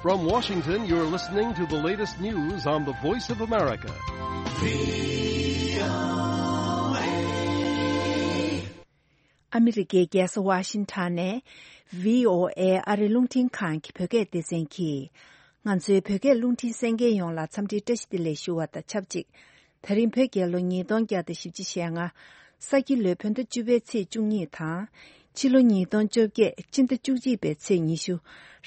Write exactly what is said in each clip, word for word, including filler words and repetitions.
From Washington, you're listening to the latest news on the Voice of America. ཨ་མི་རི་ཀའི་རྒྱལ་ས་ཝ་ཤིང་ཊོན་ནས་བྷི་ཨོ་ཨེ་ཨ་རི་རླུང་འཕྲིན་ཁང་གི་བོད་སྐད་སྡེ་ཚན་གྱིས། ང་ཚོའི་བོད་སྐད་རླུང་འཕྲིན་གསན་མཁན་ཡོངས་ལ་འཚམས་འདྲིའི་བཀྲ་ཤིས་བདེ་ལེགས་ཞུ་བ་དང་ཆབས་ཅིག་ད་རིང་བོད་རྒྱལ་ལོ་ཉིས་སྟོང་བརྒྱ་དང་བཞི་བཅུ་ཞེ་ལྔ། ས་ཁྱི་ལོའི་བོད་ཟླ་བཅུ་པའི་ཚེས་བཅུ་གཉིས་དང་། ཕྱི་ལོ་ཉིས་སྟོང་བཅོ་བརྒྱད་སྤྱི་ཟླ་བཅུ་གཅིག་པའི་ཚེས་ཉི་ཤུ།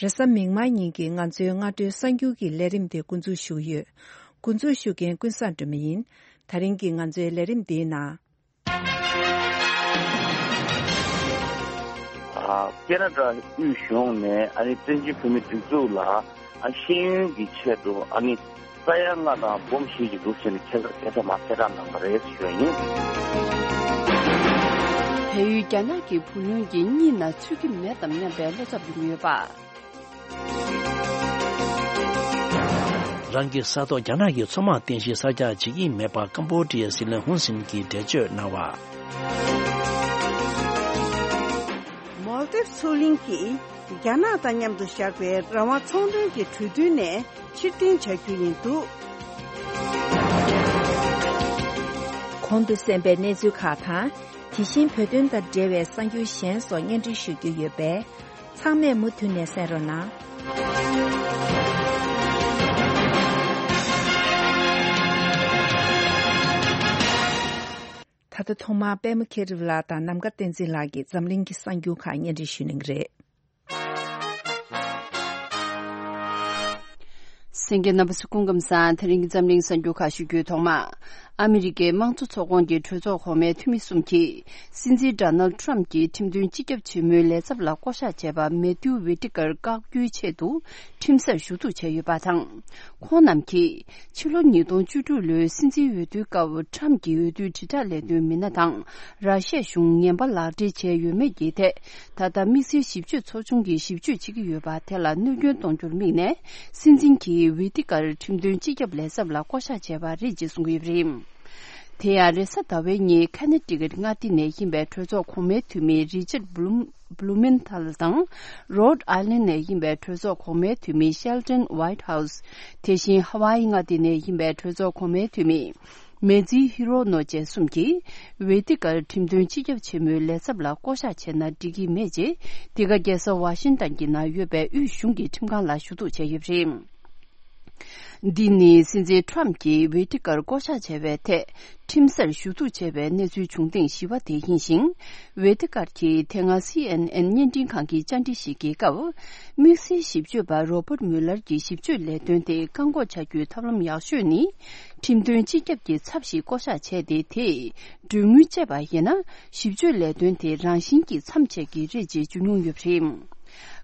རེས་གཟའ་མིག་དམར་ཉིན་གྱི་ང་ཚོའི་སྔ་དྲོའི་གསར་འགྱུར་གྱི་ལས་རིམ་དེ་འགོ་འཛུགས་ཞུ་གི་ཡོད། འགོ་འཛུགས་ཞུ་མཁན་ཀུན་བཟང་སྒྲོལ་མ་ཡིན། ད་རིང་གི་ང་ཚོའི་ལས་རིམ་འདིའི་ནང་། ཨ། ཁེ་ན་ཌ་དབུས་གཞུང་ནས་ཨ་ནི་བཙན་བྱོལ་བོད་མིའི་སྒྲིག་འཛུགས་ལ་ཨ་ཤེས་ཡོན་གྱི་ཆེད་དུ་ཨ་ནི་ས་ཡ་ལྔ་དང་སྦོམ་བཞི་ཞིག་འདུག་ཟེར་ནས་ཁྱད་མཚར་ཁྱད་མཚར་མ་གསལ་བསྒྲགས་གནང་བ་རེད་ཞུ་བ་ཡིན། བལ་ཡུལ་རྒྱ་ནག་གི་བུ་ལོན་གྱི་གཉིས་ན་ཚུད་ཀྱི་མེད་དམ་སྙམ་པའི་བློ་འཚབ་ཡོང་གི་ཡོད་པ། རང་གི་ས་ཐོག་རྒྱ་ནག་གི་མཚོ་དམག་རྟེན་གཞི་གསར་རྒྱག་བྱེད་ཀྱི་མེད་པར་ཀམ་པོ་ཌི་ཡའི་སྲིད་བློན་ཧུན་སིན་གྱིས་འགྲེལ་བརྗོད་གནང་བ། མོལ་དིབ་མཚོ་གླིང་གིས་རྒྱ་ནག་དང་མཉམ་དུ་བཞག་པའི་རང་དབང་ཚོང་དོན་གྱི་གྲོས་མཐུན་ནས་ཕྱིར་འཐེན་བྱ་རྒྱུ་ཡིན་འདུག། གོང་དུ་གསན་པའི་གནས་ཚུལ་ཁག་དང་། དེ་བཞིན་བོད་དོན་དང་འབྲེལ་བའི་གསར་འགྱུར་གཞན་སོགས་སྙན་སྒྲོན་ཞུ་རྒྱུ་ཡོད་པས། ཚང་མས་མུ་མཐུད་ནས་གསན་རོགས་གནང་། ད་ལྟ་ཐོག་མར་པད་མ་མཁྱེན་རབ་ལགས་དང་ནམ་མཁའ་བསྟན་འཛིན་ལགས་ཀྱིས་འཛམ་གླིང་གི་གསར་འགྱུར་ཁག་སྙན་སྒྲོན་ཞུ་གནང་གི་རེད། གསན་མཁན་རྣམ་པ་ཚོ་སྐུ་ཁམས་བཟང་། དེ་རིང་གི་འཛམ་གླིང་གསར་འགྱུར་ཁག་ཞུ་རྒྱུའི་ཐོག་མ། ཨ་མི་རི་ཀའི་དམངས་གཙོ་ཚོགས་ཁོངས་ཀྱི་གྲོས་ཚོགས་གོང་མའི་འཐུས་མི་གསུམ་གྱིས། སྲིད་འཛིན་ཌོ་ནལ་ཊམ་གྱི་ཁྲིམས་དོན་སྤྱི་ཁྱབ་ཆེན་མོའི་ལས་ཚབ་ལ་བསྐོ་གཞག་བྱས་པ་མེ་ཐིའུ་ཝི་ཊི་ཀར་བཀག་རྒྱུའི་ཆེད་དུ། ཁྲིམས་སར་ཞུ་གཏུག་བྱས་ཡོད་པ་དང་། ཁོང་རྣམས་ཀྱིས། ཕྱི་ལོ་ཉིས་སྟོང་བཅུ་དྲུག་ལོའི་སྲིད་འཛིན་འོས་བསྡུའི་སྐབས་ཊམ་གྱི་འོས་བསྡུའི་དྲིལ་བསྒྲགས་ལས་དོན་མི་སྣ་དང་། ར་ཤི་ཡའི་གཞུང་ངན་པ་ལག་འབྲེལ་བྱས་ཡོད་མེད་ཀྱི་ཐད། ད་ལྟ་དམིགས་བསལ་ཞིབ་དཔྱོད་ཚོགས་ཆུང་གིས་ཞིབ་དཔྱོད་བྱེད་ཀྱི་ཡོད་པ་དེ་ལ་གནོད་སྐྱོན་གཏོང་རྒྱུར་དམིགས་ནས། སྲིད་འཛིན་གྱིས་ཝི་ཏི་ཀར་ཁྲིམས་དོན་སྤྱི་ཁྱབ་ལས་ཚབ་ལ་བསྐོ་གཞག་བྱས་པ་རེད་ཅེས་གསུངས་ཡོད་པ་རེད། དེ་ཡང་རེས་གཟའ་ཟླ་བའི་ཉིན་ཁ་ནེ་ཊི་ཀེཊ་མངའ་སྡེ་ནས་ཡིན་པའི་གྲོས་ཚོགས་གོང་མའི་འཐུས་མི་རི་ཅར་བྷུ་ལུམ། བྷུ་ལུ་མེན་ཐལ་དང་། རོཌ་ཨའི་ལན་ནས་ཡིན་པའི་གྲོས་ཚོགས་གོང་མའི་འཐུས་མི་ཤེལ་ཏན་ཝའིཊ་ཧའུ་སི། དེ་བཞིན་ཧ་ཝཱ་ཡི་མངའ་སྡེ་ནས་ཡིན་པའི་གྲོས་ཚོགས་གོང་མའི་འཐུས་མི། མེ་ཛི་ཧི་རོ་ནོ་བཅས་གསུམ་གྱིས། ཝེ་ཏི་ཀར་ཁྲིམས་དོན་སྤྱི་ཁྱབ་ཆེན་མོའི་ལས་ཚབ་ལ་བསྐོ་གཞག་བྱས་ན་འགྲིག་གི་མེད་ཅེས། འདི་ག་རྒྱལ་ས་ཝ་ཤིང་ཏན་གྱི་ནང་ཡོད་པའི་དབུས་གཞུང་གི་ཁྲིམས་ཁང་ལ་ཞུ་གཏུག་བྱས་ཡོད་པ་རེད། འདི་ནི་སྲིད་འཛིན་ཊམ་གྱིས་ཝེ་ཏི་ཀར་བསྐོ་གཞག་བྱས་པའི་ཐད། ཁྲིམས་སར་ཞུ་གཏུག་བྱས་པའི་གནས་ཚུལ་བྱུང་སྟེང་བཞི་པ་དེ་ཡིན་ཞིང་། ཝེ་ཏི་ཀར་གྱིས་དེ་སྔ་སི་ཨེན་ཨེན་བརྙན་འཕྲིན་ཁང་གི་བཅར་འདྲི་ཞིག་གི་སྐབས། དམིགས་བསལ་ཞིབ་དཔྱོད་པ་རོ་པར་མུ་ལར་གྱི་ཞིབ་དཔྱོད་ལས་དོན་དེ་བཀག་འགོག་བྱ་རྒྱུའི་ཐབས་ལམ་ཡག་ཤོས་ནི། ཁྲིམས་དོན་སྤྱི་ཁྱབ་ཀྱི་ཚབ་ཞིག་བསྐོ་གཞག་བྱས་ཏེ། དེས་གྲོན་དངུལ་སྤྲད་པ་ཡིན་ན། ཞིབ་དཔྱོད་ལས་དོན་དེ་རང་བཞིན་གྱིས་མཚམས་ཆད་ཀྱི་རེད་ཅེས་བརྗོད་མྱོང་ཡོད་པ་རེད།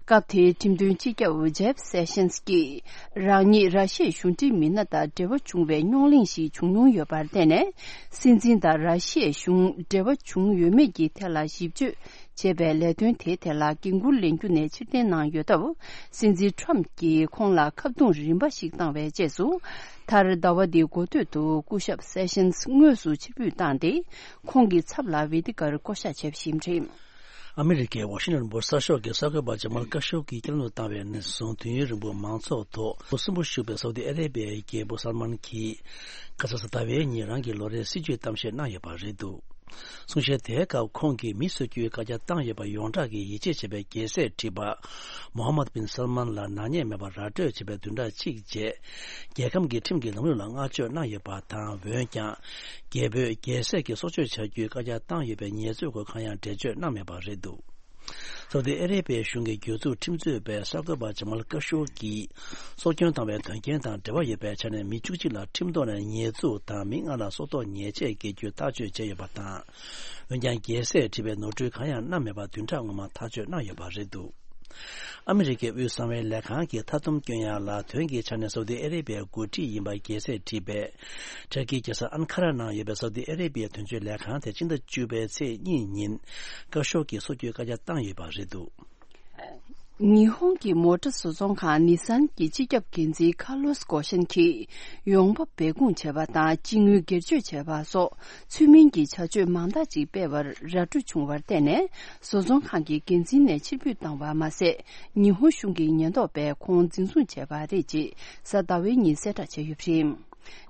སྐབས་དེའི་ཁྲིམས་དོན་སྤྱི་ཁྱབ་ཇེབ་སེ་ཤན་སི་ཀྱིས། རང་ཉིད་ར་ཤི་ཡའི་གཞུང་འབྲེལ་མི་སྣ་དང་འབྲེལ་བ་བྱུང་བའི་རྙོག་གླེང་ཞིག་བྱུང་མྱོང་ཡོད་པར་བརྟེན་ནས། སྲིད་འཛིན་དང་ར་ཤི་ཡའི་གཞུང་འབྲེལ་བ་བྱུང་ཡོད་མེད་ཀྱི་ཐད་ལ་ཞིབ་དཔྱོད་བྱས་པའི་ལས་དོན་དེའི་ཐད་ལ་འགན་འཁུར་ལེན་རྒྱུ་ནས་ཕྱིར་འཐེན་གནང་ཡོད་སྟབས། སྲིད་འཛིན་ཊམ་གྱིས་ཁོང་ལ་ཁ་རྡུང་རིམ་པ་ཞིག་བཏང་བའི་རྗེས་སུ། མཐར་ཟླ་བ་འདིའི་འགོ་སྟོད་དུ་སྐུ་ཞབས་སེ་ཤན་སི་དངོས་སུ་ཕྱིར་འབུད་བཏང་སྟེ། ཁོང་གི་ཚབ་ལ་ཝེ་ཏི་ཀར་བསྐོ་གཞག་བྱས་པ་ཞིག་རེད། ཨ་མི་རི་ཀའི་ཝ་ཤིང་ཊོན་སྦུག་གསར་ཤོག་གི་གསར་འགོད་པ་ཇ་མལ་ཀ་ཤོག་གིས་བསྐྱར་ལོག་བཏང་བའི་ནས་བཟུང་དུས་ཡུན་རིང་པོ་མང་ཚོགས་ཐོག་སུན་པོ་ཞུགས་པའི་སའུ་ཏི་ཨ་རེ་བྷི་ཡའི་རྒྱལ་པོ་སལ་མན་གྱིས། ཁ་ས་ཟླ་བའི་ཉིན་རང་གི་ལོ་རེའི་སྲིད་ཇུས་གཏམ་བཤད་གནང་ཡོད་པ་རེད་འདུག། གསུང་བཤད་དེའི་སྐབས་ཁོང་གིས་མི་གསོད་རྒྱུའི་བཀའ་རྒྱ་བཏང་ཡོད་པ་ཡོངས་གྲགས་ཀྱི་ཡིད་ཆེས་བྱེད་པའི་རྒྱལ་སྲས་ཁྲི་པ་མོ་ཧམ་མད་བིན་སལ་མན་ལ་ནག་ཉེས་མེད་པར་ར་སྤྲོད་བྱེད་པའི་བདུན་ཕྲག་གཅིག་རྗེས། རྒྱལ་ཁམས་ཀྱི་ཁྲིམས་ཀྱི་ལམ་ལུགས་ལ་བསྔགས་བརྗོད་གནང་ཡོད་པ་དང་། འོན་ཀྱང་། རྒྱལ་པོས་རྒྱལ་སྲས་ཀྱི་སྲོག་གཅོད་བྱ་རྒྱུའི་བཀའ་རྒྱ་བཏང་ཡོད་པའི་ཉེས་འཛུགས་སྐོར་གང་ཡང་འགྲེལ་བརྗོད་གནང་མེད་པ་རེད་འདུག། སའུ་ཏི་ཨ་རེ་བྷི་ཡའི་གཞུང་གི་གྱོད་འཛུགས་ཁྲིམས་རྩོད་པས་གསར་འགོད་པ་ཇ་མལ་ཀ་ཤོ་གིས་སྲོག་སྐྱོན་བཏང་བའི་དོན་རྐྱེན་དང་འབྲེལ་བ་ཡོད་པའི་ཆ་ནས་མི་བཅུ་གཅིག་ལ་ཁྲིམས་ཐོག་ནས་ཉེས་འཛུགས་དང་མི་ལྔ་ལ་སྲོག་ཐོག་ཉེས་ཆད་འགེལ་རྒྱུ་ཐག་གཅོད་བྱས་ཡོད་པ་དང་། འོན་ཀྱང་རྒྱལ་སྲས་ཁྲི་པས་ནོར་འཁྲུལ་གང་ཡང་གནང་མེད་པར་བདུན་ཕྲག་སྔོན་མ་ཐག་གཅོད་གནང་ཡོད་པ་རེད་འདུག། ཨ་མི་རི་ཀའི་དབུས་གསང་བའི་ལས་ཁང་གིས་མཐའ་སྡོམ་བསྐྱོན་ཡག་ལ་དོན་གྱི་ཆ་ནས་སའུ་ཏི་ཨ་རེ་བྷི་ཡའི་འགོ་ཁྲིད་ཡིན་པ་རྒྱལ་སྲས་ཁྲི་པས། ཏུར་ཀིའི་རྒྱལ་ས་ཨན་ཁ་ར་ནང་ཡོད་པའི་སའུ་ཏི་ཨ་རེ་བྷི་ཡའི་དོན་གཅོད་ལས་ཁང་དེ་སྤྱི་ཟླ་བཅུ་པའི་ཚེས་གཉིས་ཉིན་བཀའ་ཤོག་གིས་སྲོག་སྐྱོན་བཀའ་རྒྱ་བཏང་ཡོད་པ་རེད་འདུག། ཉི་ཧོང་གི་མོ་ཊ་བཟོ་ཚོང་ཁང་ནི་སན་གྱི་སྤྱི་ཁྱབ་འགན་འཛིན་ཁ་ལོས་གོ་ཤན་གྱིས་ཡོང་འབབ་སྦས་སྐུང་བྱས་པ་དང་སྤྱི་དངུལ་སྒེར་གཅོད་བྱས་པ་སོགས་ཚུལ་མིན་གྱི་བྱ་སྤྱོད་མང་དག་ཅིག་སྤེལ་བར་ར་སྤྲོད་བྱུང་བར་བརྟེན་ནས་བཟོ་ཚོང་ཁང་གི་འགན་འཛིན་ནས་ཕྱིར་འབུད་བཏང་བ་མ་ཟད། ཉི་ཧོང་གཞུང་གི་ཉེན་རྟོག་པས་ཁོང་འཛིན་བཟུང་བྱས་པ་རེད་ཅེས་གཟའ་ཟླ་བའི་ཉིན་གསལ་བསྒྲགས་བྱས་ཡོད་པ་རེད།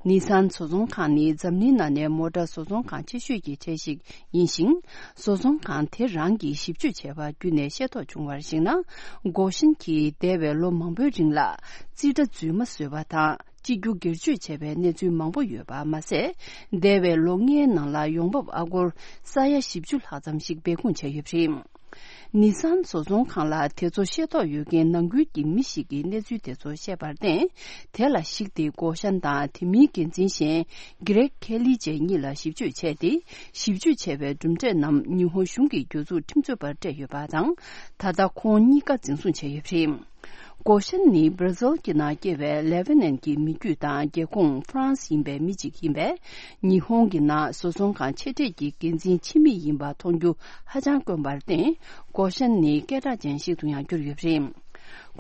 ནི་སན་བཟོ་ཚོང་ཁང་ནི་འཛམ་གླིང་ནང་ནས་མོ་ཊ་བཟོ་ཚོང་ཁང་ཆེ་ཤོས་ཀྱི་གྲས་ཤིག་ཡིན་ཞིང་། བཟོ་ཚོང་ཁང་དེ་རང་གིས་ཞིབ་དཔྱོད་བྱས་པ་བརྒྱུད་ནས་ཤེས་རྟོགས་བྱུང་བར་གཞིགས་ན། གོ་ཤན་གྱིས་འདས་པའི་ལོ་མང་པོའི་རིང་ལ་རྩིས་ཁྲ་རྫུན་མ་བཟོས་པ་དང་གཅིག་གྱུར་སྒེར་གཅོད་བྱས་པའི་གནས་ཚུལ་མང་པོ་ཡོད་པ་མ་ཟད། འདས་པའི་ལོ་ལྔའི་ནང་ལ་ཡོང་འབབ་ཨ་སྒོར་ས་ཡ་བཞི་བཅུ་ལྷག་ཙམ་ཞིག་སྦས་སྐུང་བྱས་ཡོད་པ་རེད། ནི་སན་བཟོ་ཚོང་ཁང་ལ་དེ་ཚོ་ཤེས་རྟོགས་ཡོད་མཁན་ནང་ཁུལ་གྱི་མི་ཞིག་གིས་གནས་ཚུལ་དེ་ཚོ་བཤད་པར་བརྟེན། དེ་ལ་གཞིགས་ཏེ་གོ་ཤན་དང་དེ་མིན་འགན་འཛིན་གཞན་གྷི་རེག་ཁེ་ལི་བཅས་གཉིས་ལ་ཞིབ་དཔྱོད་བྱས་ཏེ། ཞིབ་དཔྱོད་བྱས་པའི་གྲུབ་འབྲས་རྣམས་ཉི་ཧོང་གཞུང་གི་རྒྱུ་ཚོགས་ཁྲིམས་རྩོད་པར་སྤྲད་ཡོད་པ་དང་། ད་ལྟ་ཁོང་གཉིས་ཀ་འཛིན་བཟུང་བྱས་ཡོད་པ་རེད། གོ་ཤན་ནི་བྷར་ཛིལ་གྱི་ནང་སྐྱེས་པའི་ལེ་བྷ་ནན་གྱི་མི་རྒྱུད་དང་རྒྱལ་ཁོངས་ཧྥ་རན་སི་ཡིན་པའི་མི་གཅིག་ཡིན་པས། ཉི་ཧོང་གི་ནང་བཟོ་ཚོང་ཁང་ཆེ་གྲས་ཀྱི་འགན་འཛིན་ཕྱི་མི་ཡིན་པ་མཐོང་རྒྱུ་ཧ་ཅང་དཀོན་པར་བརྟེན། གོ་ཤན་ནི་སྐད་གྲགས་ཅན་ཞིག་ཏུ་ཡང་གྱུར་ཡོད་པ་རེད།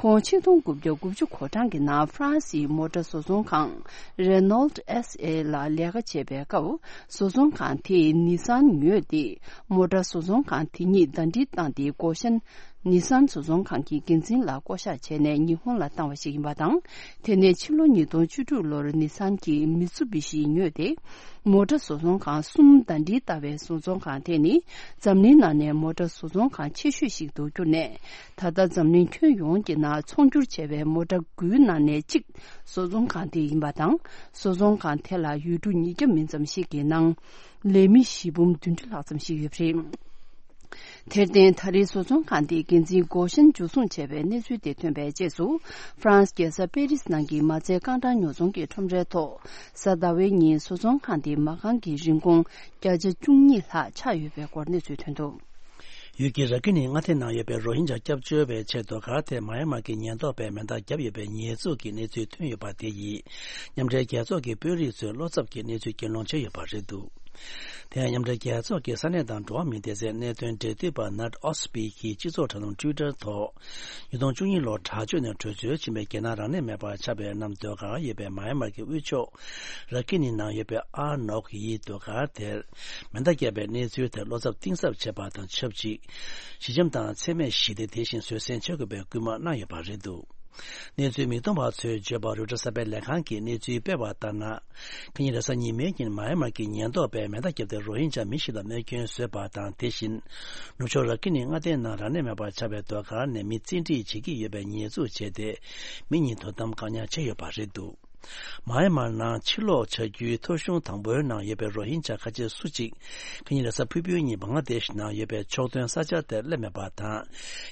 ཁོང་ཆིག་སྟོང་དགུ་བརྒྱ་དགུ་བཅུ་གོ་གྲངས་ཀྱི་ནང་ཧྥ་རན་སིའི་མོ་ཊ་བཟོ་ཚོང་ཁང་རེ་ནོལ་ཨེས་ཨེ་ལ་ལས་ཀ་བྱེད་པའི་སྐབས། བཟོ་ཚོང་ཁང་དེས་ནི་སན་ཉོས་ཏེ། མོ་ཊ་བཟོ་ཚོང་ཁང་དེ་ཉིད་ཟླ་སྒྲིལ་བཏང་སྟེ། གོ་ཤན་ནི་སན་བཟོ་ཚོང་ཁང་གི་འགན་འཛིན་ལ་བསྐོ་གཞག་བྱས་ནས་ཉི་ཧོང་ལ་བཏང་བ་ཞིག་ཡིན་པ་དང་། དེ་ནས་ཕྱི་ལོ་ཉིས་སྟོང་བཅུ་དྲུག་ལོར་ནི་སན་གྱིས་མི་ཚུ་བི་ཤི་ཉོས་ཏེ། མོ་ཊ་བཟོ་ཚོང་ཁང་གསུམ་ཟླ་སྒྲིལ་ལྟ་བའི་བཟོ་ཚོང་ཁང་དེ་ནི་འཛམ་གླིང་ནང་ནས་མོ་ཊ་བཟོ་ཚོང་ཁང་ཆེ་ཤོས་ཤིག་ཏུ་གྱུར་ནས། ད་ལྟ་འཛམ་གླིང་ཁྱོན་ཡོངས་ཀྱི་ནང་ཚོང་སྒྱུར་བྱས་པའི་མོ་ཊ་དགུའི་ནང་ནས་གཅིག་བཟོ་ཚོང་ཁང་དེ་ཡིན་པ་དང་། བཟོ་ཚོང་ཁང་དེ་ལ་ཡུལ་གྲུ་ཉིས་བརྒྱ་མིན་ཙམ་ཞིག་གི་ནང་ལས་མི་བཞི་འབུམ་བདུན་ཅུ་ལྷག་ཙམ་ཞིག་ཡོད་པ་རེད། དེར་བརྟེན། ད་རེས་བཟོ་ཚོང་ཁང་དེའི་འགན་འཛིན་གོ་ཤན་འཇུ་བཟུང་བྱས་པའི་གནས་ཚུལ་དེ་ཐོན་པའི་རྗེས་སུ། ཧྥ་རན་སི་རྒྱལ་ས་པེ་རིས་ནང་གི་མ་རྩའི་རྐང་གྲངས་ཉོ་ཚོང་གི་ཁྲོམ་རའི་ཐོག་གཟའ་ཟླ་བའི་ཉིན་བཟོ་ཚོང་ཁང་དེའི་མ་རྐང་གི་རིན་གོང་བརྒྱ་ཆ་བཅུ་གཉིས་ལྷག་ཆག་ཡོད་པའི་སྐོར་གནས་ཚུལ་ཐོན་འདུག། ཡུལ་དཀྱིལ་ར་ཀི་ནི་མངའ་སྡེ་ནང་ཡོད་པའི་རོ་ཧིན་ཇཱ་སྐྱབས་བཅོལ་བའི་ཆེད་དུ་ག་ར་ཐེ་མཱ་ཡན་མར་གྱི་ཉེན་རྟོག་པས་མེ་མདའ་བརྒྱབ་ཡོད་པའི་ཉེས་འཛུགས་ཀྱི་གནས་ཚུལ་ཐོན་ཡོད་པ་དེ་ཡིས་མཉམ་འབྲེལ་རྒྱལ་ཚོགས་ཀྱི་དཔོན་རིགས་ཚོའི་བློ་འཚབ་ཀྱི་གནས་ཚུལ་གྱེན་ལོག་བྱས་ཡོད་པ་རེད་འདུག། དེ་ཡང་མཉམ་འབྲེལ་རྒྱལ་ཚོགས་ཀྱི་ས་གནས་དང་འགྲོ་བ་མིའི་སྡེ་ཚན་གནད་དོན་འབྲེལ་མཐུད་པ་ནཊ་ཨོ་སི་པི་གིས་སྤྱི་ཚོགས་དྲ་ལམ་ཊུའི་ཊར་ཐོག་ཉིས་སྟོང་བཅུ་གཉིས་ལོར་དྲག་སྤྱོད་ནས་བྲོས་བྱོལ་ཕྱིན་པའི་རྒྱལ་ནང་རང་གནས་མེད་པར་ཆགས་པའི་གནམ་སྡོད་སྒར་ཡོད་པའི་མཱ་ཡན་མར་གྱི་དབུས་ཕྱོགས་ར་ཀི་ནི་ནང་ཡོད་པའི་ཨ་ནོག་ཡི་སྡོད་སྒར་དེར་མེ་མདའ་བརྒྱབ་པའི་གནས་ཚུལ་དེར་བློ་འཚབ་གཏིང་ཟབ་བྱས་པ་དང་ཆབས་ཅིག། ཞི་འཇམ་དང་འཚེ་མེད་ཞི་བདེ་དེ་བཞིན་བཟོད་བསྲན་བྱེད་དགོས་པའི་སྐུལ་མ་གནང་ཡོད་པ་རེད་འདུག། གནས་ཚུལ་མིག་མཐོང་བ་ཚོས་བརྗོད་པར། རོའི་ཊར་གསར་པའི་ལས་ཁང་གིས་གནས་ཚུལ་སྤེལ་བ་ལྟར་ན། ཁ་ཉིན་རེས་གཟའ་ཉི་མའི་ཉིན་མཱ་ཡན་མར་གྱི་ཉེན་རྟོག་པས་མེ་མདའ་བརྒྱབ་སྟེ་རོ་ཧིན་ཇཱ་མི་ཞིག་ལ་རྨས་སྐྱོན་བཟོས་པ་དང་། དེ་བཞིན་ནུབ་ཕྱོགས་ར་ཀི་ནི་མངའ་སྡེའི་ནང་རང་གནས་མེད་པར་ཆགས་པའི་སྡོད་སྒར་ནས་མི་བཙན་ཁྲིད་བྱེད་ཀྱི་ཡོད་པའི་ཉེས་འཛུགས་བྱས་ཏེ། མི་གཉིས་དོ་དམ་བཀག་ཉར་བྱས་ཡོད་པ་རེད་འདུག། མཱ་ཡན་མར་ནང་ཕྱིར་ལོག་བྱ་རྒྱུའི་ཐོ་གཞུང་དང་པོའི་ནང་ཡོད་པའི་རོ་ཧིན་ཇཱ་ཁ་ཆེ་སུ་གཅིག་ཁ་ཉིན་རེས་གཟའ་ཕུར་བུའི་ཉིན་བང་ལ་དེཤ་ནང་ཡོད་པའི་ཕྱོགས་མཐུན་ས་ཆར་དེར་སླེབས་མེད་པ་དང་།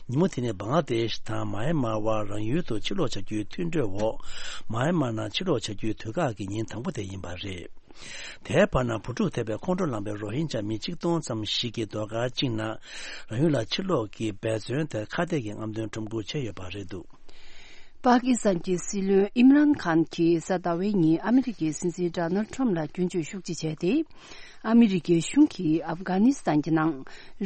ཉིན་མོ་དེ་ནི་བང་ལ་དེཤ་དང་མཱ་ཡན་མར་དབར་རང་ཡུལ་དུ་ཕྱིར་ལོག་བྱ་རྒྱུའི་མཐུན་གྲོས་འོག་མཱ་ཡན་མར་ནང་ཕྱིར་ལོག་བྱ་རྒྱུའི་དུས་བཀག་གི་ཉིན་དང་པོ་དེ་ཡིན་པ་རེད། དེའི་བར་ན་བུ་ཕྲུག་ཐེབས་པའི་ཁོང་ཁྲོ་ལངས་པའི་རོ་ཧིན་ཇཱ་མི་ཆིག་སྟོང་ཙམ་ཞིག་གིས་སྡོད་སྒར་གཅིག་ནང་རང་ཡུལ་ལ་ཕྱིར་ལོག་གི་འབད་བརྩོན་དེར་ཁ་གཏད་ཀྱི་རྔམ་སྟོན་ཁྲོམ་སྐོར་བྱས་ཡོད་པ་རེད་འདུག། པ་ཀི་སི་ཐན་གྱི་སྲིད་བློན་ཨིམ་རཱན་ཁཱན་གྱིས་གཟའ་ཟླ་བའི་ཉིན་ཨ་མི་རི་ཀའི་སྲིད་འཛིན་ཌོ་ནལ་ཁྲམ་ལ་སྐྱོན་བརྗོད་ཤུགས་ཆེ་བྱས་ཏེ། ཨ་མི་རི་ཀའི་གཞུང་གིས་ཨབ་གྷ་ནི་སི་ཐན་གྱི་ནང་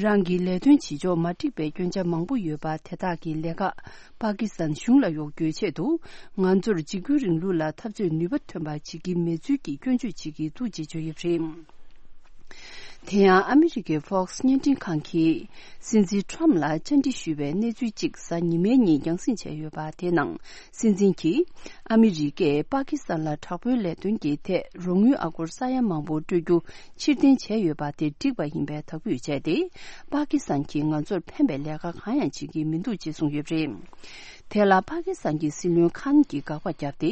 རང་གི་ལས་དོན་བྱེད་ཕྱོགས་མ་འགྲིག་པའི་སྐྱོན་ཆ་མང་པོ་ཡོད་པ་དེ་དག་གི་ལས་ཀ་པ་ཀི་སི་ཐན་གཞུང་ལ་གཡོག་རྒྱུའི་ཆེད་དུ། ང་ཚོར་འཇིགས་སྐུལ་རིང་ལུགས་ལ་འཐབ་རྩོད་ནུས་པ་ཐོན་པ་བྱེད་ཀྱི་མེད་ཚུལ་གྱི་སྐྱོན་བརྗོད་བྱེད་ཀྱི་འདུག་ཅེས་བརྗོད་ཡོད་པ་རེད། དེ་ཡང་ཨ་མི་རི་ཀའི་Fox་བརྙན་འཕྲིན་ཁང་གིས་སྲིད་འཛིན་ཁྲམ་ལ་བཅར་འདྲི་ཞུས་པའི་གནས་ཚུལ་གཅིག་གཟའ་ཉི་མའི་ཉིན་རྒྱང་སྲིང་བྱས་ཡོད་པ་དེའི་ནང་། སྲིད་འཛིན་གྱིས་ཨ་མི་རི་ཀས་པ་ཀི་སི་ཐན་ལ་དྲག་པོའི་ལས་དོན་གྱི་ཐད་རོགས་དངུལ་ཨ་སྒོར་ས་ཡ་མང་པོ་སྤྲོད་རྒྱུ་ཕྱིར་འཐེན་བྱས་ཡོད་པ་དེ་འགྲིག་པ་ཡིན་པའི་དག་འབུལ་བྱས་ཏེ། པ་ཀི་སི་ཐན་གྱིས་ང་ཚོར་ཕན་པའི་ལས་ཀ་གང་ཡང་བྱེད་ཀྱི་མི་འདུག་ཅེས་གསུངས་ཡོད་པ་རེད། དེ་ལ་པ་ཀི་སི་ཐན་གྱི་སྲིད་བློན་ཁཱན་གྱིས་དགག་པ་བརྒྱབ་སྟེ།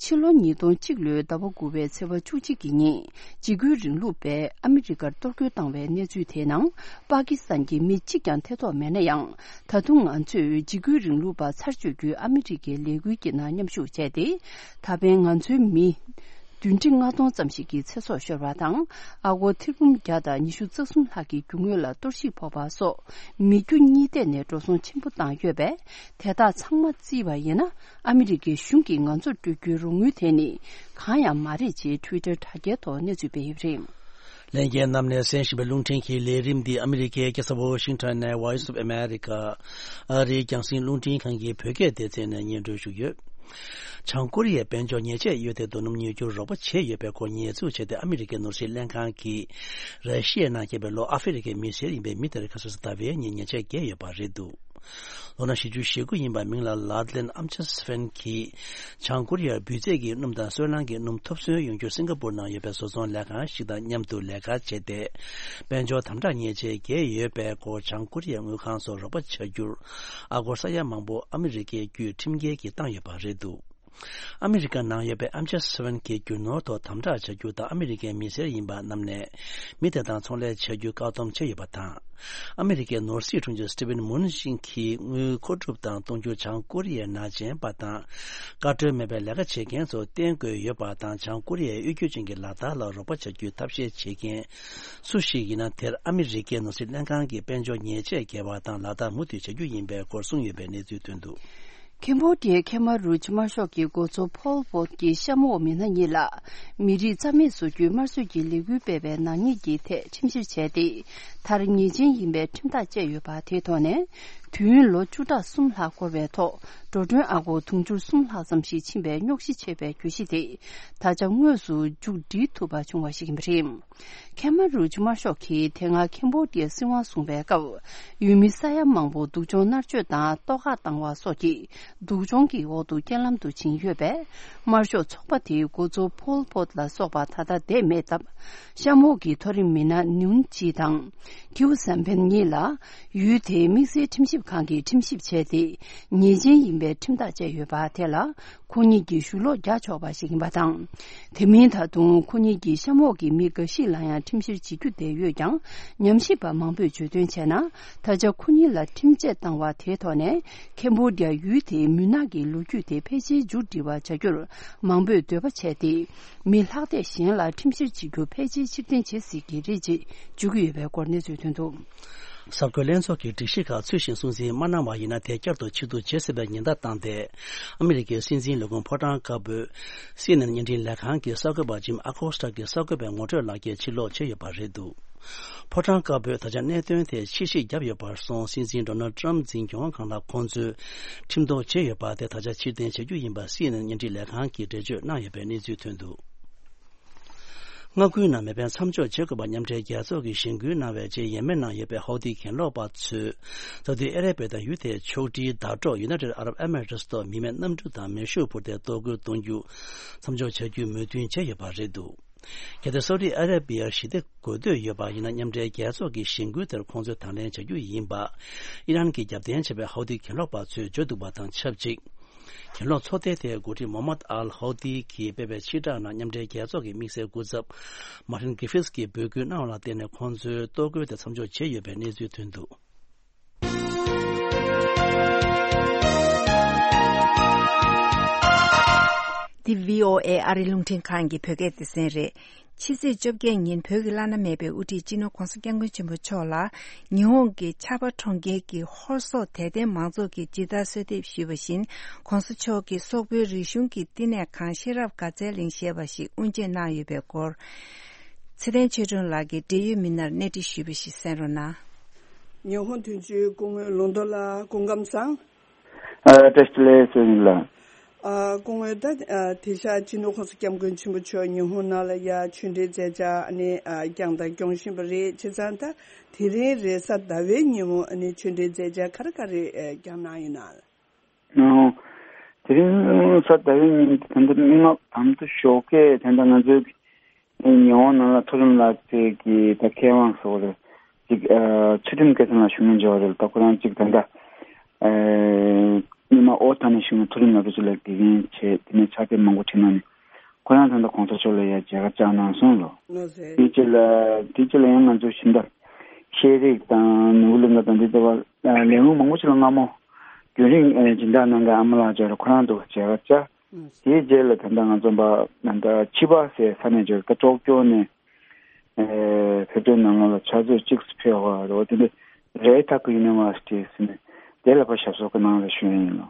ཕྱི་ལོ་ཉིས་སྟོང་གཅིག་ལོའི་ཟླ་བ་དགུ་པའི་ཚེས་པ་བཅུ་གཅིག་གི་ཉིན། འཇིགས་སྐུལ་རིང་ལུགས་པས་ཨ་མི་རི་ཀར་གཏོར་རྒོལ་བཏང་བའི་གནས་ཚུལ་དེའི་ནང་། པ་ཀི་སི་ཐན་གྱི་མི་གཅིག་ཀྱང་ཐེ་གཏོགས་མེད་ན་ཡང་། ད་དུང་ང་ཚོས་འཇིགས་སྐུལ་རིང་ལུགས་པ་ཚར་གཅོད་རྒྱུའི་ཨ་མི་རི་ཀའི་ལས་འགུལ་གྱི་ནང་མཉམ་ཞུགས་བྱས་ཏེ། ད་ཕན་ང་ཚོའི་མི་བདུན་ཁྲི་ལྔ་སྟོང་ཙམ་ཞིག་གི་ཚེ་སྲོག་ཤོར་བ་དང་། ཨ་སྒོར་ཐེར་འབུམ་བརྒྱ་དང་ཉི་ཤུ་རྩ་གསུམ་ལྷག་གི་རྒྱུ་དངོས་ལ་གཏོར་བཤིག་ཕོག་པ་སོགས། མི་རྒྱུ་གཉིས་ཐད་ནས་འགྲོ་སོང་ཆེན་པོ་བཏང་ཡོད་པས། དེ་དག་ཚང་མ་བརྩིས་པ་ཡིན་ན། ཨ་མི་རི་ཀའི་གཞུང་གིས་ང་ཚོར་སྤྲོད་རྒྱུའི་རོགས་དངུལ་དེ་ནི་གང་ཡང་མ་རེད་ཅེས་ཊུའི་ཊར་དྲ་རྒྱའི་ཐོག་གནས་ཚུལ་སྤེལ་ཡོད་པ་རེད། ལྷན་རྒྱས་རྣམས་ནས་གསན་བཞིན་པའི་རླུང་འཕྲིན་གྱི་ལས་རིམ་འདི་ཨ་མི་རི་ཀའི་རྒྱལ་ས་ཝོ་ཤིང་ཊོན་ནས་Voice of America ཨ་རིའི་རྒྱང་སྲིང་རླུང་འཕྲིན་ཁང་གི་བོད་སྐད་སྡེ་ཚན་ནས་སྙན་སྒྲོན་ཞུས་ཡོད། བྱང་ཀོ་རི་ཡའི་དཔལ་འབྱོར་ཉེས་ཆད་གཡོལ་ཏེ་རྡོ་སྣུམ་ཉོ་རྒྱུར་རོགས་པ་བྱས་ཡོད་པའི་སྐོར་ཉེས་འཛུགས་བྱས་ཏེ་ཨ་མི་རི་ཀའི་ནོར་སྲིད་ལྷན་ཁང་གིས་ར་ཤི་ཡའི་ནང་སྐྱེས་པའི་ལྷོ་ཨ་ཧྥེ་རི་ཁའི་མི་སེར་ཡིན་པའི་མི་དེར་ཁ་སང་ཟླ་བའི་ཉིན་ཉེས་ཆད་བཀལ་ཡོད་པ་རེད་འདུག་ལོ་ན་བཞི་བཅུ་ཞེ་དགུ་ཡིན་པ་མིང་ལ་ལཱ་ཏི་ལན་ཨམ་ཆ་སི་ཕན་གྱིས་བྱང་ཀོ་རི་ཡར་འབུད་རྫས་ཀྱི་སྣུམ་དང་སོལ་རླངས་ཀྱི་སྣུམ་ཐོབ་ཚུན་ཡོང་རྒྱུར་སིང་ག་པུར་ནང་ཡོད་པའི་བཟོ་ཚོང་ལས་ཁང་ཞིག་དང་མཉམ་དུ་ལས་ཀ་བྱས་ཏེ། དཔལ་འབྱོར་དམ་དྲག་ཉེས་ཆད་བཀལ་ཡོད་པའི་སྐོར་བྱང་ཀོ་རི་ཡའི་དངུལ་ཁང་སོགས་རོགས་པ་བྱ་རྒྱུར་ཨ་སྒོར་ས་ཡ་མང་པོ་ཨ་མི་རི་ཀའི་བརྒྱུད་ཁྲིམས་འགལ་གྱིས་བཏང་ཡོད་པ་རེད་འདུག་ཨ་མི་རི་ཀ་ནང་ཡོད་པའི་ཨམ་ཆ་སི་ཕན་གྱི་རྒྱུ་ནོར་ཐོག་དམ་དྲག་བྱ་རྒྱུ་དང་ཨ་མི་རི་ཀའི་མི་སེར་ཡིན་པ་རྣམས་ནས་མི་དེ་དང་ཚོང་ལས་བྱ་རྒྱུ་བཀག་སྡོམ་བྱས་ཡོད་པ་དང་། ཨ་མི་རི་ཀའི་ནོར་སྲིད་དྲུང་ཆེ་སི་ཏི་ཝེན་མུ་ནི་ཤིན་གྱིས་དངུལ་མཁོ་སྒྲུབ་དང་གཏོང་རྒྱུར་བྱང་ཀོ་རི་ཡའི་ནང་ཆེན་པ་དང་བཀའ་འཁྲོལ་མེད་པའི་ལས་ཀ་བྱེད་མཁན་ཚོ་བསྟེན་དགོས་ཡོད་པ་དང་། བྱང་ཀོ་རི་ཡའི་གཡོ་སྒྱུ་ཅན་གྱི་ལག་བསྟར་ལ་རོགས་པ་བྱ་རྒྱུའི་ཐབས་ཤེས་བྱེད་མཁན་སུ་ཞིག་ཡིན་ན་དེར་ཨ་མི་རི་ཀའི་ནོར་སྲིད་ལྷན་ཁང་གིས་དཔལ་འབྱོར་ཉེས་ཆད་འགེལ་བ་དང་ལག་བསྟར་མུ་མཐུད་བྱ་རྒྱུ་ཡིན་པའི་སྐོར་གསུངས་ཡོད་པའི་གནས་ཚུལ་ཐོན་འདུག་ཁེམ་བྷོ་ཌི་ཡའི་ཁེ་མ་རུཇ་དམར་ཤོག་གི་འགོ་གཙོ་ཕོལ་པོད་ཀྱི་གཤམ་འོག་མི་སྣ་གཉིས་ལ་མི་རིགས་རྩ་མེད་བཟོ་རྒྱུའི་དམར་གསོད་ཀྱི་ལས་འགུལ་སྤེལ་བའི་ནག་ཉེས་ཀྱི་ཐད་ཁྲིམས་བཤེར་བྱས་ཏེ། མཐར་ཉེས་ཅན་ཡིན་པའི་ཁྲིམས་ཐག་བཅད་ཡོད་པ་དེའི་ཐོག་ནས། དུས་ཡུན་ལོ་བཅུ་ཕྲག་གསུམ་ལྷག་འགོར་བའི་ཐོག་འགྲོ་གྲོན་ཨ་སྒོར་དུང་ཕྱུར་གསུམ་ལྷག་ཙམ་ཞིག་ཕྱིན་པའི་རྙོག་གཞི་ཆེ་བའི་གྱོད་གཞི་དེ་ད་ཆ་དངོས་སུ་མཇུག་སྒྲིལ་ཐུབ་པ་བྱུང་བ་ཞིག་ཡིན་པ་རེད། ཁེ་མ་རུཇ་དམར་ཤོག་གིས་དེ་སྔ་ཁེམ་བྷོ་ཌི་ཡར་སྲིད་དབང་བཟུང་བའི་སྐབས། ཡུལ་མི་ས་ཡ་མང་པོ་སྡུག་སྦྱོང་མནར་གཅོད་དང་ལྟོ་བཀག་བཏང་བ་སོགས་ཀྱི་སྡུག་སྦྱོང་གི་འོག་ཏུ་རྐྱེན་ལམ་དུ་ཕྱིན་ཡོད་པས། དམར་ཤོག་ཚོགས་པ་དེའི་འགོ་གཙོ་ཕོལ་པོད་ལ་སོགས་པ་ད་ལྟ་བསྡད་མེད་སྟབས། གཤམ་འོག་གི་མཐོ་རིམ་མི་སྣ་ནིའུན་ཅི་དང་། ཐིའུ་སན་ཕན་གཉིས་ལ། ཡུལ་དེའི་དམིགས་བསལ་ཁྲིམས་ཞིབ་ཁང་གིས་ཁྲིམས་ཞིབ་བྱས་ཏེ། ཉེས་ཅན་ཡིན་པའི་ཁྲིམས་ཐག་བཅད་ཡོད་པ་དེ་ལ། ཁོ་གཉིས་ཀྱིས་ཞུ་ལོག་རྒྱག་ཆོག་པ་ཞིག་ཡིན་པ་དང་། དེ་མིན་ད་དུང་ཁོ་གཉིས་ཀྱིས་གཤམ་འོག་གི་མི་འགའ་ཞིག་ལ་ཡང་ཁྲིམས་བཤེར་བྱེད་རྒྱུ་དེ་ཡོད་ཀྱང་། ཉམས་ཞིབ་པ་མང་པོས་བརྗོད་དོན་བྱས་ན། ད་ཆ་ཁོ་གཉིས་ལ་ཁྲིམས་ཆད་བཏང་བ་དེའི་ཐོག་ནས། ཁེམ་བྷོ་ཌི་ཡ་ཡུལ་དེའི་མུན་ནག་གི་ལོ་རྒྱུས་དེ་ཕལ་ཆེར་མཇུག་སྒྲིལ་བར་བྱ་རྒྱུར་མང་པོས་འདོད་པ་བྱས་ཏེ། མི་ལྷག་བསྡད་གཞན་ལ་ཁྲིམས་བཤེར་བྱེད་རྒྱུ་ཕལ་ཆེར་ཕྱིར་འཐེན་བྱེད་སྲིད་ཀྱི་རེད་ཅེས་བརྗོད་ཀྱི་ཡོད་པའི་སྐོར་གནས་ཚུལ་ཐོན་འདུག་གསར་འགོད་ལྷན་ཚོགས་ཀྱི་སྒྲིག་གཞི་ཁག་ཚུལ་བཞིན་སྲུང་འཛིན་མ་གནང་བ་ཡིན་ན། དེ་བསྐྱར་དུ་ཕྱིར་བསྡུ་བྱེད་སྲིད་པའི་ཉེན་བརྡ་བཏང་སྟེ། ཨ་མི་རི་ཀའི་སྲིད་འཛིན་ལས་ཁུངས་ཕོ་བྲང་དཀར་པོས་སི་ཨེན་ཨེན་བརྙན་འཕྲིན་ལས་ཁང་གི་གསར་འགོད་པ་ཇིམ་ཨ་ཁོ་སི་ཊ་གི་གསར་འགོད་པའི་ངོ་སྤྲོད་ལག་འཁྱེར་ཕྱིར་སློག་བྱས་ཡོད་པ་རེད་འདུག་ཕོ་བྲང་དཀར་པོས་ད་ཆ་གནད་དོན་དེར་ཕྱིར་བཤིག་བརྒྱབ་ཡོད་པར་སོང་། སྲིད་འཛིན་ཌོ་ནལ་ཊམ་འཛིན་སྐྱོང་སྒང་ལ་ཁོང་ཚོས་ཁྲིམས་ཐོག་བྱས་ཡོད་པ་དེ་ད་ཆ་ཕྱིར་འཐེན་བྱ་རྒྱུ་ཡིན་པ་སི་ཨེན་ཨེན་བརྙན་འཕྲིན་ལས་ཁང་གིས་འགྲེལ་བརྗོད་གནང་ཡོད་པའི་གནས་ཚུལ་ཐོན་འདུག་མངའ་ཁུལ་ནང་མེ་འཕེན་མཚམས་འཇོག་བྱེད་དགོས་པ་མཉམ་འབྲེལ་རྒྱལ་ཚོགས་ཀྱིས་གཞེན་སྐུལ་གནང་བའི་རྗེས། ཡེ་མེན་ནང་ཡོད་པའི་ཧའུ་ཏི་གྱེན་ལོག་པ་ཚོས་ད་དུང་ཨ་རབ་པ་དང་ཡུལ་དེའི་ཕྱོགས་སྒྲིལ་ཟླ་གྲོགས་ཡུ་ནའི་ཊེཌ་ཨ་རབ་ཨེ་མི་རེ་ཊི་ཐོག་མི་མེད་གནམ་གྲུ་དང་མེ་ཤུགས་འཕུར་མདེལ་གཏོར་རྒོལ་གཏོང་རྒྱུ་མཚམས་འཇོག་བྱ་རྒྱུའི་མོས་མཐུན་བྱས་ཡོད་པ་རེད་འདུག་གལ་ཏེ་སའུ་ཏི་ཨ་ར་བི་ཡར་ཞི་བདེ་དགོས་འདོད་ཡོད་པ་ཡིན་ན། མཉམ་འབྲེལ་རྒྱལ་ཚོགས་ཀྱི་གཞེན་སྐུལ་དེར་ཁོང་ཚོས་དང་ལེན་བྱ་རྒྱུ་ཡིན་པ། ཨི་རན་གྱི་རྒྱབ་རྟེན་བྱས་པའི་ཧའུ་ཏི་གྱེན་ལོག་པ་ཚོས་བརྗོད་འདུག་པ་དང་ཆབས་ཅིག་གྱེན་ལོག་ཚོགས་སྡེ་དེའི་འགོ་ཁྲིད་མོ་མད་ཨལ་ཧའུ་ཏི་གིས་སྤེལ་བའི་ཕྱིར་བསྒྲགས་ནང་། མཉམ་འབྲེལ་རྒྱལ་ཚོགས་ཀྱི་དམིགས་བསལ་སྐུ་ཚབ་མར་ཏིན་གྷི་ཧྥིས་ཀྱིས་འབོད་སྐུལ་གནང་བ་ལ་བརྟེན་ནས། ཁོང་ཚོས་གཏོར་རྒོལ་དེ་མཚམས་འཇོག་བྱས་ཡོད་པའི་གནས་ཚུལ་ཐོན་འདུག་འདི་བྷི་ཨོ་ཨེ་ཨ་རི་རླུང་འཕྲིན་ཁང་གི་བོད་སྐད་སྡེ་ཚན་རེད། ཕྱི་ཚེས་བཅོ་བརྒྱད་ཉིན་བོད་ཀྱི་བླ་ན་མེད་པའི་དབུ་ཁྲིད་སྤྱི་ནོར་༧གོང་ས་༧སྐྱབས་མགོན་ཆེན་པོ་མཆོག་ལ། ཉི་ཧོང་གི་ཆར་པ་གྲོང་ཁྱེར་གྱི་ཧོར་སོག་དད་ལྡན་མང་ཚོགས་ཀྱིས་ཇི་ལྟར་གསོལ་འདེབས་ཞུས་པ་བཞིན། ༧གོང་ས་མཆོག་གིས་སོག་པོའི་རིག་གཞུང་གི་བསྟི་གནས་ཁང་ཤེས་རབ་དགའ་ཚལ་གླིང་ཞེས་པ་ཞིག་དབུ་འབྱེད་གནང་ཡོད་པའི་སྐོར། ཚེ་བརྟན་ཆོས་སྒྲོན་ལགས་ཀྱིས་འབྲེལ་ཡོད་མི་སྣར་གནས་འདྲི་ཞུས་པ་ཞིག་གསན་རོགས་གནང་། ཉི་ཧོང་དོན་གཅོད་སྐུ་ངོ་ལུང་རྟོགས་ལགས། སྐུ་ཁམས་བཟང་། ཨ། བཀྲ་ཤིས་བདེ་ལེགས་ཟེར་ཡིན་ལ། ཨ། སྐུ་ངོ་ད། ཨ། དེང་སང་སྤྱི་ནོར་༧གོང་ས་༧སྐྱབས་མགོན་ཆེན་པོ་མཆོག་ཉི་ཧོང་ནང་ལ་ཡ་ཆོས་འབྲེལ་མཛད་འཆར་ཨ་ནི། ཨ། བསྐྱངས་དང་སྐྱོང་བཞིན་པ་རེད། བྱས་ཙང་ད་དེ་རིང་རེས་གཟའ་ཟླ་བའི་ཉིན་མོ་ཨ་ནི་ཆོས་འབྲེལ་མཛད་འཆར་ག་རེ་ག་རེ་བསྐྱངས་གནང་ཡོད་ན། ཨོ། དེ་རིང་གཟའ་ཟླ་བའི་ཉིན་དེ་ད་ལྟ་མི་མང་ཨ་མདོ་ཞོགས་ཀས་དེ་འདྲ་ང་ཚོའི་ཉི་ཧོང་ནང་ལ་མཐོ་རིམ་ལག་རྩལ་གྱི་ད་མཁས་དབང་ཟེར་བ་རེད། ཅིག་ཨ། ཚུལ་ཁྲིམས་སྐལ་བཟང་ལགས་བཞུགས་མཁན་ཅིག་ཡོད་རེད། ད་ཁོ་རང་ཅིག་ད་ལྟ་ཨ། སྔོན་མ་ཨོ་ཐ་ནས་བཞུགས་མཁན་མཐོ་རིམ་ལག་རྩལ་ཅིག་ལ་དགེ་རྒན་བྱས། དེ་ནས་ཕྱག་དེབ་མང་པོ་བྲིས་གནང་ནས། ཁོ་རང་ད་ལྟ་གོང་ས་མཆོག་ལ་ཡ་མཇལ་ཁ་བཅར་གནང་སོང་ལོ། ལགས་སེ། དེའི་རྗེས་ལ། དེའི་རྗེས་ལ་ཡང་ང་ཚོ་སྦྱིན་བདག་ཤེས་རིག་དང་ནོར་བུ་གླིང་ག་དང་འདི་ལྟ་བུ་ལས་ཁུངས་མང་པོ་ཞིག་ལ་སྔ་མོ་རྒྱུན་རིང་སྦྱིན་བདག་གནང་མཁན་ཨ་མ་ལགས་མཇལ་རེད། ཁོ་རང་ཚོ་མཇལ་ཁ་བཅར། ལགས་སེ། དེའི་རྗེས་ལ་ད་ལྟ་ང་ཚོ་ཕ་ད་ལྟ་ཕྱི་པ་ཟེར་ས་ནས་མཇལ་རེད། ད་ཀྲོག་ཀྱོ་ནས་ཨེ་བོད་དོན་ནང་ལོགས་ལ་ཕྱག་ཚོད་གཅིག་ཙམ་ཕེབས་པ་རེད། འོ་དེ་འདྲ་རེད། ཐག་གི་ཡུ་ནི་ཝར་སི་ཊི་ཟེར་ནས་དེ་ལ་ཕར་ཞབས་སོར་གནང་རེད་ཞུ་ཡིན་ལོ།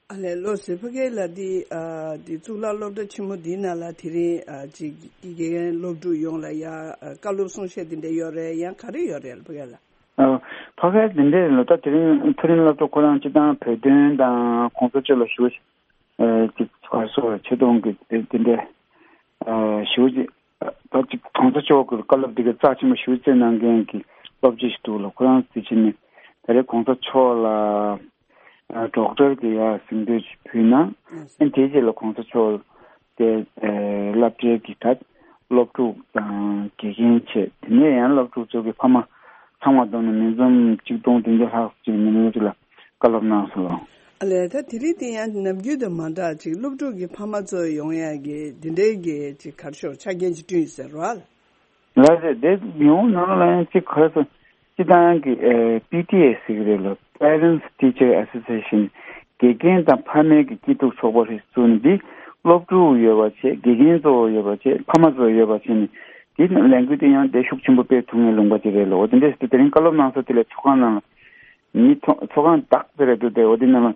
ཨ་ལས། ལགས་སེ། ཕ་གི་ལགས། འདི་ཨ་འདི་གཙུག་ལག་སློབ་གྲྭ་ཆེན་མོ་འདིའི་ནང་ལ་དེ་རིང་ཨ་ཅིག་དགེ་རྒན་སློབ་ཕྲུག་ཡོངས་ལ་ཡ་ཨ་བཀའ་སློབ་གསུང་བཤད་འདི་འདྲ་ཡོད་རེད། ཡང་ག་རེ་ཡོད་རེད་ལགས་ཕ་གི་ལགས། ཨ་ཕ་གི་འདི་འདྲ་ལ་ད་དེ་རིང་མཐོ་རིམ་སློབ་གྲྭ་ཁོ་རང་སྤྱི་བཏང་བོད་དོན་དང་གོང་ས་མཆོག་ལ་ཞུ་ཨ་ཅིག་ག་རེ་ཟེར་ཆེ་མཐོང་གི་དེ་འདྲ་ཨ་ཞུ་ཅིག་ད་ཅིག་གོང་ས་མཆོག་གི་བཀའ་སློབ་འདི་ག་རྩ་ཆེན་པོ་ཞེ་པོ་བརྩི་གནང་མཁན་གྱི་སློབ་སྤྱི་ཞིག་འདུག་ལགས། ཁོ་རང་དེ་བྱས་ནས་ད་རེས་གོང་ས་མཆོག་ལ་ཨ་ཌོག་ཊར་གྱི་ཡ་གཟེངས་བསྟོད་ཅིག་ཕུལ་གནང་། ཨ་དེའི་རྗེས་ལ་གོང་ས་མཆོག་དེ་ཨ་སློབ་གྲྭའི་གི་ད་སློབ་ཕྲུག་དང་དགེ་རྒན་བྱས། དེ་ནས་ཡང་སློབ་ཕྲུག་ཚོ་གི་ཕ་མ་ཚང་མ་བསྡོམས་ནས་མི་འཛོམས་གཅིག་སྟོང་བདུན་བརྒྱ་ལྷག་ཅིག་མི་ལོ་ཅིག་ལ་བཀའ་སློབ་གནང་སོང་ལགས། ཨ་ལས། ད་དེ་རིང་དེ་ཡང་ནམ་རྒྱུན་དང་མ་འདྲ་ཅིག་སློབ་ཕྲུག་གི་ཕ་མ་ཚོ་ཡོང་ཡ་གི་འདི་འདྲའི་གི་ཅིག་ག་རེ་ཟེར་ཆ་རྐྱེན་ཅིག་བསྐྲུན་ཡོད་ཟེར་བ། ལགས་རེད། དེ་ཡོང་ནང་ལ་ཡང་ཅིག་ག་རེ་ཟེར་སྤྱི་བཏང་གི་ཨེ་པི་ཊི་ཨེ་ཟེར་གི་རེད་ལགས། Parents Teacher Association། དགེ་རྒན་དང་ཕ་མའི་གི་སྐྱིད་སྡུག་ཚོགས་པ་ཞིག་བཙུགས་ནས། འདི་སློབ་ཕྲུག་ཡོད་པ་བྱས། དགེ་རྒན་གཙོ་བོ་ཡོད་པ་བྱས། ཕ་མ་གཙོ་བོ་ཡོད་པ་བྱས་ནས། འདི་ལས་འགུལ་དེ་ཡང་དེ་ཤུགས་ཆེན་པོ་སྤེལ་ཐུབ་མཁན་ལུང་པ་ཅིག་རེད་ལགས། འོ་དེ་འདྲས་ཟེར་ཏེ་དེ་རིང་བཀའ་སློབ་གནང་ས་དེ་ལ་ཚོགས་ཁང་ནང་ལ་མི་ཚོགས་ཚོགས་ཁང་དག་དེ་རེད་འདུག་སྟེ། འོ་དེ་ནང་ལ་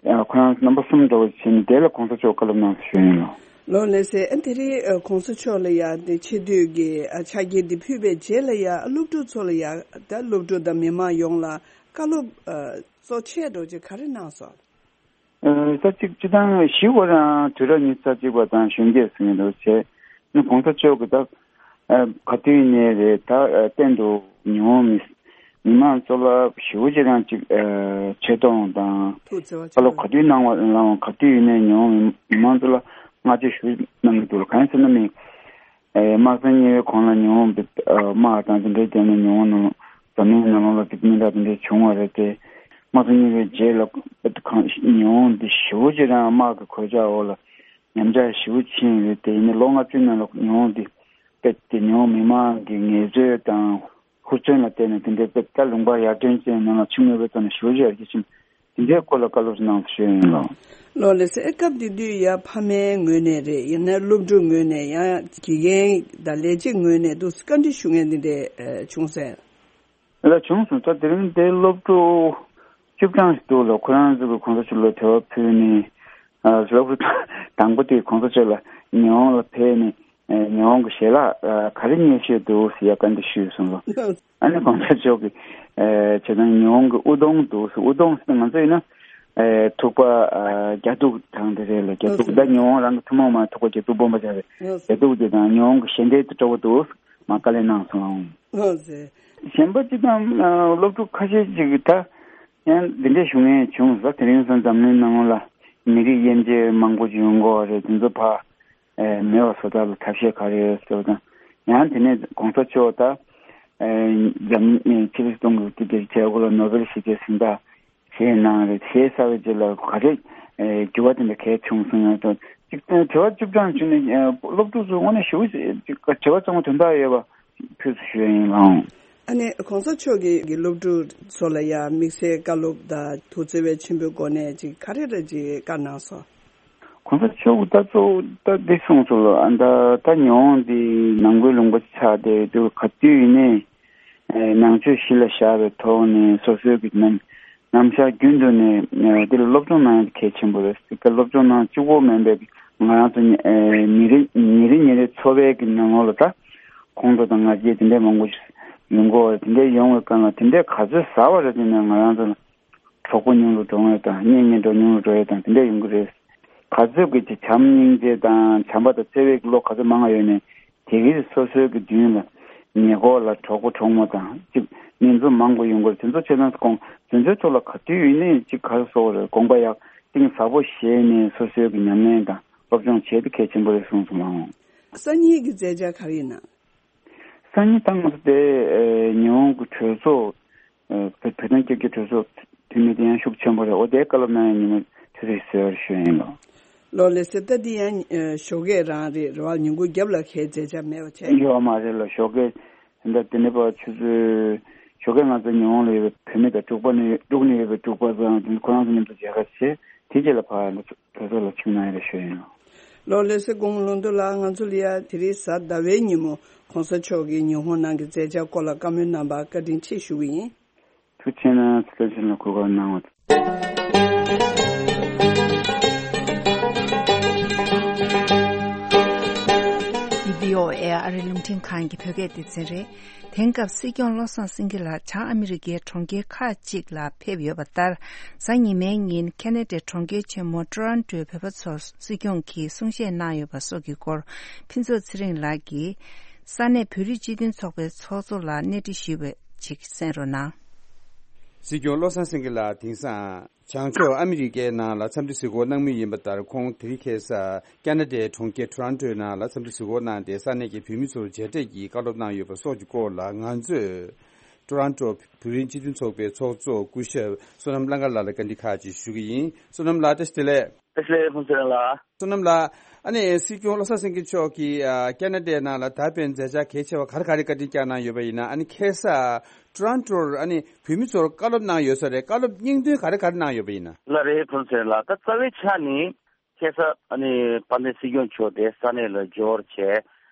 ཨ་ཁོ་རང་རྣམ་པ་གསུམ་འདྲ་བོ་བྱས་ནས་དེ་ལ་གོང་ས་མཆོག་བཀའ་སློབ་གནང་ཞུ་ཡིན་ལགས། ལགས་ལགས་སེ། ཨ་དེ་རིང་ཨ་གོང་ས་མཆོག་ལ་ཡ་དེ་ཆེ་བསྟོད་ཀྱི་ཨ་ཕྱག་འཁྱེར་འདི་ཕུལ་བའི་རྗེས་ལ་ཡ་ཨ་སློབ་ཕྲུག་ཚོ་ལ་ཡ་ད་སློབ་ཕྲུག་དང་མི་མང་ཡོངས་ལ་བཀའ་སློབ་ཨ་གཙོ་ཆེ་འདྲ་བོ་ཅིག་ག་རེ་གནང་སོང་། ཨ་ད་ཅིག་སྤྱི་བཏང་ཞི་བ་རང་དུས་རབས་ཉི་ཤུ་རྩ་གཅིག་པ་དང་གཞོན་སྐྱེས་ཟེར་མཁན་འདྲ་བོ་བྱས་ནས་གོང་ས་མཆོག་གི་ད་ཨ་ག་དུས་ཡིན་ནའི་རེད། ད་ཨ་གཏན་དུ་ཉི་འོང་མི་མི་མང་གཙོ་ལ་ཞེ་པོ་ཅིག་རང་ཅིག་ཨ་ཆེ་མཐོང་དང་ཐུགས་བརྩེ་བ་བཀའ་སློབ་ཆེན་པོ་ག་དུས་གནང་བ་གནང་བ་ག་དུས་ཡིན་ནའི་ཉི་འོང་མི་མི་མང་གཙོ་ལ་བསྔགས་བརྗོད་ཞུ་གནང་གི་འདུག་ལགས། གང་ཡིན་ཟེར་ན་མི་ཨ་དམག་ཆེན་གཉིས་པའི་གོང་ལ་ཉི་འོང་དེ་ཨ་དམག་དང་དེ་འདྲའི་རྐྱེན་ནས་ཉི་འོང་ནང་འཛམ་གླིང་ནང་ལོགས་ལ་དེ་མི་འདྲ་དེ་འདྲའི་བྱུང་བ་རེད་དེ། དམག་ཆེན་གཉིས་པའི་རྗེས་ལ་གང་ཉི་འོང་འདི་ཞེ་པོ་ཅིག་རང་དམག་གི་གོད་ཆག་འོག་ལ་ཉམས་ཆག་ཞེ་པོ་ཕྱིན་ཡོད་དེ། ཡིན་ནའི་ལོ་ལྔ་བཅུའི་ནང་ལ་ཉི་འོང་འདི་དཔེ་དེ་ཉི་འོང་མི་མང་གི་ངལ་རྩོལ་དང་ཧུར་བརྩོན་ལ་བརྟེན་ནས་དེ་འདྲའི་དཔེ་ད་ལུང་པ་ཡར་ཐོན་ཅན་ནང་ལ་ཕྱི་དངོས་པོའི་ཐོག་ནས་ཞེ་པོ་ཅིག་ཡར་རྒྱས་ཕྱིན། དེ་འདྲའི་སྐོར་ལ་བཀའ་སློབ་ཅིག་གནང་ཞུ་ཡིན་ལགས། ལགས་ལགས་སེ། ཨེ་སྐབས་དེ་དུས་ཡ་ཕ་མའི་ངོས་ནས་རེད། ཡང་ན་སློབ་ཕྲུག་ངོས་ནས། ཡང་དགེ་རྒན་དང་ལས་བྱེད་ངོས་ནས་འདུག་བཀའ་འདྲི་ཞུ་མཁན་དེ་འདྲས་ཨ་བྱུང་སོང་། ལགས་བྱུང་སོང་། ད་དེ་རིང་དེ་སློབ་ཕྲུག་བཅུ་གྲངས་ཤིག་འདུག་ལགས། ཁོ་རང་ཚོ་གི་གོང་ས་མཆོག་ལ་དྲི་བ་ཕུལ་ནས། ཨ་སློབ་ཕྲུག་དང་པོ་དེ་གོང་ས་མཆོག་ལ་ཉི་འོང་ལ་ཕེབས་ནས་ཨ་ཉི་འོང་གི་ཞལ་ལག་ཨ་ག་རེ་ཉོས་བཞག་འདུག་ཟེར་ཡ་བཀའ་འདྲི་ཞུས་སོང་ལགས། ཨ་ནི་གོང་ས་མཆོག་གིས་ཨ་བྱས་ཙང་ཉི་འོང་གི་དབུགས་གཏོང་འདུག་ཟེར། དབུགས་གཏོང་ཟེར་ན་ང་ཚོ་ཡིན་ན་ཨ་ཐུག་པ་ཨ་རྒྱ་ཐུག་དང་དེ་རེད་ལགས། རྒྱ་ཐུག་ད་ཉི་འོང་རང་གི་ཐུན་མོང་མ་ཐུག་པ་རྒྱ་ཐུག་སྦོམ་པ་ཅིག་རེད། རྒྱ་ཐུག་དེ་དང་ཉི་འོང་གི་ཞལ་འདེབས་དེ་སྤྲོ་པོ་འདུག་ཟེར་མར་བཀའ་ལན་གནང་སོང་ལགས། གཞན་པ་སྤྱི་དང་ཨ་སློབ་ཕྲུག་ཁ་ཤས་ཅིག་གིས་ད་ཡང་འདི་འདྲའི་ཞུ་མཁན་བྱུང་ཟེར། དེ་རིང་སང་འཛམ་གླིང་ནང་ལ་མི་རིགས་དབྱེ་འབྱེད་མང་པོ་ཅིག་ཡོང་གི་ཡོད་རེད། དེ་ཚོ་ཕར་ཨེ་མེད་པ་བཟོ་ཐབས་ལ་ཐབས་ཤེས་ག་རེ་ཡོད་ཟེར་བ་དང་། ཡང་དེ་ནས་གོང་ས་མཆོག་ད་ཨེ་འཛམ་ཨེ་ཕྱི་ལོ་ཆིག་སྟོང་དགུ་བརྒྱ་བརྒྱད་ཅུ་གྱ་དགུ་ལ་ནོ་བེལ་ཞི་བདེའི་གཟེངས་རྟགས་བཞེས་གནང་རེད། བཞེས་ཚར་བའི་རྗེས་ལ་ག་རེ་ཨེ་འགྱུར་བ་དེ་འདྲ་གས་བྱུང་སོང་ཡང་དང་། གཅིག་དོན་དྲི་བ་བཅུ་གྲངས་བྱུང་ནས་ཨེ་སློབ་ཕྲུག་ཚོ་དངོས་གནས་ཞེ་པོ་ཅིག་དྲི་བ་གཙང་མ་དོན་དག་ཡོད་པ་ཕུལ་སོང་ཞུ་ཡ་ཡིན་ལགས། ཨ་ནི་གོང་ས་མཆོག་གིས་གི་སློབ་ཕྲུག་ཚོ་ལ་ཡང་དམིགས་བསལ་བཀའ་སློབ་དང་ཐུགས་བརྩེ་བའི་མཆན་བུའི་སྒོ་ནས་ཅིག་ག་རེ་རེ་ཅིག་བཀའ་གནང་སོང་། གོང་ས་མཆོག་གིས་ད་གཙོ་བོ་ད་འདི་གསུངས་སོང་ལགས། ཨ་ད་ད་ཉི་འོང་འདི་ནང་ཁུལ་ལུང་པ་ཆགས་བསྡད་འདུག། ག་དུས་ཡིན་ནའི་ཨེ་ནང་ཆོས་གཞི་ལ་བཞག་པའི་ཐོག་ནས་སོ་སོའི་གི་ནམ་ནམ་ཞག་རྒྱུན་དུ་ནས་ཨེ་འདི་ལ་སློབ་སྦྱོང་གནང་ཡ་གལ་ཆེན་པོ་རེད། དེ་ག་སློབ་སྦྱོང་གནང་གཅིག་པོ་མིན་པའི་ང་རང་ཚོ་ཨེ་ཉིན་རེ་ཉིན་རེ་ཉིན་རེའི་འཚོ་བའི་གི་ནང་ལོགས་ལ་ད་ཁོང་ཁྲོ་དང་ང་རྒྱལ་དེ་འདྲའི་མང་པོ་ཞིག་ཡོང་གི་ཡོད་རེད། དེ་འདྲའི་ཡོང་བའི་སྒང་ལ་དེ་འདྲའི་ག་ཚོད་ཟ་བ་རེད་ཟེར་ན་ང་རང་ཚོ་ལ་གྲོགས་པོ་ཉུང་རུ་འགྲོ་ངེས་དང་གཉེན་ཉེ་འགྲོ་ཉུང་རུ་འགྲོ་ཡས་དང་དེ་འདྲ་ཡོང་གི་རེད། ག་ཚོད་ཀྱི་ཅིག་བྱམས་སྙིང་རྗེ་དང་བྱམས་པ་དང་བརྩེ་བའི་བློ་ག་ཚོད་མང་བ་ཡོད་ནའི་དེ་གའི་སོ་སོའི་གི་མདུན་ལ་ཉེ་འཁོར་ལ་གྲོགས་པོ་གྲོགས་མོ་དང་ཅིག་གཉེན་ཚན་མང་པོ་ཡོང་གི་རེད། དེ་ཚོ་ཆེད་དོན་དགོངས་དེ་ཚོའི་ཐོག་ལ་ག་དུས་ཡིན་ནའི་ཅིག་ག་རེ་ཟེར་དགོས་རེད། དགོངས་པ་ཡག་གཏིང་ཟབ་པོ་བཞེས་ནས་སོ་སོའི་གི་ཉམས་ལེན་དང་སློབ་སྦྱོང་བྱེད་དེ་གལ་ཆེན་པོ་རེད་གསུངས་སོང་ལགས། སང་ཉིན་གྱི་མཛད་འཆར་ག་རེ་ཡིན་ན། སང་ཉིན་ད་ང་ཚོ་དེ་ཨེ་ཉི་འོང་གི་གྲོས་ཚོགས་ཨེ་བོད་བོད་དོན་རྒྱབ་སྐྱོར་གྲོས་ཚོགས་འཐུས་མི་དེ་ཡང་ཤུགས་ཆེན་པོ་རེད། འོ་དེའི་བཀའ་སློབ་གནང་ཡ་ཉིན་མོ་དེ་རེད་ཟེར་བར་ཞུ་ཡ་ཡིན་ལགས། ལགས་ལགས་སེ། ད་འདི་ཡང་ཨེ་ཞོགས་ཀས་རང་རེད་རེད་བ། ཉིན་གུང་རྒྱབ་ལ་ཁའི་མཛད་འཆར་མེད་པ་བྱས། ཡོད་མ་རེད་ལགས། ཞོགས་ཀས་ད་དེ་ནས་ཕར་ཆུ་ཚོད་ཞོགས་ཀས་ང་ཚོ་ཉི་འོང་ལ་ཡོད་པའི་བུད་མེད་དང་འབྲུག་པ་ནས་འབྲུག་ནས་ཡོད་པའི་འབྲུག་པ་ཚོ་དང་ཁོ་རང་ཚོ་མཉམ་དུ་མཇལ་ཁ་བྱས། དེ་རྗེས་ལ་ཕར་ང་ཚོ་གྲོས་ཚོགས་ལ་ཆིབས་གནང་ཡ་རེད་ཞུ་ཡ་ཡིན་ལགས། ལགས་ལགས་སེ། སྐུ་ངོ་ལྷུན་རྡོ་ལགས། ང་ཚོ་ལ་ཡ་དེ་རིང་གཟའ་ཟླ་བའི་ཉིན་མོ་གོང་ས་མཆོག་གིས་ཉི་ཧོང་ནང་གི་མཛད་འཆར་སྐོར་ལ་བཀའ་མོལ་གནང་བར་བཀའ་དྲིན་ཆེ་ཞུ་གི་ཡིན། ཐུགས་རྗེ་ཆེ་གནང་། ཚེ་བརྟན་ལགས་གོ་སྐབས་གནང་བ། ཨོ་ཨེ་ཨ་རི་རླུང་འཕྲིན་ཁང་གི་བོད་སྐད་སྡེ་ཚན་རེད། དེང་སྐབས་སྲིད་སྐྱོང་བློ་བཟང་སེང་གེ་ལགས་བྱང་ཨ་མི་རི་ཀའི་གྲོང་ཁྱེར་ཁག་ཅིག་ལ་ཕེབས་ཡོད་པ་ལྟར། གཟའ་ཉི་མའི་ཉིན་ཁེ་ན་ཌའི་གྲོང་ཁྱེར་ཆེན་མོ་ཊོ་རོན་ཊོའི་བོད་པ་ཚོར་སྲིད་སྐྱོང་གིས་གསུང་བཤད་གནང་ཡོད་པ་སོགས་ཀྱི་སྐོར། ཕུན་ཚོགས་ཚེ་རིང་ལགས་ཀྱིས་ས་གནས་བོད་རིགས་སྤྱི་མཐུན་ཚོགས་པའི་ཚོགས་གཙོ་ལ་གནས་འདྲི་ཞུས་པ་ཅིག་གསན་རོགས་གནང་། སྲིད་སྐྱོང་བློ་བཟང་སེང་གེ་ལགས་དེང་སང་བྱང་ཕྱོགས་ཨ་མི་རི་ཀའི་ནང་ལ་འཚམས་འདྲི་གཟིགས་སྐོར་གནང་མུས་ཡིན་པ་ལྟར། ཁོང་དེ་རིང་ཁ་སང་ཁེ་ན་ཌའི་གྲོང་ཁྱེར་ཊོ་རོན་ཊོའི་ནང་ལ་འཚམས་འདྲི་གཟིགས་སྐོར་གནང་སྟེ། ས་གནས་ཀྱི་བོད་མི་ཚོར་མཇལ་འཕྲད་ཀྱིས་བཀའ་སློབ་གནང་ཡོད་པ་སོགས་ཀྱི་སྐོར་ལ། ང་ཚོས་ཊོ་རོན་ཊོ་བོད་རིགས་སྤྱི་མཐུན་ཚོགས་པའི་ཚོགས་གཙོ་སྐུ་ཞབས་བསོད་ནམས་གླང་དཀར་ལགས་ལ་བཀའ་འདྲི་ཁག་ཅིག་ཞུ་གི་ཡིན། བསོད་ནམས་ལགས། བཀྲ་ཤིས་བདེ་ལེགས། བཀྲ་ཤིས་བདེ་ལེགས། ཕུན་ཚོགས་རིང་ལགས། བསོད་ནམས་ལགས། ཨ་ནི་སྲིད་སྐྱོང་བློ་བཟང་སེང་གེ་མཆོག་གིས་ཨ་ཁེ་ན་ཌའི་ནང་ལ་ད་ཕན་མཛད་འཆར་གལ་ཆེ་བ་ག་རེ་ག་རེ་བཀའ་དྲིན་བསྐྱངས་གནང་ཡོད་པ་ཡིན་ན། ཨ་ནི་ཁ་སང་ཊོ་རོན་ཊོར་ཨ་ནི་བོད་མི་ཚོར་བཀའ་སློབ་གནང་ཡོད་ས་རེད། བཀའ་སློབ་སྙིང་དོན་ག་རེ་ག་རེ་གནང་ཡོད་པ་ཡིན་ན། ལགས་རེད། ཕུན་ཚོགས་རིང་ལགས། ད་རྩ་བའི་ཆ་ནས་ཁ་སང་ཨ་ནི་དཔལ་ལྡན་སྲིད་སྐྱོང་མཆོག་དེ་ས་གནས་ལ་འབྱོར་བྱས།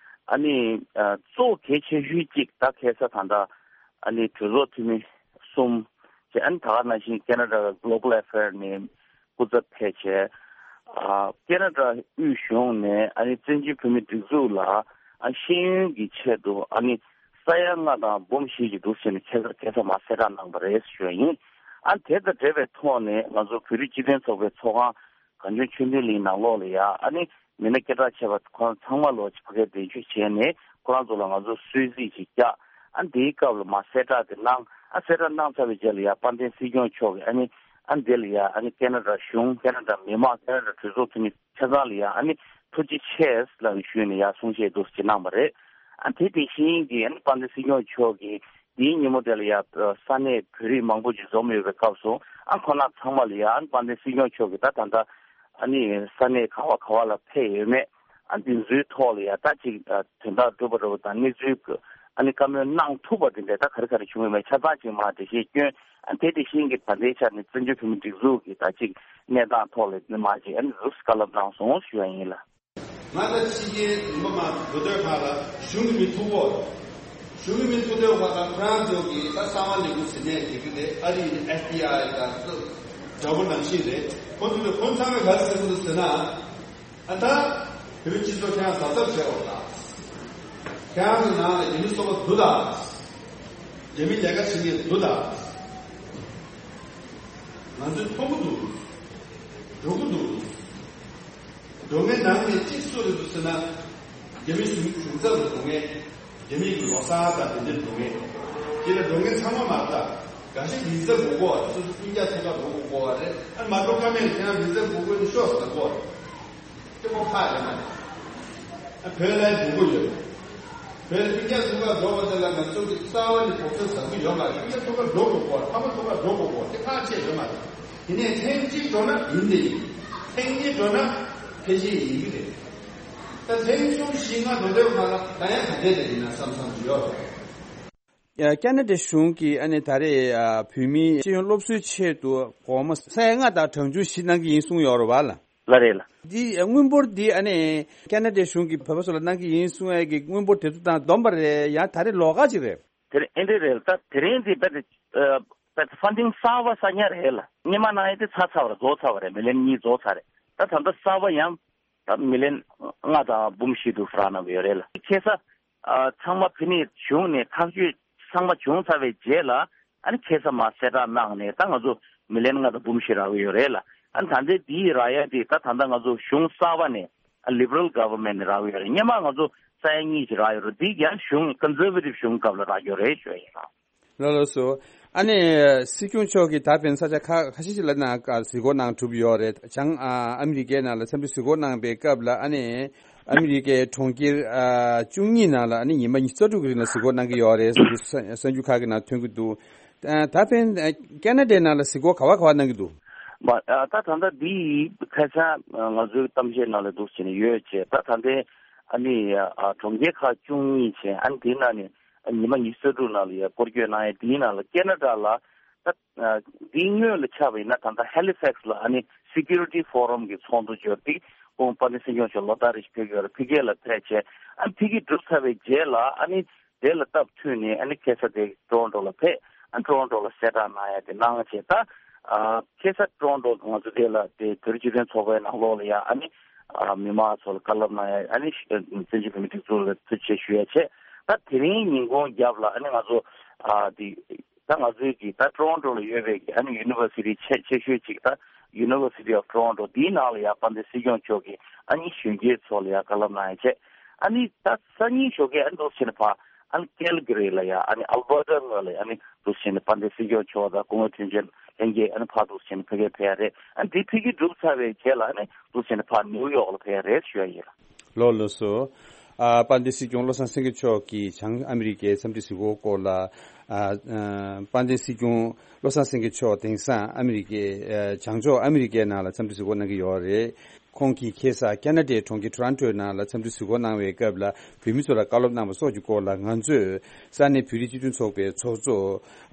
ཨ་ནི་ཨ་གཙོ་བོ་གལ་ཆེ་ཤོས་གཅིག་ད་ཁ་སང་ད་ལྟ་ཨ་ནི་གྲོས་ཚོགས་འཐུས་མི་གསུམ་བྱས། ཨ་ནི་ད་ག་ནང་བཞིན་ཁེ་ན་ཌ་གི་Global Affair ནས་སྐུ་ཚབ་ཕེབས་བྱས། ཨ་ཁེ་ན་ཌ་དབུས་གཞུང་ནས་ཨ་ནི་བཙན་བྱོལ་བོད་མིའི་སྒྲིག་འཛུགས་ལ་ཨ་ཤེས་ཡོན་གྱི་ཆེད་དུ་ཨ་ནི་ས་ཡ་ལྔ་དང་འབུམ་བཞི་ཅིག་འདུག་ཟེར་ནས་ཁ་སང་ཁ་སང་མར་གསལ་བསྒྲགས་གནང་བ་རེད་ཞུ་ཡ་ཡིན། ཨ་དེ་དང་འབྲེལ་བའི་ཐོག་ནས་ང་ཚོ་བོད་རིགས་སྤྱི་མཐུན་ཚོགས་པའི་ཚོགས་ཁང་གངས་ལྗོངས་ཆོས་ལྡན་གླིང་ནང་ལོགས་ལ་ཡ་ཨ་ནི་མི་སྣ་སྐད་གྲགས་ཆེ་བ་ཁོང་ཚང་མ་ལོ་ཕ་གིར་གདན་ཞུ་བྱས་ནས་ཁོ་རང་ཚོ་ལ་ང་ཚོ་གསོལ་ཚིགས་ཤིག་བཀྱག་ཨ་དེའི་སྐབས་ལ་མར་གསལ་བསྒྲགས་དེ་གནང་། ཨ་གསལ་བསྒྲགས་གནང་ཚར་བའི་རྗེས་ལ་ཡ་དཔལ་ལྡན་སྲིད་སྐྱོང་མཆོག་གིས་ཨ་ནི་ཨ་འདི་ལ་ཡ་ཨ་ནི་ཁེ་ན་ཌ་གཞུང་། ཁེ་ན་ཌ་མི་མང་། ཁེ་ན་ཌ་གྲོས་ཚོགས་འཐུས་མི་ཆ་ཚང་ལ་ཡ་ཨ་ནི་ཐུགས་རྗེ་ཆེ་ལབ་ནས་ཞུས་ནས་ཡ་གསུང་བཤད་འདུག་སེ་གནང་བ་རེད། ཨ་དེ་དེ་བཞིན་གྱི་ཨ་ནི་དཔལ་ལྡན་སྲིད་སྐྱོང་མཆོག་གིས་དེའི་ཉིན་མོ་དེ་ལ་ཡ་ས་གནས་བོད་རིགས་མང་པོ་ཅིག་འཛོམས་ཡོད་པའི་སྐབས་སུ། ཨ་ཁོ་ན་ཚང་མ་ལ་ཡ་ཨ་ནི་དཔལ་ལྡན་སྲིད་སྐྱོང་མཆོག་གིས་ད་ད་ལྟ་ཨ་ནི་ས་གནས་ག་བ་ག་བ་ལ་ཕེབས་ཡོད་མེད། ཨ་འདི་ཚོའི་ཐོག་ལ་ཡ་ད་ཅིག་ཨ་དོན་དག་འགྲུབ་པ་འགྲུབ་པ་དང་། གནས་ཚུལ་ཨ་ནི་བཀའ་མོལ་གནང་ཐུབ་པ་དེ་འདྲ་ད་ག་རེ་ག་རེ་བྱུང་ཡོད་མེད་ཆ་ཚང་ཅིག་མར་འགྲེལ་བཤད་སྐྱོན། ཨ་དེ་དེ་བཞིན་གྱི་ད་ལྟའི་ཆ་ནས་བཙན་བྱོལ་བོད་མིའི་སྒྲིག་འཛུགས་ཀྱི་ད་ཅིག་གནས་སྟངས་ཐོག་ལ་མར་ཅིག་ཨ་ནི་ཟུར་བཀའ་སློབ་གནང་སོང་ཞུ་བ་ཡིན་ལགས། ང་ད་ཕྱི་རྒྱལ་ཡིན་པ་མ་འགྲོ་དུས་ཁག་ལ་གཞུང་གི་མི་ཐུག་གོ། གཞུང་གི་མི་ཐུག་དུས་ཁག་ལ་ཁོ་རང་ཚོ་གིས་ད་གསང་བ་ལས་ཁུངས་ཟེར་ནས་བྱེད་ཀྱི་རེད། ཨ་རི་ཡིན་ན་ཨེཕ་བི་ཨའི་དང་འདྲ་པོ་ནང་བཞིན་རེད། ཁོ་ཚོ་ལ་ཁོ་ཚང་མས་ག་རེ་ཟེར་གྱི་འདུག་ཟེར་ན། ཨ་ད་བོད་མི་སྤྱི་ཚོགས་ཁྱེད་རང་གཟབ་གཟབ་བྱེད་དགོས་ད། ཁྱེད་རང་ཚོ་ནང་ལ་རྒྱ་མི་གསོད་པ་འདུག་ད། རྒྱ་མི་ལས་ཀ་བྱེད་མཁན་འདུག་ད། ང་ཚོས་མཐོང་གི་འདུག། འགྲོ་གི་འདུག། འགྲོ་མཁན་ནང་ནས་གཅིག་སུ་རེད་འདུག་ཟེར་ན། རྒྱ་མི་གཞུང་གཞུང་ཚབ་ལ་འགྲོ་མཁན། རྒྱ་མི་གི་ལོ་གསར་དང་དེ་འདྲ་འགྲོ་མཁན། དེ་ལ་འགྲོ་མཁན་ཚང་མ་མ་རེད་ད། འགའ་ཤས་བི་ཛ་དགོས་ཀྱི་ཡོད་རེད། སོ་སོ་སྤུན་ཀྱག་ཚོ་ག་འགྲོ་དགོས་ཀྱི་ཡོད་རེད། ཨ་མ་འགྲོ་ཀ་མེད་ལ་ཁྱེད་རང་བི་ཛ་དགོས་ཀྱི་ཡོད་ན་ཤོག་ཟེར་དགོས་རེད། སྐྱེ་བོ་ཁག་ཡོད་མ་རེད། ཨ་བོད་ལ་འགྲོ་གི་ཡོད་རེད། བོད་ལ་སྤུན་ཀྱག་ཚོ་ག་འགྲོ་བ་དེ་ལ་ང་ཚོ་གི་རྩ་བ་ནས་གོ་སྐབས་བཟང་པོ་ཡོད་མ་རེད། སྤུན་ཀྱག་ཚོ་ག་འགྲོ་དགོས་ཀྱི་ཡོད་རེད། ཕ་མ་ཚོ་ག་འགྲོ་དགོས་ཀྱི་ཡོད་རེད། དེ་ཁག་ཆེ་ཡོད་མ་རེད། དེ་ནས་ཐེངས་གཅིག་འགྲོ་ན་ཡིན་དེ་ཡིན། ཐེངས་གཉིས་འགྲོ་ན་ཕལ་ཆེར་ཡིན་གྱི་རེད། ད་ཐེངས་གསུམ་བཞི་ལྔ་འགྲོ་དུས་ཁག་ལ་ད་ཡང་ག་འདྲས་རེད་ཡིན་ན་བསམ་བསམ་ཡོད་རེད། ཡ། ཁེ་ན་ཌའི་གཞུང་གིས་ཨ་ནི་ད་རེས་ཨ་བོད་མིའི་ཤེས་ཡོན་སློབ་གསོའི་ཆེད་དུ་སྒོར་མོ་ས་ཡ་ལྔ་དང་གྲངས་ཆུང་བཞི་གནང་གི་ཡིན་གསུངས་ཡོད་རེད་བ་ལ། ལགས་རེད་ལགས། འདི་དངུལ་འབོར་འདི་ཨ་ནི་ཁེ་ན་ཌའི་གཞུང་གིས་བོད་པ་ཚོ་ལ་གནང་གི་ཡིན་གསུང་ཡས་ཀྱི་དངུལ་འབོར་དེ་ཚོ་དང་བསྡོམས་པ་རེད། ཡང་ད་རེས་ལོགས་ཀ་ཅིག་རེད། དེ་རེད། ཨེ་འདྲ་རེད། ད་དེ་རིང་འདི་རྦད་དེ་ཨ་རྦད་དེ་ཕན་ཌིང་གསར་པ་གསར་རྙིང་རེད་ལགས། སྔོན་མ་གནང་ཡས་དེ་ཚར་ཚར་བ་རེད། རྫོགས་ཚར་བ་རེད། མི་ལན་གཉིས་རྫོགས་ཚར་རེད། ད་ད་ལྟ་གསར་པ་ཡང་ད་མི་ལན་ལྔ་དང་འབུམ་བཞི་དུ་རག་གནང་གི་ཡོད་རེད་ལགས། ཁ་སང་ཨ་ཚང་མ་ཕ་ནས་གཞུང་ནས་ཐག་གཅོད་ཚང་མ་བྱུང་ཚར་བའི་རྗེས་ལ། ཨ་ནི་ཁ་སང་མར་གསལ་བསྒྲགས་གནང་ནས་ད་ང་ཚོ་མི་ལན་ལྔ་དང་འབུམ་བཞི་རག་གི་ཡོད་རེད་ལགས། ཨ་ནི་ད་ལྟའི་འདི་རག་ཡ་དེ་ད་ད་ལྟ་ང་ཚོ་གཞུང་གསར་པ་ནས་ཨ་ལི་བྷ་རལ་གྷ་ཝར་མེན་ནས་རག་གི་ཡོད་རེད། སྔོན་མ་ང་ཚོ་ས་ཡ་གཉིས་ཀྱི་རག་ཡོད་རེད། འདི་ཡང་གཞུང་ཀོན་སར་ཝེ་ཊིབ་གཞུང་སྐབས་ལ་རག་ཡོད་རེད་ཞུ་ཡ་ཡིན་ལགས། ལགས་ལགས་སོ། ཨ་ནི་སྲིད་སྐྱོང་མཆོག་གིས་ད་ཕན་ས་ཆ་ཁ་ཁ་ཤས་ཤིག་ལ་ནང་གཟིགས་སྐོར་གནང་གྲུབ་ཡོད་རེད། བྱང་ཨ་ཨ་མི་རི་ཀའི་ནང་ལ་འཚམས་འདྲི་གཟིགས་སྐོར་གནང་པའི་སྐབས་ལ། ཨ་ནི་ཨ་མི་རི་ཀའི་གྲོང་ཁྱེར་ཨ་བཅུ་གཉིས་ནང་ལ་ཨ་ནི་ཉི་མ་ཉི་ཤུ་རྩ་དྲུག་གི་རིང་ལ་གཟིགས་སྐོར་གནང་གི་ཡོད་རེད་ཟེར་གསར་འགྱུར་ཁག་གི་ནང་ཐོན་གྱི་འདུག། ཨ་ད་ཕན་ཨ་ཁེ་ན་ཌའི་ནང་ལ་གཟིགས་སྐོར་ག་བ་ག་བ་གནང་གི་འདུག། མ་ཨ་ད་ད་ལྟ་འདི་ཁ་སང་ང་ཚོའི་གཏམ་བཤད་ནང་ལ་འདུག་བྱས་ནས་ཡོད་ཅེས། ད་ད་ལྟའི་ཨ་ནི་ཨ་གྲོང་ཁྱེར་ཁག་བཅུ་གཉིས་བྱས། ཨ་ནི་དེའི་ནང་ནས་ཉི་མ་ཉི་ཤུ་རྩ་དྲུག་ནང་ལ་ཡ་སྐོར་སྐྱོད་གནང་ཡ། དེའི་ནང་ལ་ཁེ་ན་ཌ་ལ་ད་ཨ་འདིའི་སྔོན་ལ་ཆགས་པ་ཡིན་ན་ད་ལྟ་ཧེ་ལི་ཕེག་སི་ལ་ཨ་ནི་སི་ཀུ་རི་ཊི་ཕོ་རམ་གྱི་ཚོགས་འདུ་འབྱོར་ཏེ། ཁོང་དཔལ་ལྡན་སྲིད་སྐྱོང་མཆོག་ལོ་ལྟར་རེ་བཞིན་ཕེབས་ཀྱི་ཡོད་རེད། ཕ་གི་ལ་ཕེབས་བྱས། ཨ་ནི་ཕ་གི་གྲུབ་ཚར་བའི་རྗེས་ལ་ཨ་ནི་དེ་ལ་སྟབས་མཐུན་ནས་ཨ་ནི་ཁ་སང་དེ་ཊོ་རོན་ཊོ་ལ་ཕེབས། ཨ་ཊོ་རོན་ཊོ་ལ་གསལ་བསྒྲགས་གནང་ཡ་དེ་གནང་བྱས། ད་ཨ་ཁ་སང་ཊོ་རོན་ཊོ་ང་ཚོ་དེ་ལ་དེ་བོད་རིགས་སྤྱི་མཐུན་ཚོགས་པའི་ནང་ལོགས་ལ་ཡ་ཨ་ནི་ ཨ་མི་མང་ཚོ་ལ་བཀའ་སློབ་གནང་ཡ། ཨ་ནི་བཙན་བྱོལ་བོད་མིའི་སྒྲིག་འཛུགས་ལ་ཐུགས་རྗེ་ཆེ་ཞུ་ཡ་བྱས། ད་དེ་རིང་ཉིན་གུང་རྒྱབ་ལ་ཨ་ནི་ང་ཚོ་ཨ་དེ་ད་ང་ཚོའི་གི་ད་ཊོ་རོན་ཊོ་ལ་ཡོད་པའི་གི་ཨ་ནི་ཡུ་ནི་ཝར་སི་ཊི་ཆེ་ཆེ་ཤོས་ཅིག་ད་University of Toronto དེའི་ནང་ལ་ཡ་དཔལ་ལྡན་སྲིད་སྐྱོང་མཆོག་གིས་ཨ་ནི་གཞོན་སྐྱེས་ཚོ་ལ་ཡ་བཀའ་སློབ་གནང་ཡ་བྱས། ཨ་ནི་ད་སང་ཉིན་ཞོགས་ཀས་ཨ་ནི་འདུག་བྱས་ནས་ཕར་ཨ་ནི་ཀལ་གྷི་རི་ལ་ཡ་ཨ་ནི་ཨལ་བར་ཊ་ངོས་ལ་ཨ་ནི་འདུག་བྱས་ནས་དཔལ་ལྡན་སྲིད་སྐྱོང་མཆོག་དང་སྐུ་ངོ་དོན་གཅོད་ལྷན་རྒྱས་ཨ་ནི་ཕར་འདུག་བྱས་ནས་ཕ་གིར་ཕེབས་ཡ་རེད། ཨ་ནི་དེ་ཕ་གིར་གྲུབ་ཚར་བའི་རྗེས་ལ་ཨ་ནི་འདུག་བྱས་ནས་ཕར་ནིའུ་ཡོག་ལ་ཕེབས་ཡ་རེད་ཞུ་ཡ་ཡིན། ལགས་ལགས་སོ། ཨ་དཔལ་ལྡན་སྲིད་སྐྱོང་བློ་བཟང་སེང་གེ་མཆོག་གིས་བྱང་ཨ་མི་རི་ཀའི་འཚམས་འདྲི་གཟིགས་སྐོར་སྐོར་ལ། ཨ་ཨ་དཔལ་ལྡན་སྲིད་སྐྱོང་བློ་བཟང་སེང་གེ་མཆོག་དེང་སང་ཨ་མི་རི་ཀའི་ཨ་བྱང་ཕྱོགས་ཨ་མི་རི་ཀའི་ནང་ལ་འཚམས་འདྲི་གཟིགས་སྐོར་གནང་གི་ཡོད་རེད། ཁོང་གིས་ཁ་སང་ཁེ་ན་ཌའི་གྲོང་ཁྱེར་ཊོ་རོན་ཊོའི་ནང་ལ་འཚམས་འདྲི་གཟིགས་སྐོར་གནང་བའི་སྐབས་ལ་བོད་མི་ཚོ་ལ་བཀའ་སློབ་གནང་བ་སོགས་ཀྱི་སྐོར་ལ་ང་ཚོས་ས་གནས་བོད་རིགས་སྤྱི་མཐུན་ཚོགས་པའི་ཚོགས་གཙོ་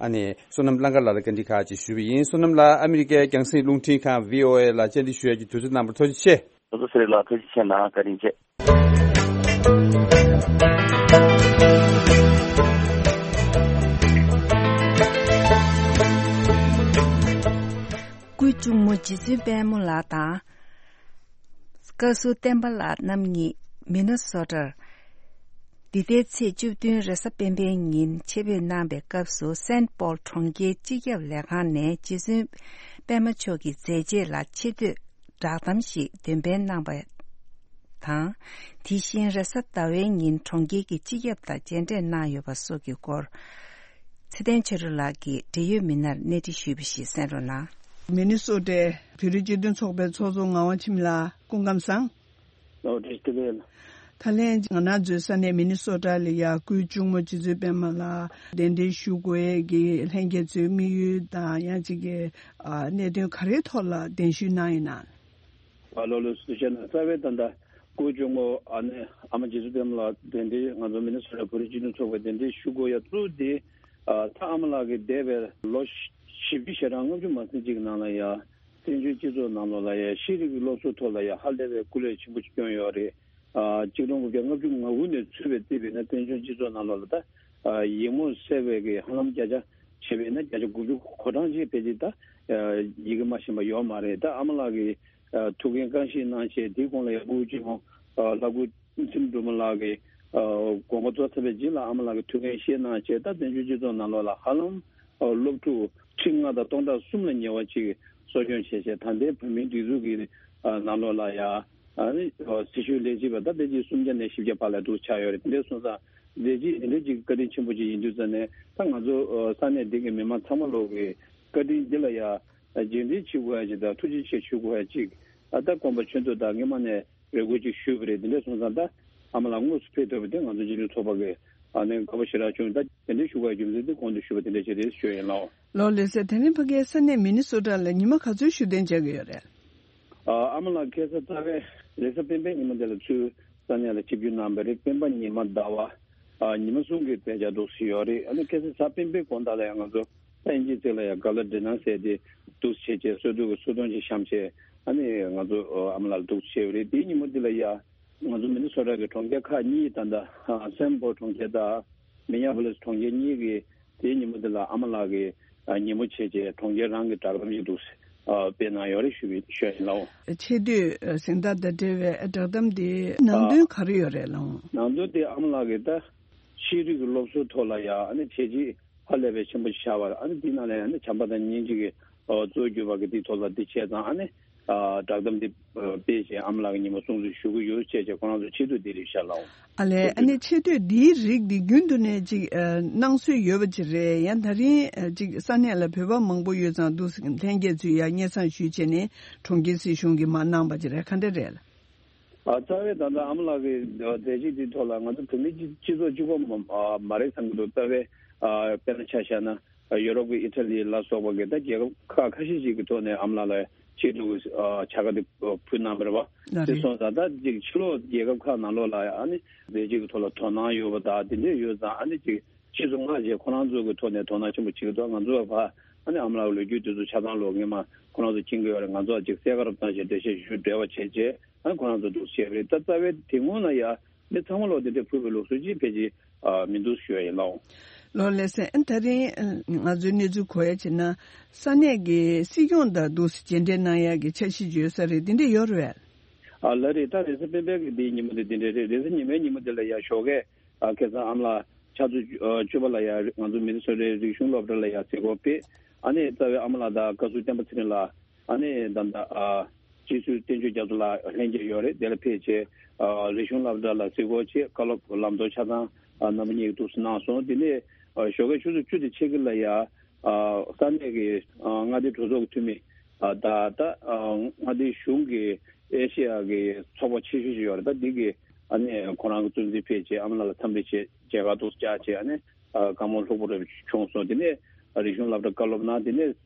ཨ་ནེ་བསོད་ནམས་གླང་དཀར་ལགས་ལ་བཀའ་འདྲི་ཁག་ཅིག་ཞུས་པ་ཡིན། བསོད་ནམས་ལགས་ཨ་མི་རི་ཀའི་རྒྱང་སྲིང་རླུང་འཕྲིན་ཁང་བྷི་ཨོ་ཨེ་ལ་བཅར་འདྲི་ཞུ་ཡ་གི་དུས་ཚོད་གནང་བར་ཐུགས་རྗེ་ཆེ། ཚོགས་གཙོ་ཚེ་རིང་ལགས་ཐུགས་རྗེ་ཆེ་གནང་། བཀའ་དྲིན་ཆེ། སྐུའི་གཅུང་མོ་རྗེ་བཙུན་དཔལ་མོ་ལགས་དང་། བཀའ་ཟུར་བསྟན་པ་ལགས་རྣམ་གཉིས་མི་ནི་སོ་ཊར། འདི་ཟླའི་ཚེས་བཅུ་བདུན་རེས་གཟའ་སྤེན་པའི་ཉིན་ཆེད་ཕེབས་གནང་བའི་སྐབས་སུ་སེན་ཊི་པོལ་གྲོང་ཁྱེར་སྤྱི་ཁྱབ་ལས་ཁང་ནས་རྗེ་བཙུན་པད་མ་མཆོག་གི་མཛད་རྗེས་ལ་ཆེ་བསྟོད་བསྒྲགས་གཏམ་ཞིག་འདོན་སྤེལ་གནང་པ་དང་། དེ་བཞིན་རེས་གཟའ་ཟླ་བའི་ཉིན་གྲོང་ཁྱེར་གྱི་སྤྱི་ཁྱབ་དང་མཇལ་འཕྲད་གནང་ཡོད་པ་སོགས་ཀྱི་སྐོར། ཚེ་བརྟན་ཆོས་སྒྲོན་ལགས་ཀྱིས་འབྲེལ་ཡོད་མི་སྣར་གནས་འདྲི་ཞུས་པ་ཞིག་གསན་རོགས་གནང་། མི་ནི་སོ་ཊའི་བོད་རིགས་སྤྱི་མཐུན་ཚོགས་པའི་ཚོགས་གཙོ་ངག་དབང་འཆི་མེད་ལགས་སྐུ་ཁམས་བཟང་། ལགས་བཀྲ་ཤིས་བདེ་ལེགས། ད་ལན་ང་རང་ཚོའི་ས་གནས་མི་ནི་སོ་ཊ་ལ་ཡ་སྐུའི་གཅུང་མོ་རྗེ་བཙུན་པད་མ་ལགས་གདན་འདྲེན་ཞུ་དགོས་ཀྱི་ལྷན་རྒྱས་ཚོའི་དམིགས་ཡུལ་དང་ཡང་ཅིག་གི་ཨ་གནད་དོན་ག་རེའི་ཐོག་ལ་གདན་ཞུ་གནང་ཡིན་ན། ཨ་ལོ་ལོ་སུ་བཤད་ན་རྩ་བའི་ད་ལྟ་སྐུའི་གཅུང་མོ་ཨ་ནེ་ཨ་མ་རྗེ་བཙུན་པད་མ་ལགས་གདན་འདྲེན་ང་ཚོ་མི་ནི་སོ་ཊ་བོད་རིགས་སྤྱི་མཐུན་ཚོགས་པའི་གདན་འདྲེན་ཞུ་དགོས་ཡ་གཙོ་བོ་དེ་ཨ་ད་ཨ་མ་ལགས་ཀྱི་འདས་པའི་ལོ་བཞི་བཅུ་ཞེ་གྲངས་ལྔ་བཅུ་མ་ཟིན་གཅིག་ནང་ལ་ཡ། བཙན་བྱོལ་སྤྱི་ཚོགས་ནང་ལོགས་ལ་ཡང་ཤེས་རིག་གི་སློབ་གསོའི་ཐོག་ལ་ཡང་ཧ་ལས་པའི་སྐུ་ལས་ཆེན་པོ་ཞིག་བསྐྱོན་ཡོད་རེད། ཨ་གཅིག་སྟོང་དགུ་བརྒྱ་ལྔ་བཅུ་ང་དགུ་ནས་ཚུད་པའི་བརྩིས་པ་ཡིན་ན་བཙན་བྱོལ་སྤྱི་ཚོགས་ནང་ལོགས་ལ་ད་ཨ་ཡིག་རྨོངས་སེལ་བའི་གི་ཧ་ལམ་བརྒྱ་ཆ་བྱས་པ་ཡིན་ན་བརྒྱ་ཆ་དགུ་བཅུ་གོ་གྲངས་ཅིག་ཕལ་ཆེར་ད་ཨ་ཡི་གེ་མ་ཤེས་པ་ཡོད་མ་རེད། ད་ཨ་མ་ལགས་ཀྱི་ཨ་ཐུགས་འགན་རྐང་བཞེས་གནང་བྱས་དེའི་གོང་ལ་ཡང་སྐུ་གཅུང་མོ་ཨ་ལྷ་སྐུ་ཚེ་རིང་སྒྲོལ་མ་ལགས་ཀྱི་ཨ་དགོངས་པ་རྫོགས་ཚར་བའི་རྗེས་ལ་ཨ་མ་ལགས་ཀྱི་ཐུགས་འགན་བཞེས་གནང་བྱས་ད་བཙན་བྱོལ་སྤྱི་ཚོགས་ནང་ལོགས་ལ་ཧ་ལམ། སློབ་ཕྲུག་ཁྲི་ལྔ་དང་སྟོང་ཕྲག་གསུམ་ལ་ཉེ་བ་ཅིག་གསོ་སྐྱོང་བྱས་བྱས་ད་ལྟའི་བོད་མིའི་སྒྲིག་འཛུགས་ཀྱི་ནང་ལོགས་ལ་ཡ་ཨ་ནི་སྲི་ཞུའི་ལས་བྱེད་པ་ད་ཕལ་ཆེར་སུམ་བརྒྱ་ནས་བཞི་བརྒྱ་བར་ལ་འདུག་ཆགས་ཡོད་རེད། དེ་འདྲ་སོང་ཙང་ལས་བྱེད་དེ་འདྲ་ཅིག་བཀའ་དྲིན་ཆེན་པོ་ཅིག་ཡིན་དུས་ཙང་ནས་ད་ང་ཚོ་ས་གནས་འདི་གི་མི་མང་ཚང་མ་ལོག་གི་བཀའ་དྲིན་འདི་ལ་ཡ་རྗེས་དྲན་བྱེད་དགོས་ཡ་ཅིག་དང་ཐུགས་རྗེ་ཆེ་ཞུ་དགོས་ཡ་ཅིག་ཨ་ད་དགོངས་པ་ཆོད་འདུག་ད་སྔོན་མ་ནས། རེ་སྐུལ་ཅིག་ཞུས་པ་རེད། དེ་འདྲ་སོང་ཙང་ད་ཨ་མ་ལགས་དངོས་སུ་ཕེབས་ཐུབ་པ་དེ་ང་ཚོ་སྤྱི་མཐུན་ཚོགས་པ་གི་ཨ་ནི་དགའ་པོ་ཞེ་དྲག་བྱུང་། ད་དེ་འདྲ་ཞུ་དགོས་རྒྱུ་མཚན་དེ་གོང་དུ་ཞུས་པ་དེ་འདྲ་བྱས་ཏེ་ཞུ་ཡིན་ལགས། ལགས་ལགས་སེ། དེ་རིང་ཕ་གིའི་ས་གནས་མི་ནི་སོ་ཊ་ལ་ཉི་མ་ག་ཚོད་བཞུགས་གདན་འཇགས་ཀྱི་ཡོད་རེད། ཨ་ཨ་མ་ལགས་ཁ་སང་རྩ་བའི་རེས་གཟའ་སྤེན་པའི་ཉི་མ་དེ་ལ་ཚུར་ས་གནས་ལ་ཆིབས་བསྒྱུར་གནང་བ་རེད། སྤེན་པ་ཉི་མ་ཟླ་བ་ཨ་ཉི་མ་གསུམ་གྱི་གདན་འཇགས་འདུག་སེ་ཡོད་རེད། ཨ་ནི་ཁ་སང་གཟའ་སྤེན་པའི་དགོང་དག་ལ་ཡང་ང་ཚོ། ད་དབྱིན་ཇིའི་ཚིག་ལ་ཡང་ག་ལ་འདྲི་ན་ཟེར་ཏེ་འདུག་བྱས་བྱས་གསོལ་འདེབས་ཀྱི་གསོལ་སྟོན་ཅིག་བཤམས་བྱས་ཨ་ནི་ང་ཚོ་ཨ་མ་ལགས་ལ་འདུག་བྱས་པ་རེད། དེའི་ཉིན་མོ་འདི་ལ་ཡ་ང་ཚོ་མི་ནི་སོ་ཊ་གི་གྲོང་ཁྱེར་ཁག་གཉིས་ད་ལྟ་སེན་ཕོལ་གྲོང་ཁྱེར་དང་མི་ནི་ཡ་པོ་ལིས་གྲོང་ཁྱེར་གཉིས་ཀྱི་དེའི་ཉིན་མོ་འདི་ལ་ཨ་མ་ལགས་ཀྱི་ཉིན་མོ་བྱས་བྱས་གྲོང་ཁྱེར་རང་གི་བསྒྲགས་གཏམ་ཞིག་འདུག་སྤེལ་གནང་ཡོད་རེད་ཞུ་བའི་ཞུ་ཡ་ཡིན་ལགས། ཆེ་བསྟོད་གཟེངས་རྟགས་དང་འབྲེལ་བའི་བསྒྲགས་གཏམ་དེ་ནང་དོན་ག་རེ་ཡོད་རེད་ལགས། ནང་དོན་དེ་ཨ་མ་ལགས་ཀྱི་ད་ཤེས་རིག་གི་སློབ་གསོའི་ཐོག་ལ་ཡ་ཨ་ནི་བྱས་རྗེས། ཧ་ལས་པའི་ཆེན་པོ་ཆགས་པ། ཨ་ནི་འདི་ནང་ལ་ཡང་ནི་བྱམས་པ་དང་སྙིང་རྗེ་གི་གཙོ་བོ་གྱུར་པ་གི་འདི་ཐོག་ལ་འདི་བྱས་ཙང་ཨ་ནི་བསྒྲགས་གཏམ་འདི་སྤེལ་བྱས་ཨ་མ་ལགས་ཀྱི་ཉིན་མོ་སྲུང་བརྩི་ཞུ་གི་ཡོད་ཅེས་བྱས་ཁོ་རང་ཚོ་ཆེ་བསྟོད་འདི་རེད་ཤག་ལགས། ཨ་ལས། ཨ་ནི་ཆེ་བསྟོད་འདིའི་རིགས་འདི་རྒྱུན་དུ་ནས་ཅིག་གནང་སྲོལ་ཡོད་པ་ཅིག་རེད། ཡང་ད་རིང་ཅིག་ས་གནས་ལ་བོད་པ་མང་པོ་ཡོད་ཙང་འདུག་ལྷན་རྒྱས་ཚོས་ཡང་སྙན་སེང་ཞུས་བྱས་ནས་གྲོང་ཁྱེར་སྲིད་གཞུང་གིས་མར་གནང་པ་ཅིག་རེད། ག་འདྲ་རེད། ཨ་རྩ་བའི་ད་ལྟ་ཨ་མ་ལགས་ཀྱི་མཛད་རྗེས་འདིའི་ཐོག་ལ་ང་ཚོ་བོད་མི་སྤྱི་སྤྱི་ཚོགས་གཅིག་པོ་མ་ཨ་མ་རེད་བསམ་གྱི་འདུག་རྩ་བའི་ཨ་དཔེར་ན་ཆ་བཞག་ན་ཡོ་རོབ་ཀྱི་ཨི་ཊ་ལི་ལ་སོགས་པ་གི་ད་རྒྱལ་ཁབ་ཁག་ཁ་ཤས་ཤིག་གི་ཐོག་ནས་ཨ་མ་ལགས་ལ་ཆེད་དུ་ཨ་བྱ་དགའ་དེ་ཕུལ་གནང་བ་རེད་བ། ལགས་དེ་རེད། སོང་ཙང་ད་ཅིག་ཕྱི་ལོགས་རྒྱལ་ཁབ་ཁག་ནང་ལོགས་ལ་ཨ་ནི་མཛད་རྗེས་ཀྱི་ཐོག་ལ་དོ་སྣང་ཡོད་པ་དང་དེ་འདྲས་ཡོད་ཙང་ཨ་ནི་ཅིག་ཕྱིས་སུ་སྔ་རྗེས་ཁོ་རང་ཚོ་གི་ཐོག་ནས་དོ་སྣང་ཆེན་པོ་བྱེད་ཀྱི་འདུག་ང་ཚོ་བ་ཕ་ཨ་ནི་ཨ་མ་ལགས་ལོ་རྒྱུས་དེ་ཚོ་ཆ་ཚང་ལོ་སྔོན་མ་ཁོ་རང་ཚོ་མཁྱེན་གྱི་ཡོད་རེད། ང་ཚོ་ཅིག་གསལ་ཁ་རུ་བཏང་བྱས་འགྲེལ་བཤད་ཞུ་འབྲེལ་བ་བྱས་རྗེས་ཨ་ནི་ཁོ་རང་ཚོ་འདུག་བྱས་པ་རེད། ད་རྩ་བའི་དེ་སྔོན་ལ་ཡ་མི་ཚང་མ་ལོ་དེ་འདྲས་ཕུལ་བའི་ལུགས་སྲོལ་ཅིག་ཕལ་ཆེར་ཨ་མི་འདུག་ཞུ་ཡ་ཡིན་ལགས། ལགས་ལགས་སེ། ཨ་ད་རིང་ང་ཚོའི་གནས་ཚུལ་གོ་ཡ་བྱས་ན་ས་གནས་ཀྱི་སྲིད་སྐྱོང་དང་འདུག་མཇལ་འཕྲད་གནང་ཡ་གི་འཆར་གཞི་ཡོད་ས་རེད། དེ་འདྲས་ཡོད་རེད། ཨ་ལ་རེད། ད་རེས་གཟའ་སྤེན་པའི་གི་འདིའི་ཉིན་མོ་དེ་འདི་འདྲ་རེད། རེས་གཟའ་ཉི་མའི་ཉིན་མོ་དེ་ལ་ཡ་ཞོགས་ཀས་ཨ་ཁ་སང་ཨ་མ་ལགས་ཆུ་ཚོད་བཅུ་པ་ལ་ཡ་ང་ཚོ་མི་ནི་སོ་ཊའི་རིག་གཞུང་སློབ་གྲྭ་ལ་ཡ་གཟིགས་སྐོར་ཕེབས། ཨ་ནི་རྩ་བའི་ཨ་མ་ལགས་དང་བཀའ་ཟུར་བསྟན་པ་ཚེ་རིང་ལགས། ཨ་ནི་ད་ལྟ་ཨ་རྗེས་སུ་བསྟན་ཆོས་རྒྱ་མཚོ་ལགས་ལྷན་རྒྱས་ཡོད་རེད། དེ་ལ་ཕེབས་བྱས་ཨ་རིག་གཞུང་སློབ་གྲྭ་ལ་གཟིགས་སྐོར་བྱས། བཀའ་སློབ་ལམ་སྟོན་ཆ་ཚང་ཨ་རྣམ་པ་གཉིས་ཀྱིས་ཐུགས་གསོ་གནང་སོང་། དེ་ནས་ཨ་ཞོགས་ཀས་ཆུ་ཚོད་བཅུ་དང་ཕྱེད་ཀ་ལ་ཡ་ཨ་ས་གནས་ཀྱི་ཨ་མངའ་སྡེ་གྲོས་ཚོགས་ཀྱི་འཐུས་མི་ཨ་ད་ད་ཨ་མངའ་སྡེ་གཞུང་གི་ཨེ་ཤེ་ཡ་གི་ཚོགས་པ་ཆེ་ཤོས་ཤིག་ཡོད་རེད། ད་འདི་གི་ཨ་ནི་ཁོ་རང་གི་གཙོ་འཛིན་ཕེབས་བྱས་ཨ་མ་ལགས་ལ་འཚམས་འདྲི་བྱས། མཇལ་ཁ་ཏོག་ཙམ་བཅར་བྱས། ཨ་ནི་ཨ་བཀའ་མོལ་ལྷུག་པོ་རེ་བྱུང་སོང་། དེ་ནས་རིག་གཞུང་སློབ་གྲྭ་བཀའ་སློབ་གནང་། དེ་ནས་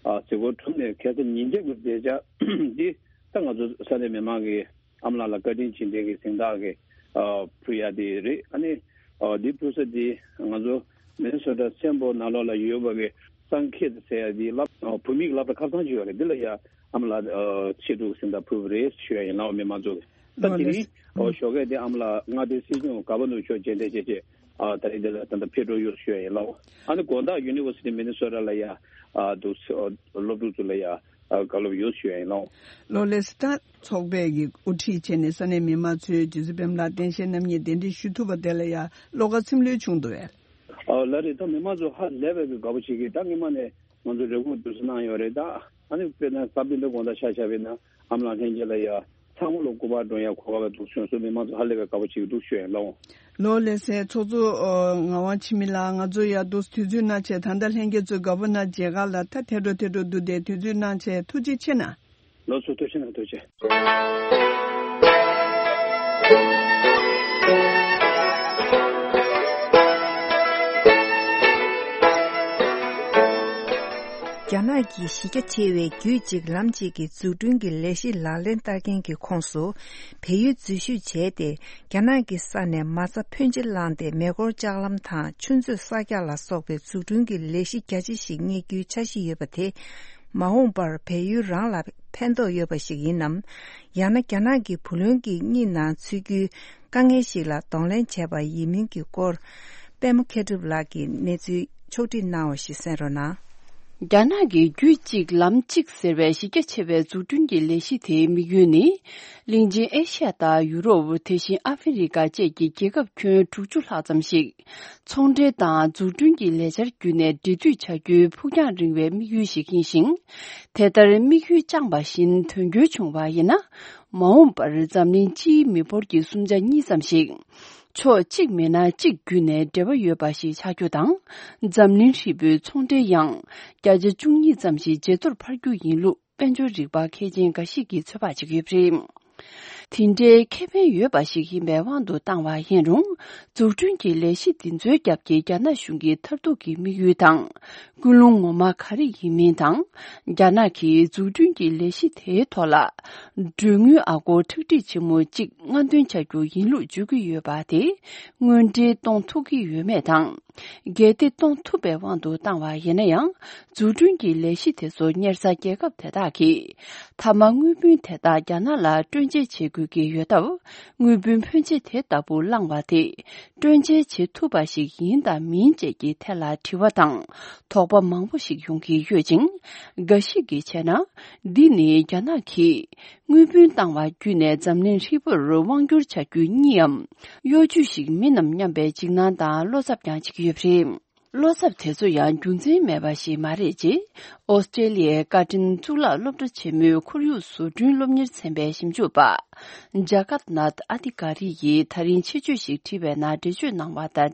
ཨ་གཟིགས་སྐོར་གྲུབ་ནས་ཁ་སང་ཉིན་རྒྱབ་ཀྱི་མཛད་འཆར་འདི་ད་ང་ཚོ་ས་གནས་མི་མང་གི་ཨ་མ་ལགས་ལ་བཀའ་དྲིན་རྗེས་དྲན་གྱི་གཟེངས་རྟགས་ཀྱི་ཨ་ཕུལ་ཡ་དེ་རེད། ཨ་ནི་ཨ་འདི་ཕུལ་ས་དེ་ང་ཚོ་མི་ནི་སོ་ཊ་སེན་པོ་ནང་ལོགས་ལ་ཡོད་པ་གི་སན་ཁེད་ཟེར་ཡ་དེ་སློབ་ཨ་བོད་མིའི་སློབ་གྲྭ་ཁག་ཚང་ཅིག་ཡོད་རེད། འདི་ལ་ཡ་ཨ་མ་ལགས་ཨ་ཆེད་དུ་གཟེངས་རྟགས་ཕུལ་བ་རེད་ཞུ་ཡ་ཡིན་ལགས། མི་མང་ཚོ་ད་དེ་རིང་ཨ་ཞོགས་ཀས་དེ་ཨ་མ་ལགས་མངའ་སྡེ་སྲིད་སྐྱོང་ག་པ་ནོར་མཆོག་མཇལ་འཕྲད་བྱས་བྱས་ཨ་ད་རེས་འདི་ལ་ད་ལྟ་ཕེབས་འགྲོ་ཡོད་ཞུ་ཡ་ཡིན་ལགས། ཨ་ནི་དགོང་དག་ཡུ་ནི་ཝར་སི་ཊི་མི་ནི་སོ་ཊ་ལ་ཡ་ཨ་འདུག་སློབ་ཕྲུག་ཚོ་ལ་ཡ་ཨ་བཀའ་སློབ་ཡོད་ཞུ་ཡ་ཡིན་ལགས། ལོ་ལེགས་སོ། ད་ཚོགས་པས་ཀྱི་དབུ་ཁྲིད་བྱས་ནས་ས་གནས་མི་མང་ཚོས་རྗེ་བཙུན་པད་མ་ལགས་རྟེན་བཞེངས་རྣམ་གཉིས་གདན་འདྲེན་ཞུ་ཐུབ་པ་དེ་ལ་ཡང་བློ་དགའ་ཚིམ་ལྷོད་བྱུང་འདུག་པས། ཨ་ལགས་རེད། ད་མི་མང་ཚོ་ཧ་ལས་པའི་གི་དགའ་པོ་བྱེད་ཀྱི། ད་སྔོན་མ་ནས་ང་ཚོ་རེ་སྐུལ་དུས་སུ་གནང་ཡོད་རེད། ད་ཨ་ནི་དཔེར་ན་གཟའ་སྤེན་པའི་དགོང་དག་ཆ་བཞག་པ་ཡིན་ན་ཨ་མ་ལགས་ལྷན་རྒྱས་ལ་ཡང་ཚང་མ་ལོ་སྐུ་པར་སྒྲོན་ཡ་གོ་སྐབས་འདུག་བྱུང་སོང་། མི་མང་ཚོ་ཧ་ལས་པའི་དགའ་པོ་བྱེད་ཀྱི་འདུག་ཞུ་ཡ་ཡིན་ལགས། ལོ་ལེགས་སོ། ཚོགས་གཙོ་ཨ་ངག་དབང་འཆི་མེད་ལགས། ང་ཚོ་ཡ་འདུག་དུས་ཚོད་གནང་བྱས། ད་ལྟ་ལྷན་རྒྱས་ཚོས་དགའ་པོ་གནང་མཇལ་ཁ་ལ་ད་ཐད་འགྲོ་ཐད་འགྲོ་འདུག་སྟེ། དུས་ཚོད་གནང་བྱས་ཐུགས་རྗེ་ཆེ་གནང་། ལགས་སོ། ཐུགས་རྗེ་གནང་། ཐུགས་རྗེ་ཆེ། རྒྱ་ནག་གི་གཞི་རྒྱ་ཆེ་བའི་རྒྱུད་གཅིག་ལམ་གཅིག་གི་འཛུགས་སྐྲུན་གྱི་ལས་གཞི་ལག་ལེན་བསྟར་མཁན་གྱི་ཁོངས་སུ་བལ་ཡུལ་འཛུལ་ཞུགས་བྱས་ཏེ། རྒྱ་ནག་གི་ས་ནས་མ་རྩ་ཕོན་ཆེ་བླངས་ཏེ་མེ་འཁོར་ལྕགས་ལམ་དང་ཆུ་མཛོད་གསར་རྒྱག་ལ་སོགས་པའི་འཛུགས་སྐྲུན་གྱི་ལས་གཞི་རྒྱ་ཆེ་ཞིག་གཉེར་རྒྱུའི་འཆར་གཞི་ཡོད་པ་དེ། མ་འོངས་པར་བལ་ཡུལ་རང་ལ་ཕན་ཐོགས་ཡོད་པ་ཞིག་ཡིན་ནམ། ཡང་ན་རྒྱ་ནག་གི་བུ་ལོན་གྱི་གཉིད་ནང་ཚུད་རྒྱུའི་དཀའ་ངལ་ཞིག་ལ་གདོང་ལེན་བྱས་པ་ཡིན་མིན་གྱི་སྐོར། པད་མ་མཁས་གྲུབ་ལགས་ཀྱིས་གནས་ཚུལ་ཕྱོགས་བསྒྲིགས་གནང་བ་ཞིག་གསན་རོགས་གནང་། རྒྱ་ནག་གི་རྒྱུད་གཅིག་ལམ་གཅིག་ཟེར་བའི་གཞི་རྒྱ་ཆེ་བའི་འཛུགས་སྐྲུན་གྱི་ལས་གཞི་དེའི་དམིགས་ཡུལ་ནི། གླིང་ཆེན་ཨེ་ཤ་ཡ་དང་ཡུ་རོབ། དེ་བཞིན་ཨ་ཧྥེ་རི་ཀ་བཅས་ཀྱི་རྒྱལ་ཁབ་ཁྱོན་དྲུག་ཅུ་ལྷག་ཙམ་ཞིག་ཚོང་འབྲེལ་དང་འཛུགས་སྐྲུན་གྱི་ལས་འཆར་བརྒྱུད་ནས་འབྲེལ་མཐུད་བྱ་རྒྱུའི་ཕུགས་རྒྱང་རིང་བའི་དམིགས་ཡུལ་ཞིག་ཡིན་ཞིང་། དེ་ལྟར་དམིགས་ཡུལ་བཅངས་པ་བཞིན་དོན་འཁྱོལ་བྱུང་བ་ཡིན་ན། མ་འོངས་པར་འཛམ་གླིང་སྤྱིའི་མི་འབོར་གྱི་གསུམ་ཆ་གཉིས་ཙམ་ཞིག་ཕྱོགས་གཅིག་མིན་ན་གཅིག་བརྒྱུད་ནས་འབྲེལ་བ་ཡོད་པ་ཞིག་ཆགས་རྒྱུ་དང་། འཛམ་གླིང་ཧྲིལ་པོའི་ཚོང་འབྲེལ་ཡང་བརྒྱ་ཆ་བཅུ་གཉིས་ཙམ་ཞིག་ཇེ་མཐོར་འཕར་རྒྱུ་ཡིན་ལུགས། དཔལ་འབྱོར་རིག་པ་མཁས་ཅན་འགའ་ཞིག་གིས་ཚོད་དཔག་བྱེད་ཀྱི་ཡོད་པ་རེད། དེ་འདྲའི་ཁེ་ཕན་ཡོད་པ་ཞིག་ཡིན་པའི་དབང་དུ་བཏང་བ་ཡིན་རུང་། འཛུགས་སྐྲུན་གྱི་ལས་གཞི་འདི་ཚོའི་རྒྱབ་ཀྱི་རྒྱ་ནག་གཞུང་གི་མཐར་ཐུག་གི་དམིགས་ཡུལ་དང་། ཀུན་སློང་ངོ་མ་ག་རེ་ཡིན་མིན་དང་། རྒྱ་ནག་གིས་འཛུགས་སྐྲུན་གྱི་ལས་གཞི་དེའི་ཐོག་ལ། གྲོན་དངུལ་ཨ་སྒོར་ཁྲག་ཁྲིག་ཆེན་མོ་གཅིག་སྔ་འདོན་བྱ་རྒྱུ་ཡིན་ལུགས་བརྗོད་ཀྱི་ཡོད་པ་དེ། དངོས་འབྲེལ་གཏོང་ཐུབ་ཀྱི་ཡོད་མེད་དང་། གལ་ཏེ་གཏོང་ཐུབ་པའི་དབང་དུ་བཏང་བ་ཡིན་ན་ཡང་། འཛུགས་སྐྲུན་གྱི་ལས་གཞི་དེ་ཚོ་གཉེར་ས་རྒྱལ་ཁབ་དེ་དག་གིས། མཐའ་མ་དངུལ་བུན་དེ་དག་རྒྱ་ནག་ལ་སྤྲོད་འཇལ་བྱེད་དགོས་ཀྱི་ཡོད་སྟབས། དངུལ་བུན་ཕོན་ཆེ་དེ་ལྟ་བུ་བླངས་པ་དེ། སྤྲོད་འཇལ་བྱེད་ཐུབ་པ་ཞིག་ཡིན་དང་མིན་བཅས་ཀྱི་ཐད་ལ་དྲི་བ་དང་དོགས་པ་མང་པོ་ཞིག་ཡོང་གི་ཡོད་ཅིང་། འགའ་ཞིག་གིས་བྱས་ན། འདི་ནི་རྒྱ་ནག་གིས་དངུལ་བུན་བཏང་བ་བརྒྱུད་ནས་འཛམ་གླིང་ཧྲིལ་པོར་དབང་བསྒྱུར་བྱ་རྒྱུ་གཉིས་འམ། གཡོ་ཇུས་ཤིག་མིན་ནམ་སྙམ་པའི་འཇིགས་སྣང་དང་བློ་འཚབ་ཀྱང་བྱེད་ཀྱི་ཡོད་པ་རེད། བློ་འཚབ་དེ་ཚོ་ཡང་རྒྱུ་མཚན་མེད་པ་ཞིག་མ་རེད་ཅེས། ཨོ་སི་ཀྲེ་ལི་ཡའི་བཀའ་དྲིན་གཙུག་ལག་སློབ་གྲྭ་ཆེན་མོའི་ཁོར་ཡུག་བཟོ་སྐྲུན་སློབ་གཉེར་ཚན་པའི་ཞིབ་འཇུག་པ། ཇ་ཀ་ནཱཐ་ཨ་ཏི་ཀ་རི་ཡིས་ད་རིང་ཆེད་བརྗོད་ཞིག་བྲིས་པའི་ནང་འགྲེལ་བརྗོད་གནང་བ་དང་འབྲེལ།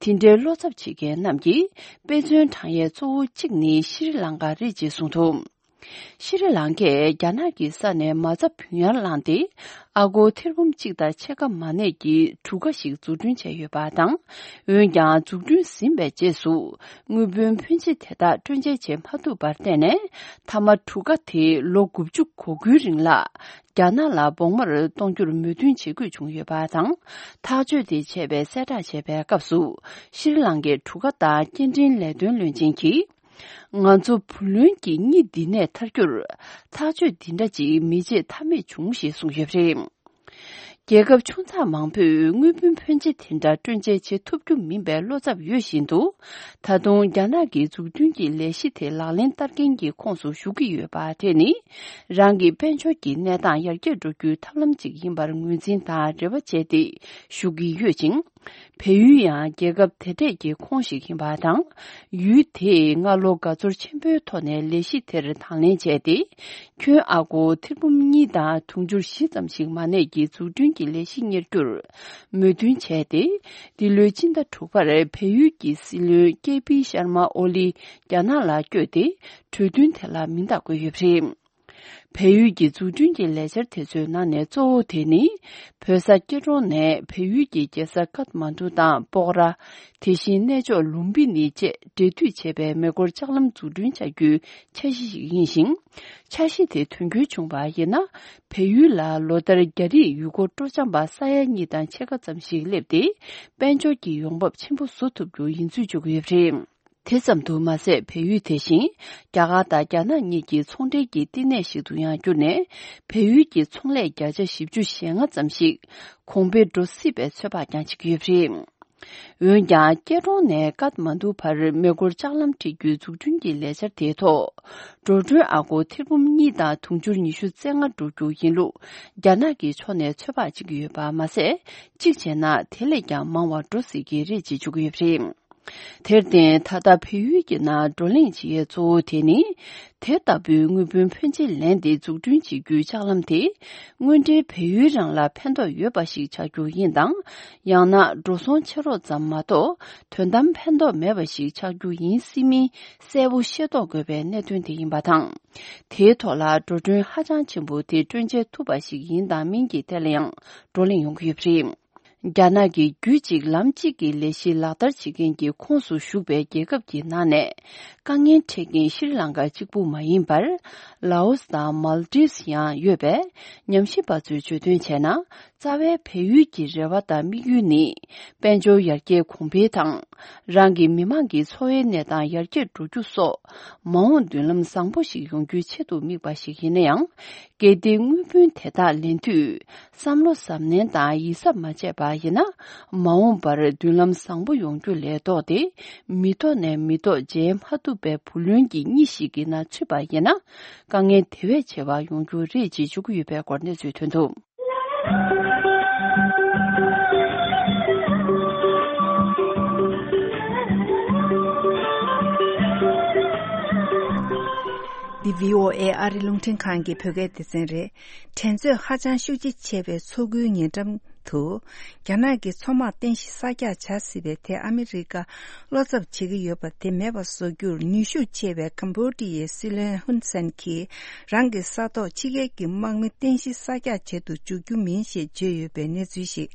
དེ་འདྲའི་བློ་འཚབ་བྱེད་མཁན་རྣམས་ཀྱིས་དཔེ་མཚོན་བགྲང་ཡས་གཙོ་བོ་གཅིག་ནི་ཤྲི་ལང་ཀ་རེད་ཅེས་གསུངས་འདུག་ཤྲི་ལང་ཀས་རྒྱ་ནག་གི་ས་ནས་མ་རྩ་བུན་གཡར་བླངས་ཏེ། ཨ་སྒོར་ཐེར་འབུམ་གཅིག་དང་ཕྱེད་ཀ་མ་གནས་ཀྱི་གྲུ་ཁ་ཞིག་འཛུགས་སྐྲུན་བྱས་ཡོད་པ་དང་། འོན་ཀྱང་། འཛུགས་སྐྲུན་ཟིན་པའི་རྗེས་སུ། དངུལ་བུན་ཕོན་ཆེ་དེ་དག་སྤྲོད་འཇལ་བྱེད་མ་ཐུབ་པར་བརྟེན་ནས། མཐའ་མ་གྲུ་ཁ་དེ་ལོ་དགུ་བཅུ་གོ་དགུའི་རིང་ལ། རྒྱ་ནག་ལ་བོགས་མར་གཏོང་རྒྱུར་མོས་མཐུན་བྱེད་དགོས་བྱུང་ཡོད་པ་དང་། ཐག་གཅོད་དེ་བྱས་པའི་གསལ་བསྒྲགས་བྱས་པའི་སྐབས་སུ། ཤྲི་ལང་ཀའི་གྲུ་ཁ་དང་སྐྱེལ་འདྲེན་ལས་དོན་བློན་ཆེན་གྱིས། ང་ཚོ་བུ་ལོན་གྱི་གཉིད་འདི་ནས་ཐར་རྒྱུར། ཐག་གཅོད་འདི་འདྲ་ཅིག་མི་བྱེད་ཐབས་མེད་བྱུང་ཞེས་གསུངས་ཡོད་པ་རེད། རྒྱལ་ཁབ་ཆུང་ཙག་མང་པོས་དངུལ་བུན་ཕོན་ཆེ་དེ་འདྲ་སྤྲོད་འཇལ་བྱེད་ཐུབ་རྒྱུ་མིན་པའི་བློ་འཚབ་ཡོད་བཞིན་དུ། ད་དུང་རྒྱ་ནག་གི་འཛུགས་སྐྲུན་གྱི་ལས་གཞི་དེ་ལག་ལེན་བསྟར་མཁན་གྱི་ཁོངས་སུ་ཞུགས་ཀྱི་ཡོད་པ་དེ་ནི། རང་གི་དཔལ་འབྱོར་གྱི་གནས་སྟངས་ཡར་རྒྱས་འགྲོ་རྒྱུའི་ཐབས་ལམ་ཅིག་ཡིན་པར་ངོས་འཛིན་དང་རེ་བ་བྱས་ཏེ་ཞུགས་ཀྱི་ཡོད་ཅིང་། བལ་ཡུལ་ཡང་རྒྱལ་ཁབ་དེ་གྲས་ཀྱི་ཁོངས་ཤིག་ཡིན་པ་དང་། ཡུལ་དེས་སྔ་ལོ་དགའ་ཚོར་ཆེན་པོའི་ཐོག་ནས་ལས་གཞི་དེར་དང་ལེན་བྱས་ཏེ། ཁྱོན་ཨ་སྒོར་ཐེར་འབུམ་གཉིས་དང་དུང་ཕྱུར་བཞི་ཙམ་ཞིག་མ་གནས་ཀྱི་འཛུགས་སྐྲུན་གྱི་ལས་གཞི་གཉེར་རྒྱུར་མོས་མཐུན་བྱས་ཏེ། འདི་ལོའི་སྤྱི་ཟླ་དྲུག་པར་བལ་ཡུལ་གྱི་སྲིད་བློན་ཀེ་པི་ཤར་མ་ཨོ་ལི་རྒྱ་ནག་ལ་བསྐྱོད་དེ། གྲོས་མཐུན་དེ་ལ་མིང་རྟགས་བཀོད་ཡོད་པ་རེད། བལ་ཡུལ་གྱི་འཛུགས་སྐྲུན་གྱི་ལས་འཆར་དེ་ཚོའི་ནང་ནས་གཙོ་བོ་དེ་ནི། བོད་ས་སྐྱེ་འགྲོ་ནས་བལ་ཡུལ་གྱི་རྒྱལ་ས་ཀཏ་མན་ཌུ་དང་སྤོག་ར། དེ་བཞིན་གནས་མཆོག་ལུམ་བི་ནི་བཅས་འབྲེལ་མཐུད་བྱས་པའི་མེ་འཁོར་ལྕགས་ལམ་འཛུགས་སྐྲུན་བྱ་རྒྱུའི་འཆར་གཞི་ཞིག་ཡིན་ཞིང་། འཆར་གཞི་དེ་དོན་འཁྱོལ་བྱུང་བ་ཡིན་ན། བལ་ཡུལ་ལ་ལོ་ལྟར་རྒྱ་རིགས་ཡུལ་སྐོར་སྤྲོ་འཆམ་པ་ས་ཡ་གཉིས་དང་ཕྱེད་ཀ་ཙམ་ཞིག་སླེབས་ཏེ། དཔལ་འབྱོར་གྱི་ཡོང་འབབ་ཆེན་པོ་བཟོ་ཐུབ་རྒྱུ་ཡིན་ཚུལ་བརྗོད་ཀྱི་ཡོད་པ་རེད། དེ་ཙམ་དུ་མ་ཟད། བལ་ཡུལ་དེ་བཞིན་རྒྱ་གར་དང་རྒྱ་ནག་གཉིས་ཀྱི་ཚོང་འབྲེལ་གྱི་བསྟི་གནས་ཤིག་ཏུ་ཡང་གྱུར་ནས། བལ་ཡུལ་གྱི་ཚོང་ལས་བརྒྱ་ཆ་བཞི་བཅུ་ཞེ་ལྔ་ཙམ་ཞིག་གོང་འཕེལ་འགྲོ་སྲིད་པའི་ཚོད་དཔག་ཀྱང་བྱེད་ཀྱི་ཡོད་པ་རེད། འོན་ཀྱང་། སྐྱེ་གྲོང་ནས་ཀཏ་མན་ཌུ་བར་མེ་འཁོར་ལྕགས་ལམ་འཁྲིད་རྒྱུའི་འཛུགས་སྐྲུན་གྱི་ལས་འཆར་དེའི་ཐོག་འགྲོ་གྲོན་ཨ་སྒོར་ཐེར་འབུམ་གཉིས་དང་དུང་ཕྱུར་ཉི་ཤུ་རྩ་ལྔ་འགྲོ་རྒྱུ་ཡིན་ལུགས། རྒྱ་ནག་གི་ཕྱོགས་ནས་ཚོད་དཔག་བྱེད་ཀྱི་ཡོད་པ་མ་ཟད། གཅིག་བྱས་ན། དེ་ལས་ཀྱང་མང་བ་འགྲོ་སྲིད་ཀྱི་རེད་ཅེས་བརྗོད་ཀྱི་ཡོད་པ་རེད། དེར་བརྟེན། ད་ལྟ་བལ་ཡུལ་གྱི་ནང་བགྲོ་གླེང་བྱེད་ཡས་གཙོ་བོ་དེ་ནི། དེ་ལྟ་བུའི་དངུལ་བུན་ཕོན་ཆེ་ལེན་ཏེ་འཛུགས་སྐྲུན་བྱེད་རྒྱུའི་ལྕགས་ལམ་དེ། དངོས་འབྲེལ་བལ་ཡུལ་རང་ལ་ཕན་ཐོགས་ཡོད་པ་ཞིག་ཆགས་རྒྱུ་ཡིན་དང་། ཡང་ན། འགྲོ་སོང་ཆེ་རུ་ཙམ་མ་གཏོགས། དོན་དམ་ཕན་ཐོགས་མེད་པ་ཞིག་ཆགས་རྒྱུ་ཡིན་སྲིད་མིན། གསལ་པོ་ཤེས་རྟོགས་དགོས་པའི་གནད་དོན་དེ་ཡིན་པ་དང་། དེའི་ཐོག་ལ་འགྲོ་གྲོན་ཧ་ཅང་ཆེན་པོ་དེ་སྤྲོད་འཇལ་ཐུབ་པ་ཞིག་ཡིན་དང་མིན་གྱི་ཐད་ལ་ཡང་བགྲོ་གླེང་ཡོང་གི་ཡོད་པ་རེད། རྒྱ་ནག་གིས་རྒྱུད་གཅིག་ལམ་གཅིག་གི་ལས་གཞི་ལག་བསྟར་བྱེད་མཁན་གྱི་ཁོངས་སུ་ཞུགས་པའི་རྒྱལ་ཁབ་ཀྱི་ནང་ནས། དཀའ་ངལ་འཕྲད་མཁན་ཤྲི་ལང་ཀ་གཅིག་པུ་མ་ཡིན་པར། ལའོ་སི་དང་མཱལ་ཏིབ་སི་ཡང་ཡོད་པས། ཉམས་ཞིབ་པ་ཚོས་བརྗོད་དོན་བྱས་ན། རྩ་བའི་བལ་ཡུལ་གྱི་རེ་བ་དང་དམིགས་ཡུལ་ནི། དཔལ་འབྱོར་ཡར་རྒྱས་གོང་འཕེལ་དང་། རང་གི་མི་མང་གི་འཚོ་བའི་གནས་སྟངས་ཡར་རྒྱས་འགྲོ་རྒྱུ་སོགས། མ་འོངས་མདུན་ལམ་བཟང་པོ་ཞིག་ཡོང་རྒྱུའི་ཆེད་དུ་དམིགས་པ་ཞིག་ཡིན་ན་ཡང་། གལ་ཏེ་དངུལ་བུན་དེ་དག་ལེན་དུས། བསམ་བློ་གཟབ་ནན་དང་ཡིད་གཟབ་མ་བྱས་པ་ཡིན་ན། མ་འོངས་པར་མདུན་ལམ་བཟང་པོ་ཡོང་རྒྱུ་ལས་ལྡོག་སྟེ། མི་ཐོག་ནས་མི་ཐོག་མཇལ་མ་ཐུབ་པའི་བུ་ལོན་གྱི་གཉིད་ཞིག་གི་ནང་ཚུད་པ་ཡིན་ན། དཀའ་ངལ་དེ་བས་ཆེ་བ་ཡོང་རྒྱུ་རེད་ཅེས་བརྗོད་ཀྱི་ཡོད་པའི་སྐོར་གནས་ཚུལ་ཐོན་འདུག། འདི་བྷི་ཨོ་ཨེ་ཨ་རི་རླུང་འཕྲིན་ཁང་གི་བོད་སྐད་སྡེ་ཚན་རེད། འགྲན་རྩོད་ཧ་ཅང་ཤུགས་ཆེ་ཆེ་བའི་མཚོ་ཁུལ་ཉེ་འགྲམ་དུ། རྒྱ་ནག་གི་མཚོ་དམག་རྟེན་གཞི་གསར་རྒྱག་བྱ་སྲིད་པའི་ཐད་ཨ་མི་རི་ཀ་བློ་འཚབ་བྱེད་ཀྱི་ཡོད་པ་དེ་མེད་པ་བཟོ་རྒྱུར་ནུས་ཤུགས་ཆེ་བའི་ཀམ་བོ་ཌི་ཡའི་སྲིད་བློན་ཧུན་སན་གྱིས་རང་གི་ས་ཐོག་ཕྱི་རྒྱལ་གྱི་དམག་མི་རྟེན་གཞི་གསར་རྒྱག་བྱེད་དུ་འཇུག་རྒྱུ་མིན་ཞེས་བརྗོད་ཡོད་པའི་གནས་ཚུལ་ཞིག་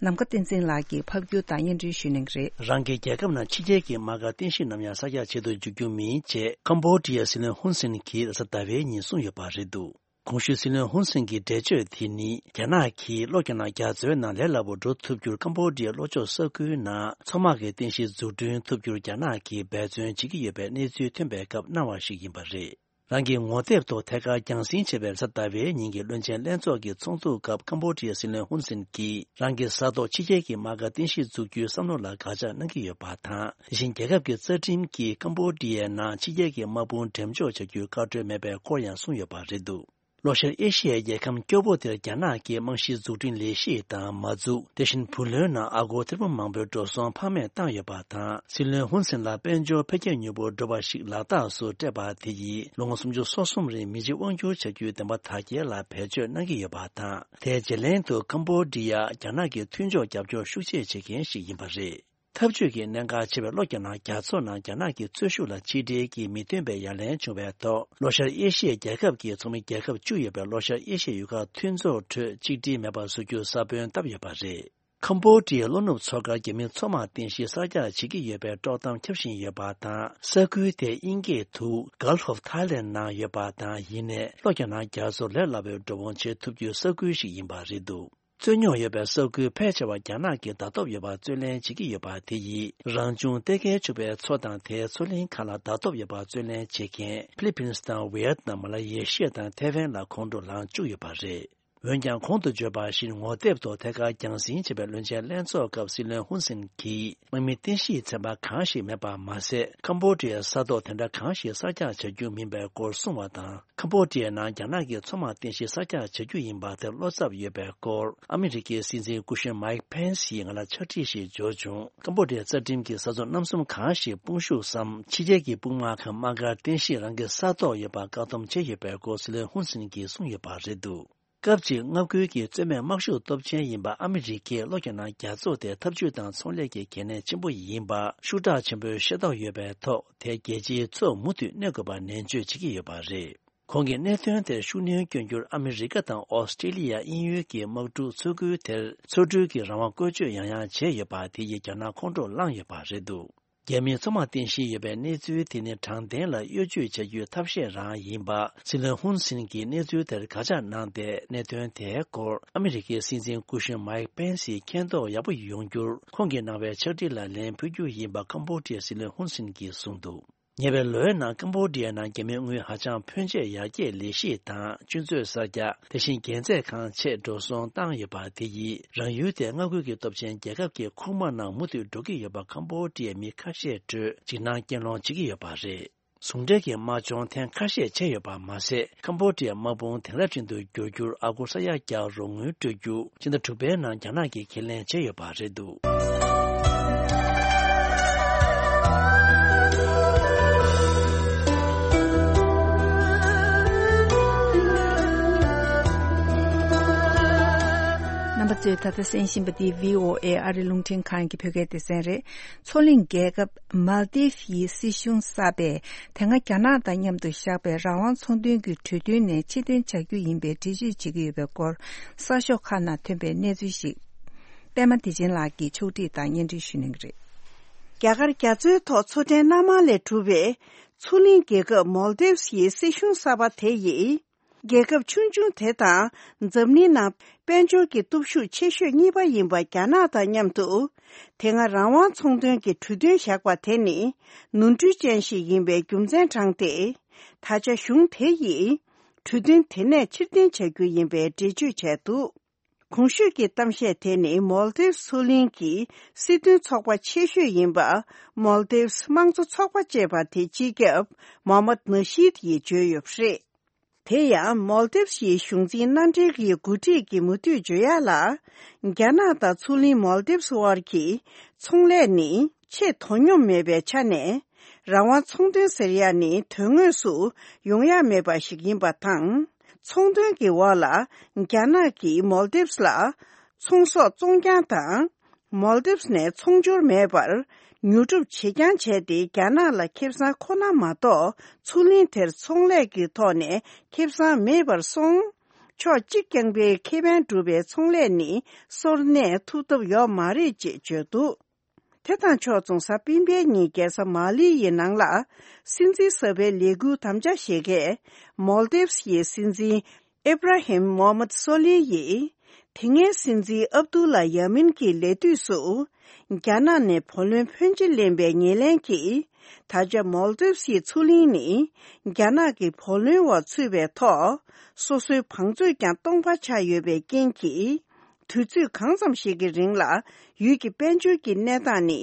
ནམ་མཁའ་བསྟན་འཛིན་ལགས་ཀྱིས་ཕབ་སྒྱུར་དང་སྙན་སྒྲོན་ཞུ་གནང་གི་རེད། རང་གི་རྒྱལ་ཁབ་ནང་ཕྱི་རྒྱལ་གྱི་དམག་སྒར་རྟེན་གཞི་ནམ་ཡང་གསར་རྒྱག་བྱེད་དུ་འཇུག་རྒྱུ་མིན་ཅེས་ཀམ་བོ་ཌི་ཡའི་སྲིད་བློན་ཧུན་སན་གྱིས་རེས་གཟའ་ཟླ་བའི་ཉིན་གསུངས་ཡོད་པ་རེད་འདུག། གོང་ཞུས་སྲིད་བློན་ཧུན་སན་གྱི་འགྲེལ་བརྗོད་དེ་ནི། རྒྱ་ནག་གིས་ལོ་བརྒྱ་ནང་རྒྱ་མཚོའི་ནང་ལས་སླ་པོ་འགྲོ་ཐུབ་རྒྱུར་ཀམ་བོ་ཌི་ཡའི་ལྷོ་ཕྱོགས་ས་ཁུལ་ནང་མཚོ་དམག་གི་རྟེན་གཞི་འཛུགས་སྐྲུན་ཐུབ་རྒྱུར་རྒྱ་ནག་གིས་འབད་བརྩོན་བྱེད་ཀྱི་ཡོད་པའི་གནས་ཚུལ་ཐོན་པའི་སྐབས་གནང་བ་ཞིག་ཡིན་པ་རེད། རང་གི་ངོ་དེབ་ཐོག་ཐད་ཀར་རྒྱང་སྲིང་བྱས་པའི་རེས་གཟའ་ཟླ་བའི་ཉིན་གྱི་བློན་ཆེན་ལྷན་ཚོགས་ཀྱི་ཚོགས་འདུ་སྐབས་ཀམ་བོ་ཌི་ཡའི་སྲིད་བློན་ཧུན་སན་གྱིས་རང་གི་ས་ཐོག་ཕྱི་རྒྱལ་གྱི་དམག་སྒར་རྟེན་གཞི་འཛུགས་རྒྱུའི་བསམ་བློ་ལ་དགག་བྱ་གནང་གི་ཡོད་པ་དང་། དེ་བཞིན་རྒྱལ་ཁབ་ཀྱི་རྩ་ཁྲིམས་ཀྱིས་ཀམ་བོ་ཌི་ཡའི་ནང་ཕྱི་རྒྱལ་གྱི་དམག་དཔུང་འགྲེམས་འཇོག་བྱ་རྒྱུའི་བཀའ་འཁྲོལ་མེད་པའི་སྐོར་ཡང་གསུངས་ཡོད་པ་རེད་འདུག། ལྷོ་ཤར་ཨེ་ཤི་ཡའི་རྒྱལ་ཁམས་སྐྱོ་པོ་དེར་རྒྱ་ནག་གི་རྨང་གཞིའི་འཛུགས་སྐྲུན་ལས་གཞི་དང་མ་འཛུགས། དེ་བཞིན་བུ་ལོན་ནང་ཨ་སྒོར་ཐེར་འབུམ་མང་པོའི་འགྲོ་སོང་ཕངས་མེད་བཏང་ཡོད་པ་དང་། སྲིད་བློན་ཧུན་སན་ལ་དཔལ་འབྱོར་འཕེལ་རྒྱས་མྱུར་པོ་འགྲོ་བ་ཞིག་ལག་རྟགས་སུ་སྤྲད་པ་དེ་ཡིས་ལོ་ངོ་སུམ་ཅུ་སོ་གསུམ་རིང་མི་རྗེ་དབང་སྒྱུར་བྱ་རྒྱུའི་བདེན་པ་དར་རྒྱས་ལ་བེད་སྤྱོད་གནང་གི་ཡོད་པ་དང་། དེའི་རྗེས་ལན་དུ་ཀམ་བོ་ཌི་ཡ་རྒྱ་ནག་གི་མཐུན་ཕྱོགས་རྒྱབ་སྐྱོར་ཤུགས་ཆེ་བྱེད་མཁན་ཞིག་ཡིན་པ་རེད། འཐབ་ཇུས་ཀྱི་གནད་འགག་ཆེ་བའི་ལྷོ་རྒྱ་ནག་རྒྱ་མཚོ་ནང་རྒྱ་ནག་གི་རྩོད་ཤུགས་ལ་ཆིག་སྒྲིལ་གྱི་མི་མཐུན་པའི་ཡ་ལན་བྱུང་བའི་ཐོག་ལྷོ་ཤར་ཨེ་ཤི་ཡའི་རྒྱལ་ཁབ་ཀྱི་ཚོགས་མི་རྒྱལ་ཁབ་བཅུ་ཡོད་པའི་ལྷོ་ཤར་ཨེ་ཤི་ཡའི་ཡུལ་ཁག་མཐུན་ཚོགས་ཁྲོད་ཆིག་སྒྲིལ་མེད་པར་བཟོ་རྒྱུར་ས་བོན་བཏབ་ཡོད་པ་རེད། ཁམ་བོ་ཌི་ཡའི་ལྷོ་ནུབ་མཚོ་ཁར་རྒྱ་མིའི་མཚོ་དམག་རྟེན་གཞི་གསར་རྒྱག་བྱེད་ཀྱི་ཡོད་པའི་དཀྲོག་གཏམ་ཁྱབ་བཞིན་ཡོད་པ་དང་། ས་ཁུལ་དེ་དབྱིན་སྐད་དུ་Gulf of Thailand ནང་ཡོད་པ་དང་། ཡིན་ནའི་ལྷོ་རྒྱ་ནག་རྒྱ་མཚོར་ལས་སླ་པོའི་འགྲོ་འོང་བྱེད་ཐུབ་རྒྱུའི་ས་ཁུལ་ཞིག་ཡིན་པ་རེད་འདུག། རྩོད་རྙོག་ཡོད་པའི་ས་ཁུལ་ཕལ་ཆེ་བ་རྒྱ་ནག་གིས་ཟླ་གཏོགས་ཡོད་པར་རྩོད་ལེན་བྱེད་ཀྱི་ཡོད་པ་དེ་ཡིས་རང་བྱུང་གཏེར་ཁའི་ཕྱུག་པའི་མཚོ་དང་དེའི་མཚོ་གླིང་ཁག་ལ་ཟླ་གཏོགས་ཡོད་པར་རྩོད་ལེན་བྱེད་མཁན་ཕི་ལི་ཕིན་སི་དང་ཝི་ཡེད་ནམ། མ་ལ་ཡེ་ཤི་ཡ་དང་ཐའེ་ཝན་ལ་ཁོང་ཁྲོ་ལངས་བཅུག་ཡོད་པ་རེད། འོན་ཀྱང་གོང་དུ་བརྗོད་པ་བཞིན་ངོ་དེབ་ཐོག་ཐད་ཀར་རྒྱང་སྲིང་བྱས་པའི་བློན་ཆེན་ལྷན་ཚོགས་སྐབས་སྲིད་བློན་ཧུན་སེན་གྱིས་དམག་མི་རྟེན་གཞི་ཚན་པ་གང་ཞིག་མེད་པ་མ་ཟད། ཁམ་བྷོ་ཌི་ཡའི་ས་ཐོག་དེ་འདྲ་གང་ཞིག་གསར་རྒྱག་བྱ་རྒྱུ་མིན་པའི་སྐོར་གསུངས་པ་དང་། ཁམ་བྷོ་ཌི་ཡའི་ནང་རྒྱ་ནག་གི་མཚོ་དམག་རྟེན་གཞི་གསར་རྒྱག་བྱ་རྒྱུ་ཡིན་པ་དེར་བློ་འཚབ་ཡོད་པའི་སྐོར་ཨ་མི་རི་ཀའི་སྲིད་འཛིན་སྐུ་གཞོན་མའིག་ཕེན་སིས་ང་ལ་ཕྱག་བྲིས་ཤིག་འབྱོར་བྱུང་། ཁམ་བྷོ་ཌི་ཡའི་རྩ་ཁྲིམས་ཀྱི་ས་མཚམས་རྣམ་གསུམ་གང་ཞིག་དཔུང་ཤུགས་སམ་ཕྱི་རྒྱལ་གྱི་དཔུང་དམག་གམ་དམག་སྒར་རྟེན་གཞི་རང་གི་ས་ཐོག་ཡོད་པར་བཀག་སྡོམ་བྱས་ཡོད་པའི་སྐོར་སྲིད་བློན་ཧུན་སེན་གྱིས་གསུངས་ཡོད་པ་རེད་འདུག། སྐབས་གཅིག་མངའ་ཁུལ་གྱི་རྩོད་མེད་དམག་ཤུགས་སྟོབས་ཆེན་ཡིན་པ་ཨ་མི་རི་ཀས་ལྷོ་རྒྱ་ནག་རྒྱ་མཚོ་དེ་འཐབ་ཇུས་དང་ཚོང་ལས་ཀྱི་གལ་གནད་ཆེན་པོ་ཡིན་པ་ཤུགས་དྲག་ཆེན་པོས་ཤེས་རྟོགས་ཡོད་པའི་ཐོག་དེ་རྒྱལ་སྤྱིའི་མཚོར་མུ་མཐུད་གནོན་དགོས་པ་ནན་བརྗོད་བྱེད་ཀྱི་ཡོད་པ་རེད། ཁོང་གིས་གནད་དོན་དེར་ཤུགས་སྣོན་བསྐྱོན་རྒྱུར་ཨ་མི་རི་ཀ་དང་ཨོ་སི་ཀྲི་ལི་ཡ་དབྱིན་ཡུལ་གྱི་དམག་འཁྲུག་ཚོད་སྐུལ་དེར་ཚོགས་འདུའི་གི་རང་དབང་བཀོལ་སྤྱོད་ཡང་ཡང་བྱས་ཡོད་པ་དེ་ཡིས་རྒྱ་ནག་ཁོང་ཁྲོ་ལངས་ཡོད་པ་རེད་འདུག། རྒྱ་མིའི་མཚོ་དམག་རྟེན་གཞི་ཡོད་པའི་གནས་ཚུལ་དེ་ནི་དྲང་བདེན་ལ་གཡོ་ཇུས་བྱ་རྒྱུའི་ཐབས་ཤེས་རང་ཡིན་པ། སྲིད་བློན་ཧུན་སིན་གྱིས་གནས་ཚུལ་དེར་དགག་བྱ་གནང་སྟེ། གནད་དོན་དེའི་སྐོར་ཨ་མི་རི་ཀའི་སྲིད་འཛིན་སྐུ་གཞོན་མའིག་པེན་སིས་མཁྱེན་རྟོགས་ཡག་པོ་ཡོང་རྒྱུར་ཁོང་གིས་གནང་བའི་ཕྱག་བྲིས་ལ་ལན་ཕུལ་རྒྱུ་ཡིན་པ་ཀམ་བྷོ་ཌི་ཡའི་སྲིད་བློན་ཧུན་སིན་གྱིས་གསུངས་འདུག། ཉེ་བའི་ལོའི་ནང་ཀམ་བྷོ་ཌི་ཡའི་ནང་རྒྱ་མིའི་དངུལ་ཧ་ཅང་ཕོན་ཆེ་ཡར་རྒྱས་ལས་གཞི་དང་། ཆུ་མཛོད་གསར་རྒྱག་དེ་བཞིན་རྒྱལ་རྩེད་ཁང་ཆེད་འགྲོ་སོང་བཏང་ཡོད་པ་དེ་ཡིས་རང་ཡུལ་དེ་མངའ་ཁུལ་གྱི་སྟོབས་ཆེན་རྒྱལ་ཁབ་ཀྱི་ཁུག་མ་ནང་མུ་མཐུད་འགྲོ་གི་ཡོད་པ་ཀམ་བྷོ་ཌི་ཡའི་མི་ཁ་ཤས་ཁྲོད་འཇིགས་སྣང་སྐྱེད་སློང་བྱེད་ཀྱི་ཡོད་པ་རེད། ཟུང་འབྲེལ་གྱི་དམག་སྦྱོང་ཐེངས་ཁ་ཤས་བྱས་ཡོད་པ་མ་ཟད། ཀམ་བྷོ་ཌི་ཡའི་དམག་དཔུང་དེང་རབས་ཅན་དུ་བསྒྱུར་རྒྱུར་ཨ་སྒོར་ས་ཡ་བརྒྱ་རོགས་དངུལ་སྤྲོད་རྒྱུ་ཕྱི་ཟླ་དྲུག་པའི་ནང་རྒྱ་ནག་གིས་ཁས་ལེན་བྱས་ཡོད་པ་རེད་འདུག། རྣམ་པ་ཚོས་ད་ལྟ་གསན་བཞིན་པ་འདི་བྷི་ཨོ་ཨེ་ཨ་རི་རླུང་འཕྲིན་ཁང་གི་བོད་སྐད་སྡེ་ཚན་རེད། མཚོ་གླིང་རྒྱལ་ཁབ་མཱལ་དིབ་ཡི་སྲིད་གཞུང་གསར་པས་དེ་སྔ་རྒྱ་ནག་དང་མཉམ་དུ་བཞག་པའི་རང་དབང་ཚོང་དོན་གྱི་གྲོས་མཐུན་ནས་ཕྱིར་འཐེན་བྱ་རྒྱུ་ཡིན་པའི་འགྲེལ་བརྗོད་བྱེད་ཀྱི་ཡོད་པའི་སྐོར་གསར་ཤོག་ཁག་ནང་ཐོན་པའི་གནས་ཚུལ་ཞིག་པད་མ་བདེ་ཆེན་ལགས་ཀྱིས་ཕྱོགས་སྒྲིག་དང་སྙན་སྒྲོན་ཞུ་གནང་གི་རེད། རྒྱ་གར་རྒྱ་མཚོའི་ཐོག་མཚོ་ཕྲན་སྣ་མང་ལས་གྲུབ་པའི་མཚོ་གླིང་རྒྱལ་ཁབ་མཱལ་དིབ་ཡི་སྲིད་གཞུང་གསར་པ་དེ་ཡིས། རྒྱལ་ཁབ་ཆུང་ཆུང་དེ་དང་འཛམ་གླིང་ནང་དཔལ་འབྱོར་གྱི་སྟོབས་ཤུགས་ཆེ་ཤོས་གཉིས་པ་ཡིན་པ་རྒྱ་ནག་དང་མཉམ་དུ། དེ་སྔ་རང་དབང་ཚོང་དོན་གྱི་གྲོས་མཐུན་བཞག་པ་དེ་ནི་ནོར་འཁྲུལ་ཅན་ཞིག་ཡིན་པའི་རྒྱུ་མཚན་དྲངས་ཏེ། ད་ཆ་གཞུང་དེ་ཡིས་གྲོས་མཐུན་དེ་ནས་ཕྱིར་འཐེན་བྱ་རྒྱུ་ཡིན་པའི་འགྲེལ་བརྗོད་བྱས་འདུག། གོང་ཞུས་ཀྱི་གཏམ་བཤད་དེ་ནི་མཱལ་དིབ་མཚོ་གླིང་གི་སྲིད་དོན་ཚོགས་པ་ཆེ་ཤོས་ཡིན་པ་མཱལ་དིབ་དམངས་གཙོ་ཚོགས་པ་ཅེས་པ་དེའི་སྤྱི་ཁྱབ་མོ་མད་ནཱ་ཤིད་ཡིས་བརྗོད་ཡོད་པ་རེད། དེ་ཡང་མཱལ་དིབ་ཡི་གཞུང་འཛིན་མནའ་འབྲེལ་གྱི་འགོ་ཁྲིད་ཀྱིས་མུ་མཐུད་བརྗོད་ཡག་ལ། རྒྱ་ནག་དང་མཚོ་གླིང་མཱལ་དིབ་དབར་གྱི་ཚོང་ལས་ནི་ཆེས་དོ་སྙོམས་མེད་པའི་ཆ་ནས། རང་དབང་ཚོང་དོན་ཟེར་ཡག་ནི་དོན་དངོས་སུ་ཡོང་ཡག་མེད་པ་ཞིག་ཡིན་པ་དང་། ཚོང་དོན་གྱི་འོག་ལ་རྒྱ་ནག་གིས་མཱལ་དིབ་ལ་ཚོང་ཟོག་བཙོང་རྐྱང་དང་། མཱལ་དིབ་ནས་ཚོང་སྦྱོར་མེད་པར་ཉོ་སྒྲུབ་བྱེད་རྐྱང་བྱས་ཏེ། རྒྱ་ནག་ལ་ཁེ་བཟང་ཁོ་ན་མ་གཏོགས། མཚོ་གླིང་དེར་ཚོང་ལས་ཀྱི་ཐོག་ནས་ཁེ་བཟང་མེད་པར་སོང་། ཕྱོགས་གཅིག་རྐྱང་པའི་ཁེ་ཕན་སྒྲུབ་པའི་ཚོང་ལས་ནི་སོར་གནས་ཐུབ་ཐབས་ཡོད་མ་རེད་ཅེས་བརྗོད་འདུག། དེ་དང་ཕྱོགས་མཚུངས། གཟའ་སྤེན་པའི་ཉིན་རྒྱལ་ས་མ་ལི་ཡི་ནང་ལ་སྲིད་འཛིན་གསར་པའི་ལས་འཁུར་དམ་བཅའ་བཞེས་མཁན་མཱལ་དིབ་ཡི་སྲིད་འཛིན་ཨེབ་ར་ཧིམ་མོ་མད་སོ་ལི་ཡིས། དེ་སྔའི་སྲིད་འཛིན་ཨབ་དུ་ལ་ཡ་མིན་གྱི་ལས་དུས་སུ། རྒྱ་ནག་ནས་བུ་ལོན་ཕོན་ཆེ་ལེན་པའི་ངོས་ལེན་གྱིས། ད་ཆ་མཱལ་དིབ་ཡི་མཚོ་གླིང་ནི། རྒྱ་ནག་གི་བུ་ལོན་འོག་ཚུད་པའི་ཐོག་སོ་སོའི་བང་མཛོད་ཀྱང་སྟོང་པ་ཆགས་ཡོད་པའི་རྐྱེན་གྱིས། དུས་ཚོད་གང་ཙམ་ཞིག་གི་རིང་ལ་ཡུལ་གྱི་དཔལ་འབྱོར་གྱི་གནས་སྟངས་ནི་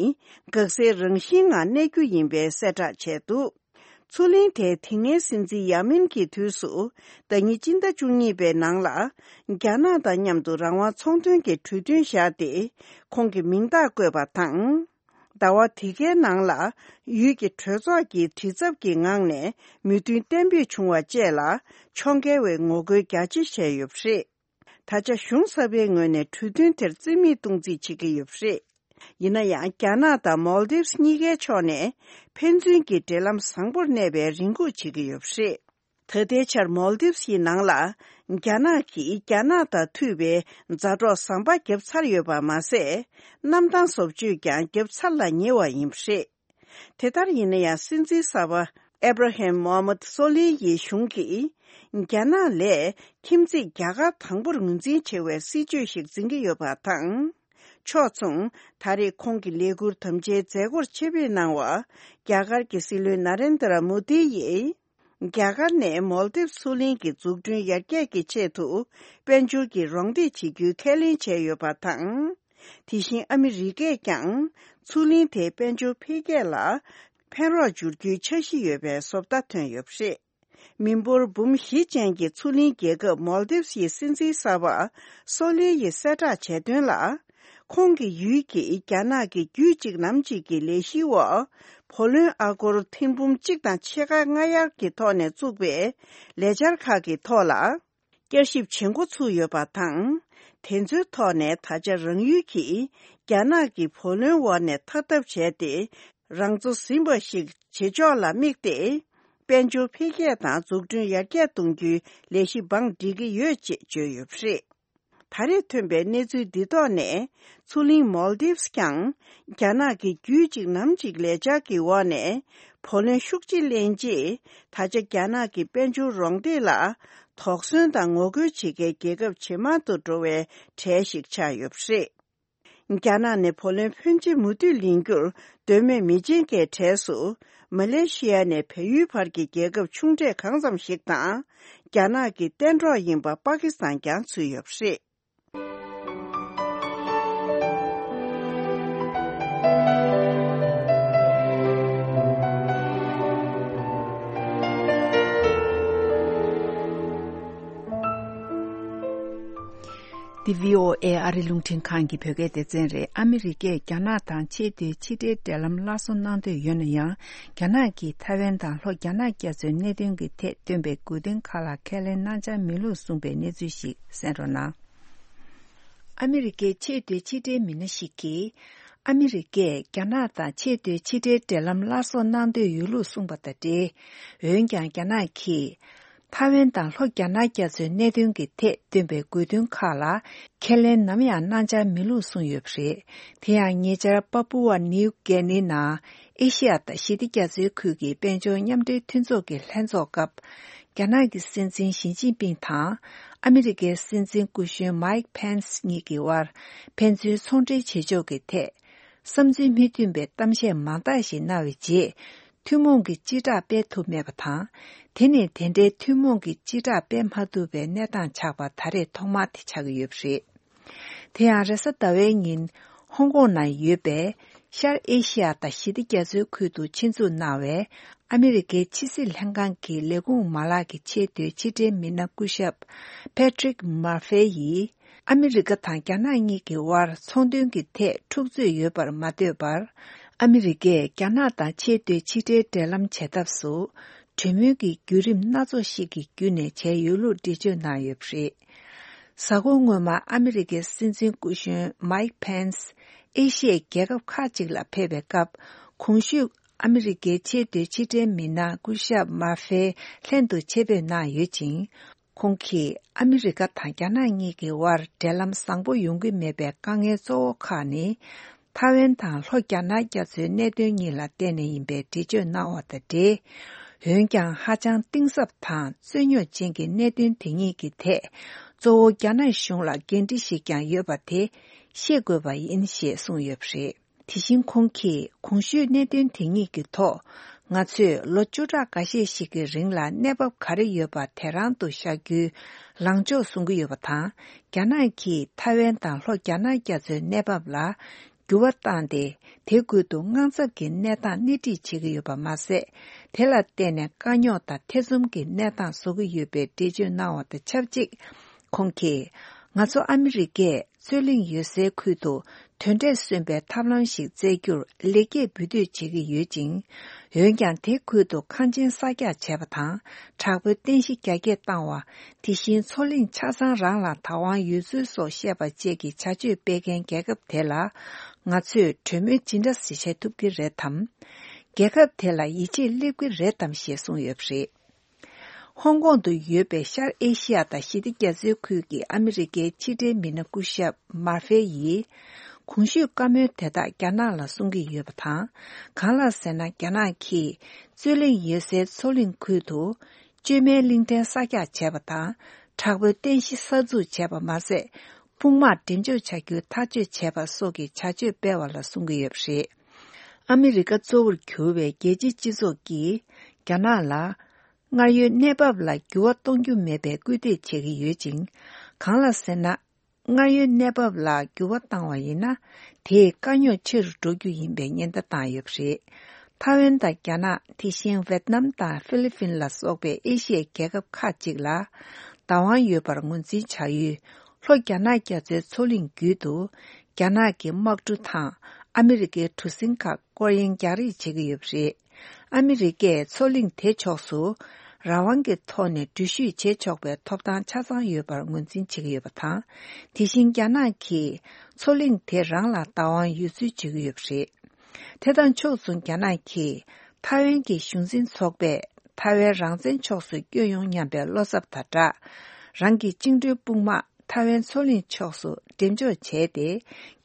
འགག་སའི་རང་བཞིན་ངང་གནས་རྒྱུ་ཡིན་པའི་གསལ་བསྒྲགས་བྱས་འདུག། མཚོ་གླིང་དེ་དེ་སྔའི་སྲིད་འཛིན་ཡ་མིན་གྱི་དུས་སུ་ཟླ་ཉིན་སྤྱི་ཟླ་བཅུ་གཉིས་པའི་ནང་ལ་རྒྱ་ནག་དང་མཉམ་དུ་རང་དབང་ཚོང་དོན་གྱི་གྲོས་མཐུན་བཞག་སྟེ་ཁོང་གི་མིང་རྟགས་བཀོད་པ་དང་། ཟླ་བ་དེ་གའི་ནང་ལ་ཡུལ་གྱི་གྲོས་ཚོགས་ཀྱི་དྲི་ཚབ་ཀྱི་ངང་ནས་མོས་མཐུན་གཏན་འབེབས་བྱུང་བ་བཅས་ལ་ཕྱོགས་འགལ་བའི་ངོ་རྒོལ་རྒྱ་ཆེ་བྱས་ཡོད་པ་རེད། ད་ཆ་གཞུང་གསར་པའི་ངོས་ནས་གྲོས་མཐུན་དེར་རྩིས་མེད་གཏོང་རྩིས་བྱེད་ཀྱི་ཡོད་པ་རེད། ཡིན་ན་ཡང་རྒྱ་ནག་དང་མཱལ་དིབ་གཉིས་ཀའི་ཕྱོགས་ནས་ཕན་ཚུན་གྱི་འབྲེལ་ལམ་བཟང་པོར་གནས་པའི་རེ་སྒུག་བྱེད་ཀྱི་ཡོད་པ་རེད། ད་ལྟའི་ཆར་མཱལ་དིབ་ཡི་ནང་ལ་རྒྱ་ནག་གིས་རྒྱ་ནག་དང་མཐུད་པའི་མཛའ་གྲོགས་ཟམ་པ་བརྒྱབ་ཚར་ཡོད་པ་མ་ཟད། གནམ་ཐང་བཟོ་བཅོས་ཀྱང་བརྒྱབ་ཚར་ལ་ཉེ་བ་ཡིན་པ་རེད། དེ་ལྟར་ཡིན་ན་ཡང་། སྲིད་འཛིན་གསར་པ་ཨེབ་ར་ཧིམ་མོ་ཧམ་མད་སོ་ལི་ཡི་གཞུང་གིས་རྒྱ་ནག་ལས་ཁྱིམ་མཚེས་རྒྱ་གར་དང་པོར་ངོས་འཛིན་ཆེ་བའི་སྲིད་བྱུས་ཤིག་འཛིན་གྱི་ཡོད་པ་དང་། ཕྱོགས་མཚུངས། ད་རེས་ཁོང་གི་ལས་འཁུར་དམ་བཅའི་མཛད་སྒོར་ཆེད་ཕེབས་གནང་བ་རྒྱ་གར་གྱི་སྲིད་བློན་ན་རེན་དྲ་མོ་དི་ཡིས། རྒྱ་གར་ནས་མོལ་དིབ་མཚོ་གླིང་གི་འཛུགས་སྐྲུན་ཡར་རྒྱས་ཀྱི་ཆེད་དུ་དཔལ་འབྱོར་གྱི་རོགས་འདེགས་བྱེད་རྒྱུའི་ཁས་ལེན་བྱས་ཡོད་པ་དང་། དེ་བཞིན་ཨ་མི་རི་ཀས་ཀྱང་མཚོ་གླིང་དེའི་དཔལ་འབྱོར་འཕེལ་རྒྱས་ལ་ཕན་རོགས་སྦྱོར་རྒྱུའི་འཆར་གཞི་ཡོད་པའི་བཟོ་ལྟ་ཐོན་ཡོད་པ་རེད། མི་འབོར་འབུམ་བཞི་ཅན་གྱི་མཚོ་གླིང་རྒྱལ་ཁབ་མོལ་དིབ་ཡི་སྲིད་འཛིན་གསར་པ་སོ་ལི་ཡིས་གསལ་བསྒྲགས་བྱས་དོན་ལ། ཁོང་གི་ཡུལ་གྱིས་རྒྱ་ནག་གི་རྒྱུད་གཅིག་ནམ་གཅིག་གི་ལས་གཞིའི་འོག་བུ་ལོན་ཨ་སྒོར་ཐེར་འབུམ་གཅིག་དང་ཕྱེད་ཀ་སྔ་གཡར་གྱི་ཐོག་ནས་བཙུགས་པའི་ལས་འཆར་ཁག་གི་ཐོག་ལ། བསྐྱར་ཞིབ་བྱེད་འགོ་ཚུགས་ཡོད་པ་དང་། དེ་ཚོའི་ཐོག་ནས་ད་ཆ་རང་ཡུལ་གྱིས་རྒྱ་ནག་གི་བུ་ལོན་འོག་ནས་ཐར་ཐབས་བྱས་ཏེ། རང་ཚོ་ཟིན་པ་ཞིག་བྱེད་ཕྱོགས་ལ་དམིགས་ཏེ། དཔལ་འབྱོར་འཕེལ་རྒྱས་དང་འཛུགས་སྐྲུན་ཡར་རྒྱས་གཏོང་རྒྱུའི་ལས་གཞི་བང་སྒྲིག་གི་ཡོད་ཅེས་བརྗོད་ཡོད་པ་རེད། ད་རེས་ཐོན་པའི་གནས་ཚུལ་འདི་ཐོག་ནས། མཚོ་གླིང་མོལ་དིབ་ཀྱང་རྒྱ་ནག་གི་རྒྱུད་གཅིག་ནམ་གཅིག་ལས་འཆར་གྱི་འོག་ནས་བུ་ལོན་ཤུགས་ཆེ་ལེན་རྗེས། ད་ཆ་རྒྱ་ནག་གི་དཔལ་འབྱོར་རོགས་འདེགས་ལ་དོགས་ཟོན་དང་ངོ་རྒོལ་བྱེད་མཁན་རྒྱལ་ཁབ་ཇེ་མང་དུ་འགྲོ་བའི་གྲས་ཤིག་ཆགས་ཡོད་པ་རེད། རྒྱ་ནག་ནས་བུ་ལོན་ཕོན་ཆེ་མུ་མཐུད་ལེན་རྒྱུར་འདོད་མོས་མི་བྱེད་མཁན་གྲས་སུ། མ་ལེ་ཤི་ཡ་ནས་བལ་ཡུལ་བར་གྱི་རྒྱལ་ཁབ་ཆུང་གྲས་གང་ཙམ་ཞིག་དང་། རྒྱ་ནག་གི་གཏན་གྲོགས་ཡིན་པ་པ་ཀི་སི་ཐན་ཀྱང་ཚུད་ཡོད་པ་རེད། འདི་བྷི་ཨོ་ཨེ་ཨ་རི་རླུང་འཕྲིན་ཁང་གི་བོད་སྐད་སྡེ་ཚན་རེད། ཨ་མི་རི་ཀས་རྒྱ་ནག་དང་ཆེས་མཐོའི་ཕྱི་འབྲེལ་འབྲེལ་ལམ་སླར་གསོ་གནང་འདོད་ཡོད་ན་ཡང་། རྒྱ་ནག་གིས་ཐའེ་ཝན་དང་ལྷོ་རྒྱ་ནག་རྒྱ་མཚོའི་གནད་དོན་གྱི་ཐད་བཏོན་པའི་དགོས་འདུན་ཁག་ལ་ཁས་ལེན་གནང་འཆར་མེད་ལུགས་གསུངས་པའི་གནས་ཚུལ་ཞིག་གསན་རོགས་གནང་། ཨ་མི་རི་ཀའི་ཆེས་མཐོའི་ཕྱི་འབྲེལ་མི་སྣ་ཞིག་གིས། ཨ་མི་རི་ཀས་རྒྱ་ནག་དང་ཆེས་མཐོའི་ཕྱི་འབྲེལ་འབྲེལ་ལམ་སླར་གསོ་གནང་འདོད་ཡོད་ལུགས་གསུངས་པ་དང་འབྲེལ། འོན་ཀྱང་རྒྱ་ནག་གིས། ཐའེ་ཝན་དང་ལྷོ་རྒྱ་ནག་རྒྱ་མཚོའི་གནད་དོན་གྱི་ཐད་བཏོན་པའི་དགོས་འདུན་ཁག་ལ་ཁས་ལེན་ནམ་ཡང་གནང་འཆར་མེད་ལུགས་གསུངས་ཡོད་པ་རེད། དེ་ཡང་ཉེ་ཆར་པ་པུ་ཝ་ནིའུ་གྷི་ནི་ནང་ཨེ་ཤི་ཡ་དང་ཞི་བདེ་རྒྱ་མཚོའི་ཁུལ་གྱི་དཔལ་འབྱོར་མཉམ་འབྲེལ་མཐུན་ཚོགས་ཀྱི་ལྷན་ཚོགས་སྐབས། རྒྱ་ནག་གི་སྲིད་འཛིན་ཞི་ཅིན་ཕིང་དང་ཨ་མི་རི་ཀའི་སྲིད་འཛིན་སྐུ་གཞོན་མའིག་ཕེན་སི་གཉིས་ཀྱི་དབར་ཕན་ཚུན་ཚོང་འབྲེལ་བྱེད་ཕྱོགས་ཀྱི་ཐད། བསམ་ཚུལ་མི་མཐུན་པའི་གཏམ་བཤད་མང་དག་ཞིག་གནང་བའི་རྗེས། ཐུན་མོང་གི་སྤྱི་བསྒྲགས་སྤེལ་ཐུབ་མེད་པ་དང་། དེ་ནི་དེ་འདྲའི་ཐུན་མོང་གི་སྤྱི་བསྒྲགས་སྤེལ་མ་ཐུབ་པའི་གནས་སྟངས་ཆགས་པ་ད་རེས་ཐོག་མ་དེ་ཆགས་ཀྱི་ཡོད་པ་རེད། དེ་ཡང་རེས་གཟའ་ཟླ་བའི་ཉིན་ཧོང་ཀོང་ནང་ཡོད་པའི་ཤར་ཨེ་ཤི་ཡ་དང་ཞི་བདེ་རྒྱ་མཚོའི་ཁུལ་དུ་ཆེད་འཛུགས་གནང་བའི་ཨ་མི་རི་ཀའི་ཕྱི་སྲིད་ལྷན་ཁང་གི་ལས་ཁུངས་མ་ལག་གི་ཆེས་མཐོའི་ཕྱི་འབྲེལ་མི་སྣ་སྐུ་ཞབས་Patrick Murphy་ཡིས། ཨ་མི་རི་ཀ་དང་རྒྱ་ནག་གཉིས་ཀྱི་དབར་ཚོང་དོན་གྱི་ཐད་འཁྲུག་རྩོད་ཡོད་པར་མ་ལྟོས་པར། ཨ་མི་རི་ཀས་རྒྱ་ནག་དང་ཆེས་མཐོའི་ཕྱི་འབྲེལ་འབྲེལ་ལམ་བྱེད་ཐབས་སུ། གྲོས་མོལ་གྱི་བརྒྱུད་རིམ་སྣ་ཚོགས་ཤིག་གི་བརྒྱུད་ནས་བྱས་ཡོད་ལུགས་འགྲེལ་བརྗོད་གནང་ཡོད་པ་རེད། གཟའ་འཁོར་སྔོན་མ་ཨ་མི་རི་ཀའི་སྲིད་འཛིན་སྐུ་གཞོན་མའིག་ཕེན་སི་ཨེ་ཤི་ཡའི་རྒྱལ་ཁབ་ཁག་ཅིག་ལ་ཕེབས་པའི་སྐབས། གོང་ཞུས་ཨ་མི་རི་ཀའི་ཆེས་མཐོའི་ཕྱི་འབྲེལ་མི་སྣ་སྐུ་ཞབས་མར་ཧྥེ་ལྷན་དུ་ཆེད་ཕེབས་གནང་ཡོད་ཅིང་། ཁོང་གིས་ཨ་མི་རི་ཀ་དང་རྒྱ་ནག་གཉིས་ཀྱི་དབར་འབྲེལ་ལམ་བཟང་པོ་ཡོང་གི་མེད་པའི་དཀའ་ངལ་གཙོ་བོ་ཁག་ནི། ཐའེ་ཝན་དང་ལྷོ་རྒྱ་ནག་རྒྱ་མཚོའི་གནད་དོན་གཉིས་ལ་བརྟེན་ནས་ཡིན་པའི་འགྲེལ་བརྗོད་གནང་བ་དང་འབྲེལ། འོན་ཀྱང་ཧ་ཅང་གཏིང་ཟབ་དང་རྩོད་རྙོག་ཅན་གྱི་གནད་དོན་དེ་གཉིས་ཀྱི་ཐད། གཙོ་བོ་རྒྱ་ནག་གཞུང་ལ་འགན་འཁྲི་ཞིག་ཀྱང་ཡོད་པ་དེ་ཤེས་དགོས་པ་ཡིན་ཞེས་གསུངས་ཡོད་པ་རེད། དེ་བཞིན་ཁོང་གིས་གོང་ཞུས་གནད་དོན་དེ་གཉིས་ཀྱི་ཐོག་ང་ཚོས་ལོ་བཅུ་ཕྲག་འགའ་ཤས་ཤིག་གི་རིང་ལ་གནས་བབ་ག་རེ་ཡོད་པ་དེ་རང་དུ་བཞག་རྒྱུའི་ལངས་ཕྱོགས་བཟུང་གི་ཡོད་པ་དང་། རྒྱ་ནག་གིས་ཐའེ་ཝན་དང་ལྷོ་རྒྱ་ནག་རྒྱ་མཚོའི་གནས་བབ་ལ་འགྱུར་བ་བཏང་སྟེ། དེ་ཁུལ་དུ་དངངས་འཚབ་ཀྱི་གནས་སྟངས་སྣེ་ཁྲིད་བྱེད་ཀྱི་ཡོད་པ་མ་ཟད། དེ་ལ་བརྟེན་ནས་དཀའ་རྙོག་དང་ཐེ་ཚོམ་གྱི་གནས་སྟངས་བཟོ་གི་ཡོད་པའི་འགྲེལ་བརྗོད་གནང་བ་དང་ཆབས་ཅིག་ཁོང་གིས། ང་ཚོ་ཨ་མི་རི་ཀས་རྩོད་གླེང་ཡོད་སའི་ཁུལ་དུ་དོན་འབྲས་སོན་པའི་ཐབས་ལམ་ཞིག་བཙལ་རྒྱུར་ལེགས་སྐྱེས་འབུལ་འདོད་བྱེད་ཀྱི་ཡོད་ཅིང་། འོན་ཀྱང་། དེ་ཁུལ་དུ་ཁང་ཆེན་གསར་རྒྱག་བྱས་པ་དང་། དྲག་པོའི་རྟེན་གཞི་རྒྱ་སྐྱེད་བཏང་བ། དེ་བཞིན་མཚོ་གླིང་ཆ་ཚང་རང་ལ་བདག་དབང་ཡོད་ཚུལ་སོགས་བཤད་པ་བཅས་ཀྱི་བྱ་སྤྱོད་སྤེལ་མཁན་རྒྱལ་ཁབ་དེ་ལ། ང་ཚོས་གྲོས་མོལ་ཇི་འདྲ་ཞིག་བྱེད་ཐུབ་ཀྱི་རེད་དམ། རྒྱལ་ཁབ་དེ་ལ་ཡིད་ཆེས་སླེབས་ཀྱི་རེད་དམ་ཞེས་གསུངས་ཡོད་པ་རེད། ཧོང་ཀོང་དུ་ཡོད་པའི་ཤར་ཨེ་ཤི་ཡ་དང་ཞི་བདེ་རྒྱ་མཚོའི་ཁུལ་གྱི་ཨ་མི་རི་ཀའི་ཕྱི་འབྲེལ་མི་སྣ་སྐུ་ཞབས་མར་ཧྥེ་ཡིས། གོང་ཞུས་བཀའ་མོལ་དེ་དག་རྒྱ་ནག་ལ་གསུང་གི་ཡོད་པ་དང་། གང་ལགས་ཟེར་ན། རྒྱ་ནག་གིས་རྩོད་གླེང་ཡོད་སའི་མཚོ་གླིང་ཁུལ་དུ། བཅོས་མའི་གླིང་ཕྲན་གསར་རྒྱག་བྱས་པ་དང་། དྲག་པོའི་རྟེན་གཞི་གསར་འཛུགས་བྱས་པ་མ་ཟད། དཔུང་དམག་འགྲེམས་འཇོག་བྱ་རྒྱུའི་ཐག་གཅོད་བྱས་པ་སོགས་ཀྱི་བྱ་སྤྱོད་སྤེལ་བ་ལ་གསུང་གི་ཡོད་པ་རེད། ཨ་མི་རི་ཀ་གཙོ་བོར་གྱུར་བའི་རྒྱལ་སྤྱིའི་སྤྱི་ཚོགས་ཀྱིས། རྒྱ་ནག་ལ། སྔར་ཡོད་གནས་བབ་ལ་འགྱུར་བ་གཏོང་རྒྱུ་མེད་པའི་སྐུལ་འདེད་བྱེད་ཀྱི་ཡོད་ཅིང་། གང་ལ་ཟེར་ན། སྔར་ཡོད་གནས་བབ་ལ་འགྱུར་བ་བཏང་བ་ཡིན་ན། དེས་དཀའ་རྙོག་ཆེ་རུ་འགྲོ་རྒྱུ་ཡིན་པའི་ཉེན་བརྡ་བཏང་ཡོད་པ་རེད། ཐའེ་ཝན་དང་རྒྱ་ནག་དེ་བཞིན་ཝེད་ནམ་དང་ཧྥི་ལི་ཕིན་ལ་སོགས་པའི་ཨེ་ཤི་ཡའི་རྒྱལ་ཁབ་ཁག་ཅིག་ལ་བདག་དབང་ཡོད་པར་ངོས་འཛིན་བྱ་ཡུལ། ལྷོ་རྒྱ་ནག་རྒྱ་མཚོའི་མཚོ་གླིང་བརྒྱུད་དུ། རྒྱ་ནག་གི་དམག་གྲུ་དང་ཨ་མི་རི་ཀའི་གྲུ་གཟིངས་ཁག་སྐོར་གཡེང་རྒྱག་རེས་བྱེད་ཀྱི་ཡོད་པ་རེད། ཨ་མི་རི་ཀས་མཚོ་གླིང་དེ་ཕྱོགས་སུ་རང་དབང་གི་ཐོག་ནས་འགྲུལ་བཞུད་བྱེད་ཆོག་པའི་ཐོབ་ཐང་ཆ་ཚང་ཡོད་པར་ངོས་འཛིན་བྱེད་ཀྱི་ཡོད་པ་དང་། དེ་བཞིན་རྒྱ་ནག་གིས་མཚོ་གླིང་དེ་རང་ལ་བདག་དབང་ཡོད་ཚུལ་བརྗོད་ཀྱི་ཡོད་པ་རེད། དེ་དང་ཕྱོགས་མཚུངས་རྒྱ་ནག་གིས་ཐའེ་ཝན་གྱི་གཞུང་འཛིན་ཚོགས་པས་ཐའེ་ཝན་རང་བཙན་ཕྱོགས་སུ་བསྐྱོད་ཡོང་སྙམ་པའི་བློ་འཚབ་དང་སྦྲགས། རང་གི་བཅིངས་འགྲོལ་དཔུང་དམག་ཐའེ་ཝན་མཚོ་གླིང་ཕྱོགས་སུ་འགྲེམས་འཇོག་བྱས་ཏེ།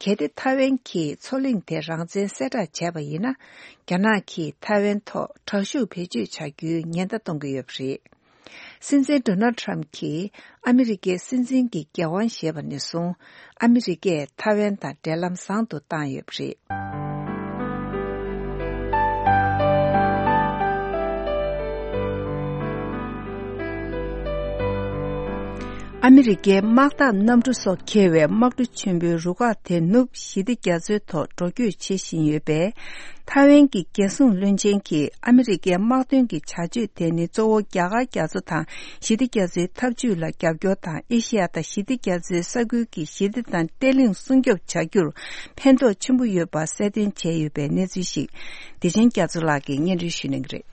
གལ་ཏེ་ཐའེ་ཝན་གྱིས་མཚོ་གླིང་དེ་རང་བཙན་གསལ་བསྒྲགས་བྱས་པ་ཡིན་ན། རྒྱ་ནག་གིས་ཐའེ་ཝན་ཐོག་དྲག་ཤུགས་བེད་སྤྱོད་བྱ་རྒྱུའི་ཉེན་བརྡ་གཏོང་གི་ཡོད་པ་རེད། སྲིད་འཛིན་ཌོ་ནལ་ཊམ་གྱིས་ཨ་མི་རི་ཀའི་སྲིད་འཛིན་གྱི་འགན་དབང་བཞེས་པ་ནས་བཟུང་། ཨ་མི་རི་ཀས་ཐའེ་ཝན་དང་འབྲེལ་ལམ་བཟང་དུ་བཏང་ཡོད་པ་རེད། ཨ་མི་རི་ཀའི་དམག་འཐབ་གནམ་གྲུ་སོགས་འཁྱེར་བའི་དམག་གྲུ་ཆེན་པོའི་རུ་ཁག་དེ་ནུབ་ཞི་བདེ་རྒྱ་མཚོའི་ཐོག་འགྲོ་སྐྱོད་བྱེད་བཞིན་ཡོད་པས། ཐའེ་ཝན་གྱི་རྒྱལ་སྲུང་བློན་ཆེན་གྱིས་ཨ་མི་རི་ཀའི་དམག་དོན་གྱི་བྱ་སྤྱོད་དེ་ནི་གཙོ་བོ་རྒྱ་གར་རྒྱ་མཚོ་དང་ཞི་བདེ་རྒྱ་མཚོའི་འཐབ་ཇུས་ལ་རྒྱབ་སྐྱོར་དང་། ཨེ་ཤེ་ཡ་དང་ཞི་བདེ་རྒྱ་མཚོའི་ས་ཁུལ་གྱི་ཞི་བདེ་དང་བརྟན་ལྷིང་སྲུང་སྐྱོབ་བྱ་རྒྱུར་ཕན་ཐོགས་ཆེན་པོ་ཡོད་པ་གསལ་སྟོན་བྱས་ཡོད་པའི་གནས་ཚུལ་ཞིག་བདེ་ཆེན་རྒྱ་མཚོ་ལགས་ཀྱིས་སྙན་སྒྲོན་ཞུ་གནང་གི་རེད།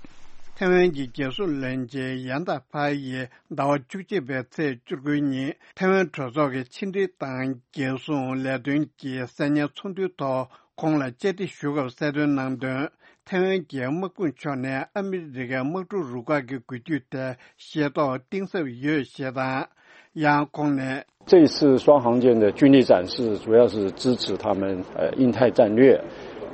ཐའེ་ཝན་གྱི་རྒྱལ་སྲུང་བློན་ཆེན་ཡན་ཏཱ་ཕ་ཡིས་ཟླ་བ་བཅུ་གཅིག་པའི་ཚེས་བཅུ་དགུ་ཉིན་ཐའེ་ཝན་གྲོས་ཚོགས་ཀྱི་ཕྱི་འབྲེལ་དང་རྒྱལ་སྲུང་ལས་དོན་གྱི་གསན་ཉན་ཚོགས་འདུའི་ཐོག་ཁོང་ལ་བཅར་འདྲི་ཞུ་སྐབས་གསལ་སྟོན་གནང་དོན། ཐའེ་ཝན་གྱི་དམག་དཔུང་ཕྱོགས་ནས་ཨ་མི་རི་ཀའི་དམག་གྲུ་རུ་ཁག་གི་འགུལ་སྐྱོད་དེ་ཤེས་རྟོགས་གཏིང་ཟབ་ཡོད་ཞེས་དང་། ཡང་ཁོང་ནས།这一次双航舰的军力展示，主要是支持他们呃印太战略，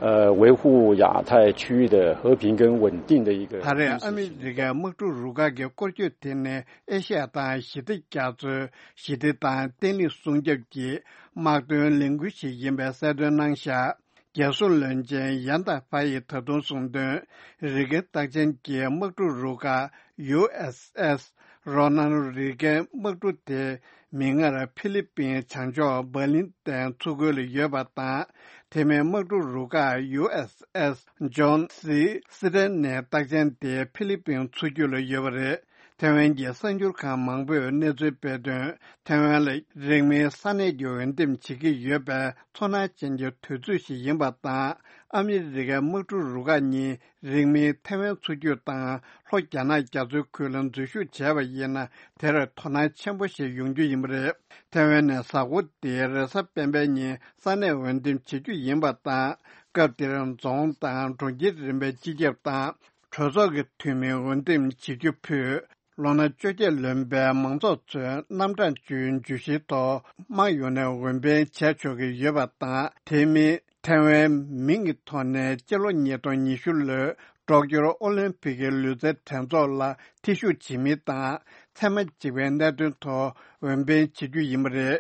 呃，维护亚太区域的和平跟稳定的一个。ད་རེས་ཨ་མི་རི་ཀའི་དམག་གྲུ་རུ་ཁག་གི་སྐོར་སྐྱོད་དེ་ནི་ཨེ་ཤ་ཡ་དང་ཞི་བདེ་རྒྱ་མཚོའི་ཞི་བདེ་དང་བརྟན་ལྷིང་སྲུང་སྐྱོབ་ཀྱི་དམག་དོན་ལས་འགུལ་ཞིག་ཡིན་པའི་གསལ་སྟོན་གནང་བཞག་རྒྱལ་སྲུང་བློན་ཆེན་ཡན་ཏཱ་ཕ་ཡིས་ད་དུང་གསུངས་དོན། རི་ཀན་རྟགས་ཅན་གྱི་དམག་གྲུ་རུ་ཁག་ཡུ་ཨེས་ཨེས་རོ་ནལ་རི་ཀན་དམག་གྲུ་དེ་མིག་སྔར་ཕི་ལི་པིན་བྱང་ཕྱོགས་བྷར་ལིན་ཏན་མཚོ་ཁུལ་ལ་ཡོད་པ་དང་། དེ་མིན་དམག་གྲུ་རུ་ཁག་ཡུ་ཨེས་ཨེས་ཇོན་སི་སི་ཏན་ནི་རྟགས་ཅན་དེ་ཕི་ལི་པིན་མཚོ་རྒྱུད་ལ་ཡོད་པ་རེད། ཐའེ་ཝན་གྱི་གསར་འགྱུར་ཁང་མང་པོས་གནས་ཚུལ་སྤེལ་དོན། ཐའེ་ཝན་ལ་རིང་མིན་ས་གནས་ཀྱི་འོས་འདེམས་བྱེད་ཀྱི་ཡོད་པའི་ཚོར་སྣང་ཅན་གྱི་དུས་ཚོད་ཞིག་ཡིན་པ་དང་། ཨ་མི་རི་ཀའི་དམག་གྲུ་རུ་ཁག་གཉིས་རིང་མིན་ཐའེ་ཝན་མཚོ་རྒྱུད་དང་ལྷོ་རྒྱ་ནག་རྒྱ་མཚོའི་ཁུལ་ལ་འཛུལ་ཞུགས་བྱས་པ་ཡིན་ན། དེར་དོ་སྣང་ཆེན་པོ་ཞིག་ཡོང་རྒྱུ་ཡིན་པ་རེད། ཐའེ་ཝན་ནས་གཟའ་འཁོར་འདིའི་རེས་གཟའ་སྤེན་པའི་ཉིན་ས་གནས་འོས་འདེམས་བྱེད་རྒྱུ་ཡིན་པ་དང་། སྐབས་དེར་རྫོང་དང་གྲོང་ཁྱེར་རིམ་པའི་སྤྱི་ཁྱབ་དང་། གྲོས་ཚོགས་ཀྱི་འཐུས་མི་འོས་འདེམས་བྱེད་རྒྱུ་ཕུད། ལོ་ན་བཅོ་བརྒྱད་ལོན་པའི་མང་ཚོགས་ཚོས་རྣམ་གྲངས་བཅུའི་བརྗོད་གཞིའི་ཐོག་དམངས་ཡོངས་ནས་འོས་འཕེན་བྱས་ཆོག་གི་ཡོད་པ་དང་། དེ་མིན་ཐའེ་ཝན་མིང་གི་ཐོག་ནས་སྤྱི་ལོ་ཉིས་སྟོང་ཉི་ཤུ་ལོའི་ཀྲོག་ཀྱོར་ཨོ་ལིམ་ཕིག་གི་ལུས་རྩལ་འགྲན་ཚོགས་ལ་ཐེ་ཞུགས་བྱེད་མིན་དང་། ཚད་མ་གཅིག་པའི་གནད་དོན་ཐོག་འོས་འཕེན་བྱེད་རྒྱུ་ཡིན་པ་རེད།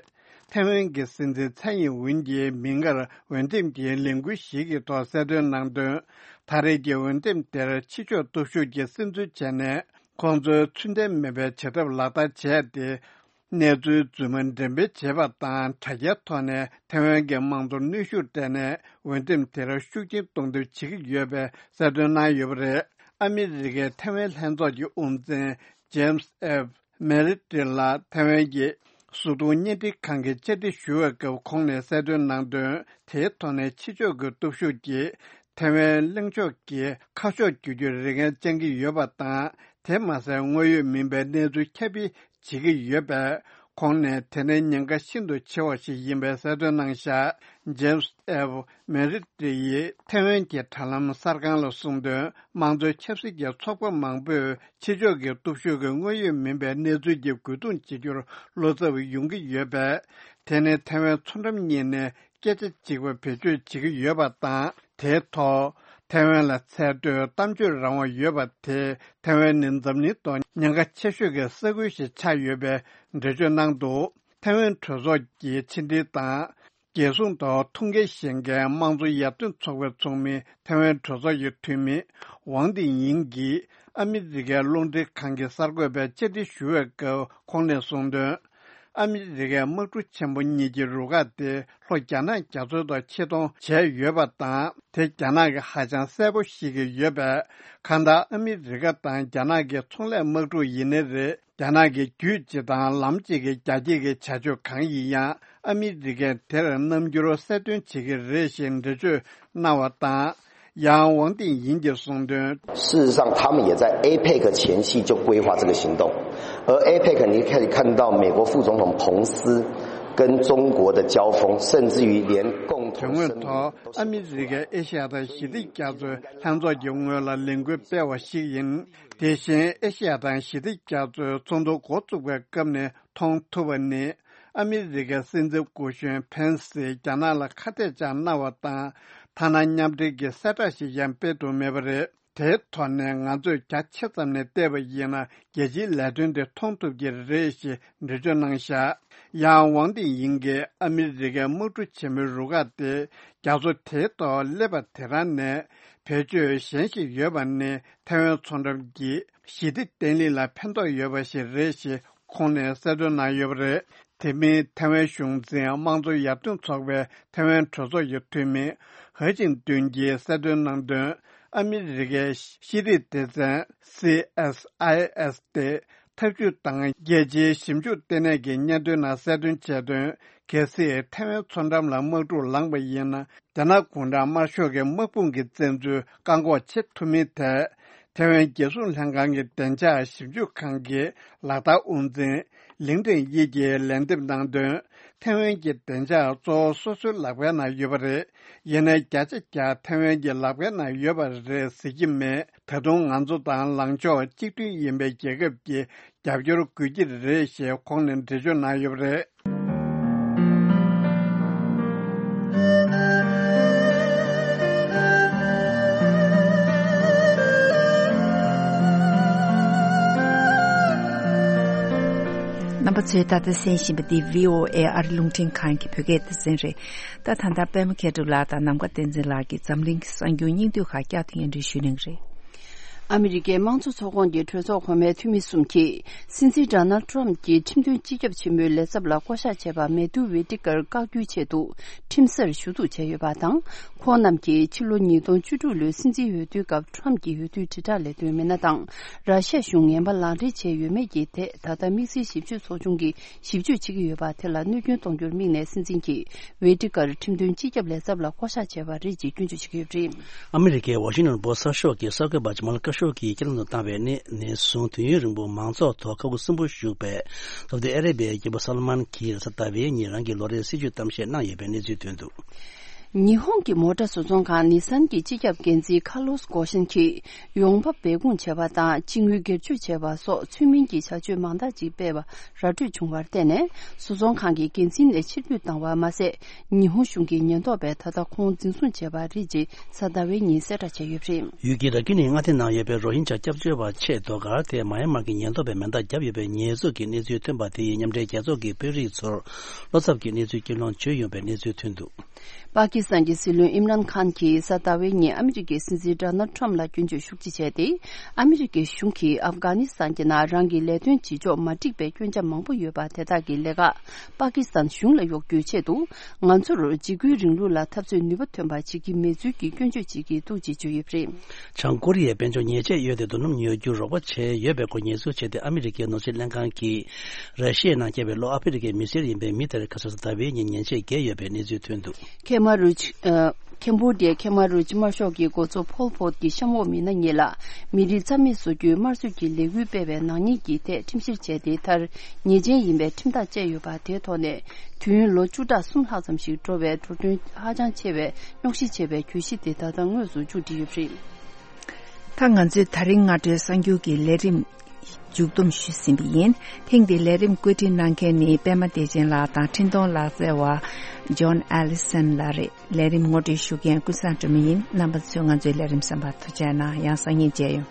ཐའེ་ཝན་གྱི་སྲིད་འཛིན་ཚའེ་ཡིན་ཝུན་གྱིས་མིག་སྔར་འོས་འདེམས་ཀྱི་ལས་འགུལ་ཞིག་གི་ཐོག་གསལ་སྟོན་གནང་དོན། ད་རེས་ཀྱི་འོས་འདེམས་དེར་ཕྱི་ཕྱོགས་སྟོབས་ཤུགས་ཀྱིས་སེམས་འཚོལ་བྱས་ནས། ཁོང་ཚོའི་ཚུལ་ལྡན་མིན་པའི་བྱེད་ཐབས་ལག་བསྟར་བྱས་ཏེ། གནས་ཚུལ་རྫུན་མ་འགྲེམས་སྤེལ་བྱས་པ་དང་། དྲ་རྒྱའི་ཐོག་ནས་ཐའེ་ཝན་གྱི་དམངས་གཙོར་གནོན་ཤུགས་སྤྲད་ནས། འོས་འདེམས་དེར་ཤུགས་རྐྱེན་གཏོང་ཐབས་བྱེད་ཀྱི་ཡོད་པའི་གསལ་སྟོན་གནང་ཡོད་པ་རེད། ཨ་མི་རི་ཀའི་ཐའེ་ཝན་ལྷན་ཚོགས་ཀྱི་དབུ་འཛིན་ཇེམ་སི་ཨེབ་མེ་རི་ཏི་ལ་ཐའེ་ཝན་གྱི་སུ་ཏུང་བརྙན་འཕྲིན་ཁང་གིས་བཅར་འདྲི་ཞུ་བའི་སྐབས་ཁོང་ནས་གསལ་སྟོན་གནང་དོན། དེའི་ཐོག་ནས་ཕྱི་ཕྱོགས་ཀྱི་སྟོབས་ཤུགས་ཀྱིས་ཐའེ་ཝན་གླེང་ཕྱོགས་ཀྱི་ཁ་ཕྱོགས་བསྒྱུར་རྒྱུར་རེ་འགན་བཅང་གི་ཡོད་པ་དང་། དེ་མ་ཟད་དངོས་ཡོད་མིན་པའི་གནས་ཚུལ་ཁྱབ་སྤེལ་བྱེད་ཀྱི་ཡོད་པས། ཁོང་ནས་དེ་ནས་ཉེན་ཁ་ཤིན་ཏུ་ཆེ་བ་ཞིག་ཡིན་པའི་གསལ་སྟོན་གནང་བཞག་ཇེམ་སི་ཨེབ་མེ་རི་ཏི་ཡིས་ཐའེ་ཝན་གྱི་དྲ་ལམ་གསར་ཁང་ལ་གསུངས་དོན། དམངས་གཙོའི་ཆབ་སྲིད་ཀྱི་ཚོགས་པ་མང་པོས་ཕྱི་ཕྱོགས་ཀྱི་སྟོབས་ཤུགས་ཀྱིས་དངོས་ཡོད་མིན་པའི་གནས་ཚུལ་གྱི་རྒོལ་རྡུང་བྱེད་རྒྱུར་བློ་འཚབ་ཡོང་གི་ཡོད་པས། དེ་ནི་ཐའེ་ཝན་མཚོ་འགྲམ་གཉིས་ནས་སྐད་ཆ་གཅིག་པ་བེད་སྤྱོད་བྱེད་ཀྱི་ཡོད་པ་དང་། དེའི་ཐོག་ཐའེ་ཝན་ལ་ཚད་མཐོའི་གཏམ་བརྗོད་རང་དབང་ཡོད་པ་དེས། ཐའེ་ཝན་ནི་འཛམ་གླིང་ཐོག་ཉེན་ཁ་ཆེ་ཤོས་ཀྱི་ས་ཁུལ་ཞིག་ཆགས་ཡོད་པའི་འགྲེལ་བརྗོད་གནང་འདུག་ཐའེ་ཝན་གྲོས་ཚོགས་ཀྱི་ཕྱི་འབྲེལ་དང་། རྒྱལ་སྲུང་ཐོག་ཐུགས་འགན་བཞེས་མཁན་དམངས་གཙོ་ཡར་ཐོན་ཚོགས་པའི་ཚོགས་མི་ཐའེ་ཝན་གྲོས་ཚོགས་ཀྱི་འཐུས་མི་ཝང་ཏི་ཡིང་གིས། ཨ་མི་རི་ཀའི་རླུང་འཕྲིན་ཁང་གི་གསར་འགོད་པས་བཅར་འདྲི་ཞུ་བའི་སྐབས་ཁོང་ནས་གསུངས་དོན། ཨ་མི་རི་ཀའི་དམག་གྲུ་ཆེན་པོ་གཉིས་ཀྱི་རུ་ཁག་དེ་ལྷོ་རྒྱ་ནག་རྒྱ་མཚོའི་ཐོག་ཆེད་གཏོང་བྱས་ཡོད་པ་དང་། དེ་རྒྱ་ནག་གིས་ཧ་ཅང་གསལ་པོ་ཤེས་ཀྱི་ཡོད་པས། གང་ལྟར་ཨ་མི་རི་ཀ་དང་རྒྱ་ནག་གི་ཚོང་ལས་དམག་གྲུ་ཡིན་ནའི་རེད། རྒྱ་ནག་གི་རྒྱུད་སྤྱི་དང་ལམ་གཅིག་གི་རྒྱ་སྐྱེད་ཀྱི་བྱ་སྤྱོད་གང་ཡིན་ཡང་། ཨ་མི་རི་ཀས་དེར་རྣམ་འགྱུར་གསལ་སྟོན་བྱེད་ཀྱི་རེད་ཞེས་འགྲེལ་བརྗོད་གནང་བ་དང་། ཡང་ཝང་ཏིང་ཡིན་གྱིས་གསུངས་དོན། 事实上，他们也在 APEC 前夕就规划这个行动，而 APEC 你可以看到美国副总统彭斯跟中国的交锋，甚至于连共同声明 དོན་དངོས་ཐོག་ཨ་མི་རི་ཀས་ཨེ་ཤ་ཡ་དང་ཞི་བདེ་རྒྱ་མཚོའི་ལྷན་ཚོགས་ཀྱི་སྔོན་ལ་ལས་འགུལ་སྤེལ་བ་ཞིག་ཡིན། དེ་བཞིན་ཨེ་ཤ་ཡ་དང་ཞི་བདེ་རྒྱ་མཚོའི་ཚོགས་འདུ་འགོ་བཙུགས་པའི་སྐབས་ནས་མཐོང་ཐུབ་པ་ནི། ཨ་མི་རི་ཀའི་སྲིད་འཛིན་སྐུ་གཞོན་ཕེན་སིས་རྒྱ་ནག་ལ་ཁ་གཏད་བཅག་གནང་བ་དང་། ཐ་ན་མཉམ་འབྲེལ་གྱི་གསལ་བསྒྲགས་ཤིག་ཀྱང་སྤེལ་ཐུབ་མེད་པ་རེད། དེའི་ཐོག་ནས་ང་ཚོས་རྒྱ་ཆེ་ཙམ་ནས་བལྟས་པ་ཡིན་ན། རྒྱལ་སྤྱིའི་ལས་དོན་དེ་མཐོང་ཐུབ་ཀྱི་རེད་ཞེས་འགྲེལ་བརྗོད་གནང་བཞག་ཡང་ཝང་ཏིང་ཡིན་གྱིས་ཨ་མི་རི་ཀའི་དམག་གྲུ་ཆེན་མོའི་རུ་ཁག་དེ་རྒྱ་མཚོ་དེའི་ཐོག་སླེབས་པ་དེ་རང་ནས་བེད་སྤྱོད་གཞན་ཞིག་ཡོད་པ་ནི། ཐའེ་ཝན་མཚོ་འགྲམ་གྱི་ཞི་བདེ་བརྟན་ལྷིང་ལ་ཕན་ཐོགས་ཡོད་པ་ཞིག་རེད་ཞེས་ཁོང་ནས་གསལ་སྟོན་གནང་ཡོད་པ་རེད། དེ་མིན་ཐའེ་ཝན་གཞུང་འཛིན་དམངས་གཙོ་ཡར་ཐོན་ཚོགས་པའི་ཐའེ་ཝན་གྲོས་ཚོགས་ཀྱི་འཐུས་མི་ཧེ་ཅིང་ཏུན་གྱིས་གསལ་སྟོན་གནང་དོན། ཨ་མི་རི་ཀའི་ཤེས་རིག་སྡེ་ཚན་སི་ཨེས་ཨའི་ཨེས་སྟེ། ཐབས་ཇུས་དང་རྒྱལ་སྤྱིའི་ཞིབ་འཇུག་ལྟེ་གནས་ཀྱི་སྙན་ཐོའི་ནང་གསལ་སྟོན་བྱས་དོན། གལ་སྲིད་ཐའེ་ཝན་མཚོ་འགྲམ་ལ་དམག་འཁྲུག་ལངས་པ་ཡིན་ན། རྒྱ་ནག་གུང་ཁྲན་དམར་ཤོག་གི་དམག་དཔུང་གི་བཙན་འཛུལ་བཀག་འགོག་བྱེད་ཐུབ་མིན་ཐད། ཐའེ་ཝན་རྒྱལ་སྲུང་ལྷན་ཁང་གི་བདེ་འཇགས་ཞིབ་འཇུག་ཁང་གི་ལག་བསྟར་དབུ་འཛིན་ལིང་ཀྲེང་དབྱི་གིས་ལན་འདེབས་གནང་དོན། ཐའེ་ཝན་གྱི་བདེ་འཇགས་གཙོ་བོ་སོ་སོའི་ལག་པའི་ནང་ཡོད་པ་རེད། ཡིན་ནའི་བརྒྱ་ཆ་བརྒྱ་ཐའེ་ཝན་གྱི་ལག་པའི་ནང་ཡོད་པ་རེད་ཟེར་གྱི་མེད། ད་དུང་ང་ཚོ་དང་ལངས་ཕྱོགས་གཅིག་མཐུན་ཡིན་པའི་རྒྱལ་ཁབ་ཀྱི་རྒྱབ་སྐྱོར་དགོས་ཀྱི་རེད་ཞེས་ཁོང་ནས་འགྲེལ་བརྗོད་གནང་ཡོད་པ་རེད། རྣམ་པ་ཚོས་ད་ལྟ་གསན་བཞིན་པ་འདི་བྷི་ཨོ་ཨེ་ཨ་རི་རླུང་འཕྲིན་ཁང་གི་བོད་སྐད་སྡེ་ཚན་རེད། ད་ད་ལྟ་པད་མ་མཁས་གྲུབ་ལགས་དང་ནམ་མཁའ་བསྟན་འཛིན་ལགས་ཀྱིས་འཛམ་གླིང་གི་གསར་འགྱུར་སྙིང་བསྡུས་ཁག་བསྐྱར་དུ་སྙན་སྒྲོན་ཞུ་གནང་གི་རེད། ཨ་མི་རི་ཀའི་དམངས་གཙོ་ཚོགས་ཁོངས་ཀྱི་གྲོས་ཚོགས་གོང་མའི་འཐུས་མི་གསུམ་གྱིས་སྲིད་འཛིན་ཌོ་ནལ་ཊམ་གྱི་ཁྲིམས་དོན་སྤྱི་ཁྱབ་ཆེན་མོའི་ལས་ཚབ་ལ་བསྐོ་གཞག་བྱས་པ་མེ་ཏུ་ཝེ་ཏི་ཀར་བཀག་རྒྱུའི་ཆེད་དུ་ཁྲིམས་སར་ཞུ་གཏུག་བྱས་ཡོད་པ་དང་། ཁོང་རྣམས་ཀྱིས་ཕྱི་ལོ་ཉིས་སྟོང་བཅུ་དྲུག་ལོའི་སྲིད་འཛིན་འོས་བསྡུའི་སྐབས་ཊམ་གྱི་འོས་བསྡུའི་དྲིལ་བསྒྲགས་ལས་དོན་མི་སྣ་དང་། ར་ཤ་གཞུང་ངན་པ་ལག་འབྲེལ་བྱས་ཡོད་མེད་ཀྱི་ཐད་ད་ལྟ་དམིགས་བསལ་ཞིབ་དཔྱོད་ཚོགས་ཆུང་གིས་ཞིབ་དཔྱོད་བྱེད་ཀྱི་ཡོད་པ་དེ་ལ་གནོད་སྐྱོན་གཏོང་རྒྱུར་དམིགས་ནས་སྲིད་འཛིན་གྱིས་ཝེ་ཏི་ཀར་ཁྲིམས་དོན་སྤྱི་ཁྱབ་ལས་ཚབ་ལ་བསྐོ་གཞག་བྱས་པ་རེད་ཅེས་སྐྱོན་བརྗོད་བྱེད་ཀྱི་ཡོད་པ་རེད། ཨ་མི་རི་ཀའི་ཝ་ཤིང་ཊོན་པོ་སི་གསར་ཤོག་གི་གསར་འགོད་པ་ཇ་མལ་ཁ་ཤོ་གིས་སྐྱེལ་འདྲེན་དུ་བཏང་བའི་གནས་ནས་བཟུང་དུས་ཡུན་རིང་པོ་མང་ཚོགས་ཐོག་ཁ་ཁུ་སིམ་པོ་བཞུགས་པའི་སོ་ཏི་ཨ་རེ་བྷི་ཡའི་རྒྱལ་པོ་སོ་ལོ་མོན་གྱིས་རེས་གཟའ་ཟླ་བའི་ཉིན་རང་གི་ལོ་རེའི་སྲིད་ཇུས་གཏམ་བཤད་གནང་ཡོད་པའི་གནས་ཚུལ་ཐོན་འདུག། ཉི་ཧོང་གི་མོ་ཊ་བཟོ་ཚོང་ཁང་ནི་སན་གྱི་སྤྱི་ཁྱབ་འགན་འཛིན་ཁ་ལོས་གོ་ཤན་གྱིས་ཡོང་འབབ་སྦས་སྐུང་བྱས་པ་དང་། སྤྱི་དངུལ་སྒེར་གཅོད་བྱས་པ་སོགས་ཚུལ་མིན་གྱི་བྱ་སྤྱོད་མང་དག་ཅིག་སྤེལ་བ་ར་སྤྲོད་བྱུང་བར་བརྟེན་ནས། བཟོ་ཚོང་ཁང་གི་འགན་འཛིན་ལས་ཕྱིར་འབུད་བཏང་བ་མ་ཟད། ཉི་ཧོང་གཞུང་གི་ཉེན་རྟོག་པས་ད་ལྟ་ཁོང་འཛིན་བཟུང་བྱས་པ་རེད་ཅེས་གཟའ་ཟླ་བའི་ཉིན་གསལ་བསྒྲགས་བྱས་ཡོད་པ་རེད། ཡུལ་དེའི་ར་ཁུན་ནི་མངའ་སྡེ་ནང་ཡོད་པའི་རོ་ཧིན་ཇཱ་སྐྱབས་བཅོལ་བ་ཆེས་ཟློས་གར་དེ་མཱ་ཡན་མར་གྱི་ཉེན་རྟོག་པས་མེ་མདའ་བརྒྱབ་ཡོད་པའི་ཉེས་འཛུགས་ཀྱི་གནས་ཚུལ་ཐོན་པ་དེ་ཡིས་མཉམ་འབྲེལ་རྒྱལ་ཚོགས་ཀྱི་དཔོན་རིགས་ཚོར་བློ་འཚབ་ཀྱི་གནས་ཚུལ་སྐྱོན་སློང་བྱུང་ཡོད་པའི་གནས་ཚུལ་ཐོན་འདུག། པ་ཀི་སི་ཐན་གྱི་སྲིད་བློན་ཨིམ་རཱན་ཁཱན་གྱིས་གཟའ་ཟླ་བའི་ཉིན་ཨ་མི་རི་ཀའི་སྲིད་འཛིན་ཌོ་ནལ་ཊམ་ལ་སྐྱོན་བརྗོད་ཤུགས་ཆེ་བྱས་ཏེ། ཨ་མི་རི་ཀའི་གཞུང་གིས་ཨབ་གྷ་ནི་སི་ཐན་གྱི་ནང་རང་གི་ལས་དོན་བྱེད་ཕྱོགས་མ་འགྲིག་པའི་སྐྱོན་ཆ་མང་པོ་ཡོད་པ་དེ་དག་གི་ལས་ཀ་པ་ཀི་སི་ཐན་གཞུང་ལ་གཡོག་རྒྱུའི་ཆེད་དུ། ང་ཚོར་འཇིགས་སྐུལ་རིང་ལུགས་ལ་འཐབ་རྩོད་ནུས་པ་ཐོན་པ་བྱེད་ཀྱི་མེད་ཚུལ་གྱི་སྐྱོན་བརྗོད་བྱེད་ཀྱི་འདུག་ཅེས་བརྗོད་ཡོད་པ་རེད། བྱང་ཀོ་རི་ཡས་དཔལ་འབྱོར་ཉེས་ཆད་གཡོལ་ཏེ་རྡོ་སྣུམ་ཉོ་རྒྱུར་རོགས་པ་བྱས་ཡོད་པའི་སྐོར་ཉེས་འཛུགས་བྱས་ཏེ། ཨ་མི་རི་ཀའི་ནོར་སྲིད་ལྷན་ཁང་གིས་ར་ཤི་ཡའི་ནང་སྐྱེས་པའི་ལྷོ་ཨ་ཧྥེ་རི་ཀའི་མི་སེར་ཡིན་པའི་མི་དེར་ཁ་སང་གཟའ་ཟླ་བའི་ཉིན་ཉེས་ཆད་བཀལ་ཡོད་པའི་གནས་ཚུལ་ཐོན་འདུག། ཁེ་མ་རུ་ཆི། ཨ། ཁེམ་བྷོ་ཌི་ཡའི་ཁེ་མ་རུ་ཆི་དམར་ཤོག་གི་འགོ་གཙོ་ཕོལ་པོ་ཊི་གྱི་གཤམ་འོག་མི་སྣ་གཉིས་ལ་མི་རིགས་རྩ་མེད་བཟོ་རྒྱུའི་དམར་གསོད་ཀྱི་ལས་འགུལ་སྤེལ་བའི་ནག་ཉེས་ཀྱི་ཐད་ཁྲིམས་བཤེར་བྱས་ཏེ། མཐར་ཉེས་ཅན་ཡིན་པའི་ཁྲིམས་ཐག་བཅད་ཡོད་པ་དེའི་ཐོག་ནས། དུས་ཡུན་ལོ་བཅུ་ཕྲག་གསུམ་ལྷག་ཙམ་ཞིག་འགྲོ་བའི་འགྲོ་གྲོན་ཧ་ཅང་ཆེ་བའི་རྙོག་གཞི་ཆེ་བའི་གྱོད་གཞི་དེ་ད་ལྟ་དངོས་སུ་མཇུག་སྒྲིལ་ཡོད་པ་རེད། ད་ང་ཚོས་ད་རིང་སྔ་དྲོའི་གསར་འགྱུར་གྱི་ལས་རིམ་མཇུག་བསྡོམས་ཞུས་ཟིན་པ་ཡིན། ཐེངས་འདིའི་ལས་རིམ་བཀོད་སྒྲིག་གནང་མཁན་ནི་པད་མ་བདེ་ཆེན་ལགས་དང་འཕྲིན་གཏོང་ལག་རྩལ་བ་ཇོན་ཨེ་ལི་སན་ལགས་རེད། ལས་རིམ་ངོ་སྤྲོད་ཞུ་མཁན་ཀུན་བཟང་སྒྲོལ་མ་ཡིན། རྣམ་པ་ཚོས་ང་ཚོའི་ལས་རིམ་གསན་པར་ཐུགས་རྗེ་གནང་། ཡང་སང་ཉིན་མཇལ་ཡོང་།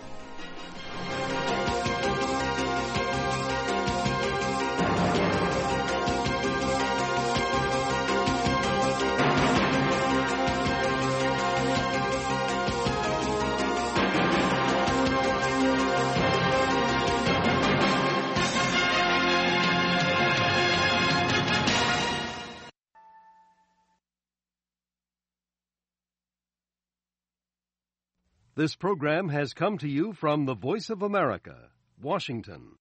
This program has come to you from the Voice of America, Washington.